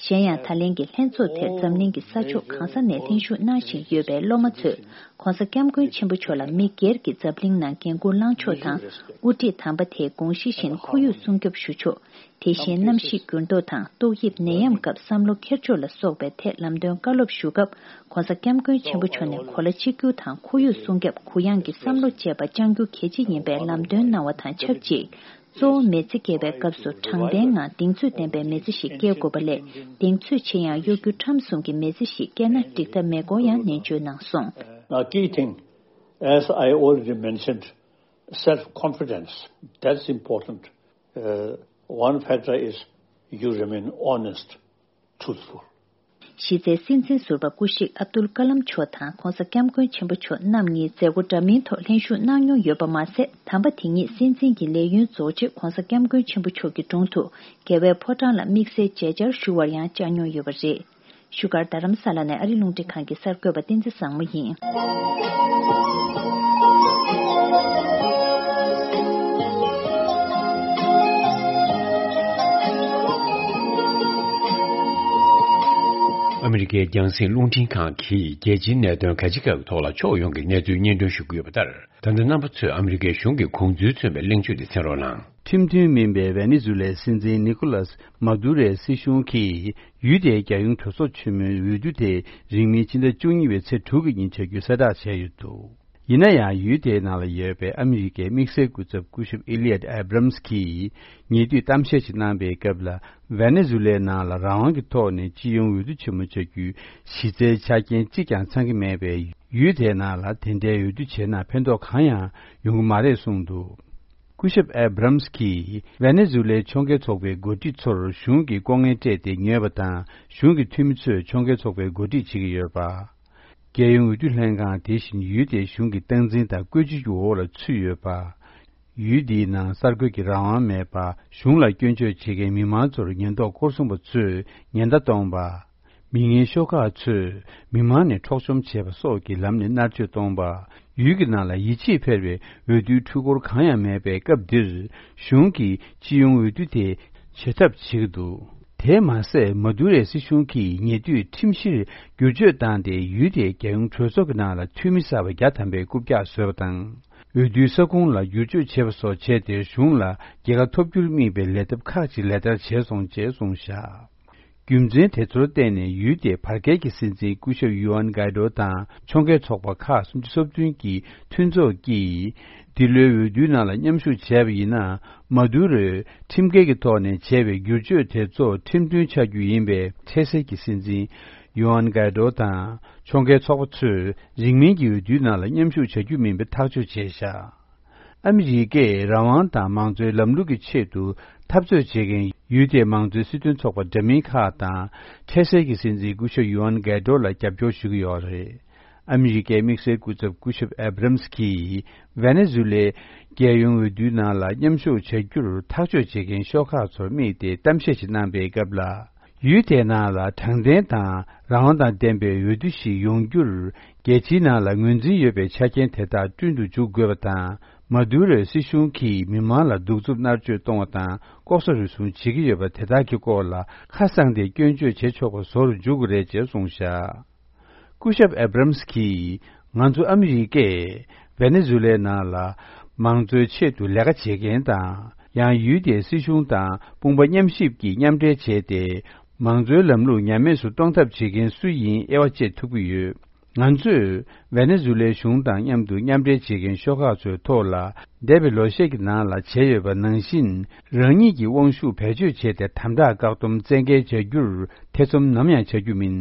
གཞན་ཡང་ད་ལན་གྱི་ལྷན་ཚོགས་དེར་འཛམ་གླིང་གི་ས་ཕྱོགས་གང་ས་ནས་ལྷན་ཞུགས་གནང་བཞིན་ཡོད་པའི་སློབ་མ་ཚོས་༧གོང་ས་༧སྐྱབས་མགོན་ཆེན་པོ་མཆོག་ལ་མི་སྒེར་གྱི་འཛམ་གླིང་ནང་འགན་འཁུར་བླངས་ཕྱོགས་དང་། དབུ་ཁྲིད་དམ་པ་དེའི་དགོངས་གཞི་བཞིན་ཁོར་ཡུག་སྲུང་སྐྱོབ་ཞུ་ཕྱོགས། དེ་བཞིན་གནམ་གཤིས་འགྱུར་ལྡོག་དང་ཏོག་དབྱིབས་ནད་ཡམས་སྐབས་བསམ་བློ་འཁྱེར་ཕྱོགས་ལ་སོགས་པའི་ཐད་ལམ་སྟོན་བཀའ་སློབ་ཞུ་སྐབས་༧གོང་ས་༧སྐྱབས་མགོན་ཆེན་པོ་མཆོག་ནས་གོ་ལ་གཅིག་གྱུར་དང་ཁོར་ཡུག་སྲུང་སྐྱོབ་གུ་ཡངས་ཀྱི་བསམ་བློ་བཅས་པ་བཅངས་རྒྱུ་གལ་ཆེ་ཡིན་པའི་ལམ་སྟོན་གནང་བ་དང་ཆབས་ཅིག་གཙོ་བོ་མི་ཚེ་སྐྱེལ་བའི་སྐབས་སུ་དྲང་བདེན་ངང་གདེང་ཚོད་ལྡན་པའི་མི་ཚེ་ཞིག་སྐྱེལ་དགོས་པ་ལས་གདེང་ཚོད་ཆེ་ཡང་གཡོ་སྒྱུ་ཁྲམ་གསུམ་གྱི་མི་ཚེ་ཞིག་སྐྱེལ་ན་འགྲིག་ཐབས་མེད་སྐོར་ཡང་ནན་བརྗོད་གནང་སོང་། Now, key thing, as I already mentioned, self-confidence. That's important. Uh, one factor is you remain honest, truthful. གཞི་རྩའི་སྲིད་འཛིན་ཟུར་པ་སྐུ་གཤེགས་ཨབ་དུལ་ཀ་ལམ་མཆོག་དང་༧གོང་ས་༧སྐྱབས་མགོན་ཆེན་པོ་མཆོག་རྣམ་གཉིས་མཛད་སྒོ་འདྲ་མིན་ཐོག་ལྷན་ཞུགས་གནང་མྱོང་ཡོད་པ་མ་ཟད། དམ་པ་དེ་ཉིད་སྲིད་འཛིན་གྱི་ལས་ཡུན་རྫོགས་རྗེས་༧གོང་ས་༧སྐྱབས་མགོན་ཆེན་པོ་མཆོག་གི་དྲུང་དུ་རྒྱལ་བའི་ཕོ་བྲང་ལ་དམིགས་བསལ་མཇལ་བཅར་ཞུ་བར་ཡང་བཅར་མྱོང་ཡོད་པ་རེད། བཞུགས་སྒར་རྡ་རམ་ས་ལ་ནས་ཨ་རི་རླུང་འཕྲིན་ཁང་གི་གསར་འགོད་པ་བསྟན་འཛིན་བཟང་མོ་ཡིན། ཨ་མི་རི་ཀའི་རྒྱང་སྲིང་རླུང་འཕྲིན་ཁང་གིས་རྒྱལ་སྤྱིའི་གནད་དོན་ག་ཅི་ག་གི་ཐོག་ལ་ཕྱོགས་ཡོངས་ཀྱི་གནས་ཚུལ་སྙན་སྒྲོན་ཞུ་གི་ཡོད་པ་ལྟར། ད་ལྟ་རྣམ་པ་ཚོས་ཨ་མི་རི་ཀའི་གཞུང་གི་དགོངས་ཚུལ་མཚོན་པའི་གླེང་བརྗོད་དེ་གསན་རོགས་གནང་། ཁྲིམས་མཐུན་མིན་པའི་ཝེ་ནེ་ཛུ་ལའི་སྲིད་འཛིན་ནི་ཀོ་ལཱས་མ་དུ་རོའི་སྲིད་གཞུང་གིས་ཡུལ་དེའི་རྒྱལ་ཡོངས་གྲོས་ཚོགས་ཆེན་མོའི་འོས་བསྡུ་དེ་རིང་མིན་ཕྱི་ཟླ་བཅུ་གཉིས་པའི་ཚེས་དྲུག་གི་ཉིན་བྱ་རྒྱུ་གསལ་བསྒྲགས་བྱས་ཡོད་འདུག་ཡིན་ན་ཡང་ཡུལ་དེའི་ནང་ལ་ཡོད་པའི་ཨ་མི་རི་ཀའི་དམིགས་བསལ་སྐུ་ཚབ་སྐུ་ཞབས་ཨི་ལི་ཡད་ཨེ་བྷ་རམ་སི་གིས་ཉེ་དུས་གཏམ་བཤད་ཅིག་གནང་པའི་སྐབས་ལ། ཝེ་ནེ་ཛུ་ལའི་ནང་ལ་རང་དབང་གི་ཐོག་ནས་སྤྱི་ཡོངས་འོས་བསྡུ་ཆེན་མོ་བྱ་རྒྱུའི་གཞི་རྩའི་ཆ་རྐྱེན་གཅིག་ཀྱང་ཚང་གི་མེད་པས། ཡུལ་དེའི་ནང་ལ་དེ་འདྲའི་འོས་བསྡུ་བྱས་ན་ཕན་ཐོགས་གང་ཡང་ཡོང་གི་མ་རེད་གསུངས་འདུག་སྐུ་ཞབས་ཨེ་བྷ་རམ་སི་གིས་ཝེ་ནེ་ཛུ་ལའི་ཕྱོགས་འགལ་ཚོགས་པའི་འགོ་ཁྲིད་ཚོར་གཞུང་གིས་ལྐོག་རྔན་སྤྲད་དེ་ཉོས་པ་དང་། གཞུང་གི་འཐུས་མི་ཚོས་ཕྱོགས་འགལ་ཚོགས་པའི་འགོ་ཁྲིད་བྱེད་ཀྱི་ཡོད་པ། རྒྱལ་ཡོངས་འོས་བསྡུ་ལྷན་ཁང་དེ་བཞིན་ཡུལ་དེའི་གཞུང་གི་སྟངས་འཛིན་དང་བཀོད་ཇུས་ཀྱི་འོག་ལ་ཚུད་ཡོད་པ། ཡུལ་འདིའི་ནང་གསར་འགོད་ཀྱི་རང་དབང་མེད་པ། གཞུང་ལ་སྐྱོན་བརྗོད་བྱེད་མཁན་མི་མང་ཚོར་ཉེན་རྟོག་སྐོར་སྲུང་པ་ཚོས་ཉེན་བརྡ་གཏོང་པ། མི་ངན་ཤོག་ཁག་ཚོས་མི་མང་ནས་འཕྲོག་བཅོམ་བྱས་པ་སོགས་ཀྱི་ལམ་ནས་མནར་གཅོད་གཏོང་པ། ཡུལ་གྱི་ནང་ལ་ཡིད་ཆེས་འཕེར་བའི་འོས་བསྡུའི་འཕྲུལ་འཁོར་གང་ཡང་མེད་པའི་སྐབས་འདིར། གཞུང་གིས་སྤྱི་ཡོངས་འོས་བསྡུ་དེ་བྱེད་ཐབས་བྱེད་ཀྱི་འདུག་དེས་མ་ཟད། མ་དུ་རའི་སྲིད་གཞུང་གིས་ཉེ་དུས་ཁྲིམས་གཞིར་བསྒྱུར་བཅོས་བཏང་སྟེ། ཡུལ་དེའི་རྒྱལ་ཡོངས་གྲོས་ཚོགས་ཀྱི་ནང་ལ་འཐུས་མི་གསར་པ་བརྒྱ་ཐམ་པའི་རྐུབ་བཀྱག་བཟོས་པ་དང་། འོས་བསྡུའི་ས་ཁུངས་ལ་བསྒྱུར་བཅོས་བྱས་པ་སོགས་བྱས་ཏེ། གཞུང་ལ་རྒྱལ་ཁ་ཐོབ་རྒྱུར་དམིགས་པའི་ལས་ཐབས་ཁག་ཅིག་ལག་བསྟར་བྱས་སོང་ཅེས་གསུངས་བཞག་རྒྱུ་མཚན་དེ་ཚོར་བརྟེན་ནས། ཡུལ་དེའི་བར་བརྒལ་གྱི་སྲིད་འཛིན་སྐུ་ཞབས་ཡུའན་གྷའི་ཌོ་དང་ཕྱོགས་འགལ་ཚོགས་པ་ཁག་སུམ་ཅུ་སོ་བདུན་གྱི་མཐུན་ཚོགས་ཀྱིས། འདི་ལོའི་འོས་བསྡུའི་ནང་ལ་མཉམ་ཞུགས་བྱས་པ་ཡིན་ན། མ་དུ་རོས་ཁྲིམས་འགལ་གྱི་ཐོག་ནས་བྱས་པའི་བསྒྱུར་བཅོས་དེ་ཚོ་ཁྲིམས་མཐུན་ཆགས་རྒྱུ་ཡིན་པས། འཕྲལ་སེལ་གྱི་སྲིད་འཛིན་ཡུའན་གྷའི་ཌོ་དང་ཕྱོགས་འགལ་ཚོགས་པ་ཚོས་རིང་མིན་གྱི་འོས་བསྡུའི་ནང་ལ་མཉམ་ཞུགས་བྱ་རྒྱུ་མིན་པའི་ཐག་གཅོད་བྱས་བཞག་ཨ་མི་རི་ཀས་རང་དབང་དང་མང་གཙོའི་ལམ་ལུགས་ཀྱི་ཆེད་དུ་འཐབ་རྩོད་བྱེད་མཁན་ཡུལ་དེའི་མང་གཙོའི་སྲིད་དོན་ཚོགས་པ་འདྲ་མིན་ཁག་དང་། འཕྲལ་སེལ་གྱི་སྲིད་འཛིན་སྐུ་ཞབས་ཡུའན་གྷའི་ཌོ་ལ་རྒྱབ་སྐྱོར་ཞུ་གི་ཡོད་རེད། ཨ་མི་རི་ཀའི་དམིགས་བསལ་སྐུ་ཚབ་སྐུ་ཞབས་ཨེ་བྷ་རམ་སི་གིས། ཝེ་ནེ་ཛུ་ལའི་རྒྱལ་ཡོངས་འོས་བསྡུའི་ནང་ལ་མཉམ་ཞུགས་བྱ་རྒྱུར་ཐག་གཅོད་བྱེད་མཁན་ཤོག་ཁག་ཚོར་དམིགས་ཏེ་གཏམ་བཤད་ཞིག་གནང་པའི་སྐབས་ལ། ཡུལ་དེའི་ནང་ལ་དྲང་བདེན་དང་རང་དབང་དང་ལྡན་པའི་འོས་བསྡུ་ཞིག་ཡོང་རྒྱུར། རྒྱལ་སྤྱིའི་ནང་ལ་ངོས་འཛིན་ཡོད་པའི་ཆ་རྐྱེན་དེ་དག་བསྐྲུན་དུ་འཇུག་དགོས་པ་དང་། མ་དུ་རོའི་སྲིད་གཞུང་གིས་མི་མང་ལ་གདུག་རྩུབ་མནར་གཅོད་གཏོང་བ་དང་། ལྐོག་ཟ་རུལ་སུངས་བྱེད་ཀྱི་ཡོད་པ་དེ་དག་གི་སྐོར་ལ་ཁ་གསང་སྟེ་སྐྱོན་བརྗོད་བྱེད་ཆོག་པ་བཟོ་རུ་འཇུག་དགོས་རེད་ཅེས་གསུངས་བཞག་སྐུ་ཞབས་ཨེ་བྷ་རམ་སི་གིས། ང་ཚོ་ཨ་མི་རི་ཀས་ཝེ་ནེ་ཛུ་ལའི་ནང་ལ་མང་གཙོའི་ཆེད་དུ་ལས་ཀ་བྱེད་མཁན་དང་། ཡང་ཡུལ་དེའི་སྲིད་གཞུང་དང་དཔུང་པ་མཉམ་གཤིབ་ཀྱིས་མཉམ་འབྲེལ་བྱས་ཏེ། མང་གཙོའི་ལམ་ལུགས་ཉམས་དམས་སུ་གཏོང་ཐབས་བྱེད་མཁན་སུ་ཡིན་དབྱེ་བ་འབྱེད་ཐུབ་ཀྱི་ཡོད། ང་ཚོས་ཝེ་ནེ་ཛུ་ལའི་གཞུང་དང་མཉམ་དུ་མཉམ་འབྲེལ་བྱེད་མཁན་ཤོག་ཁག་ཚོའི་ཐོག་ལ། འདས་པའི་ལོ་ཤས་ཀྱི་ནང་ལ་བྱས་ཡོད་པ་ནང་བཞིན། རང་ཉིད་ཀྱི་དབང་ཤུགས་བེད་སྤྱོད་བྱས་ཏེ། དམ་དྲག་བཀག་སྡོམ་བཙན་འགེལ་བྱ་རྒྱུར་ཐེ་ཚོམ་ནམ་ཡང་བྱ་རྒྱུ་མིན།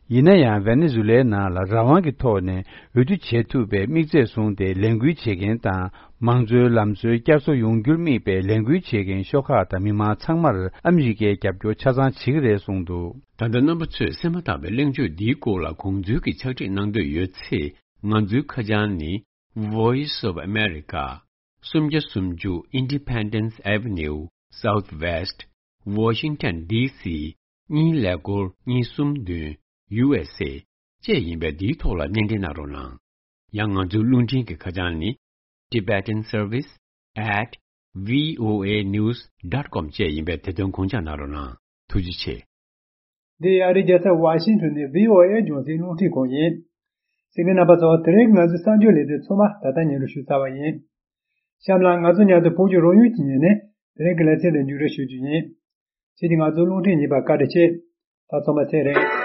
ཡིན་ན་ཡང་ཝེ་ནེ་ཛུ་ལའི་ནང་ལ་རང་དབང་གི་ཐོག་ནས་འོས་བསྡུ་བྱེད་ཐུབ་པའི་དམིགས་ཚད་བཟུང་སྟེ་ལས་འགུལ་བྱེད་མཁན་དང་། མང་གཙོའི་ལམ་སྲོལ་བསྐྱར་གསོ་ཡོང་རྒྱུར་དམིགས་པའི་ལས་འགུལ་བྱེད་མཁན་ཤོག་ཁག་དང་མི་མང་ཚང་མར་ཨ་མི་རི་ཀའི་རྒྱབ་སྐྱོར་ཆ་ཚང་བྱེད་ཀྱི་རེད་གསུངས་འདུག། ད་ལྟ་རྣམ་པ་ཚོས་གསན་མ་ཐག་པའི་གླེང་བརྗོད་འདིའི་སྐོར་ལ་གོང་འཛུལ་གྱི་ཕྱག་བྲིས་གནང་འདོད་ཡོད་ཚེ། ང་ཚོའི་ཁ་བྱང་ནི། Voice of America, སུམ་བརྒྱ་སུམ་ཅུ་Independence Avenue, Southwest, Washington D C གཉིས་ཀླད་ཀོར་གཉིས་གསུམ་བདུན། ཡུ་ཨེས་ཨེ་བཅས་ཡིན་པས། འདིའི་ཐོག་ལ་སྣེ་འདྲེན་གནང་རོགས་གནང་། ཡང་ང་ཚོའི་རླུང་འཕྲིན་གྱི་ཁ་བྱང་ནི། Tibetan Service at V O A news dot com བཅས་ཡིན་པས། དེ་དོན་དགོངས་འཇགས་གནང་རོགས་གནང་། ཐུགས་རྗེ་ཆེ། འདི་ཨ་རིའི་རྒྱལ་ས་ཝ་ཤིང་ཊོན་ནས་བྷི་ཨོ་ཨེ་རྒྱང་སྲིང་རླུང་འཕྲིན་ཁང་ཡིན། གསན་མཁན་རྣམ་པ་ཚོ། དེ་རིང་ང་ཚོའི་གསར་འགྱུར་ལེ་ཚན་ཚང་མ་ད་ལྟ་སྙན་སྒྲོན་ཞུས་ཚར་བ་ཡིན། གཤམ་ལ་ང་ཚོ་མཉམ་དུ་བོད་ཀྱི་རང་ཡུལ་གྱི་ཉིན་ནས་དེ་རིང་གི་ལེ་ཚན་དེ་མཇུག་སྒྲིལ་ཞུ་རྒྱུ་ཡིན། ཁྱེད་ཀྱིས་ང་ཚོའི་རླུང་འཕྲིན་ཉན་པར་བཀའ་དྲིན་ཆེ། ད་ཚང་མ་ཚེ་རིང་།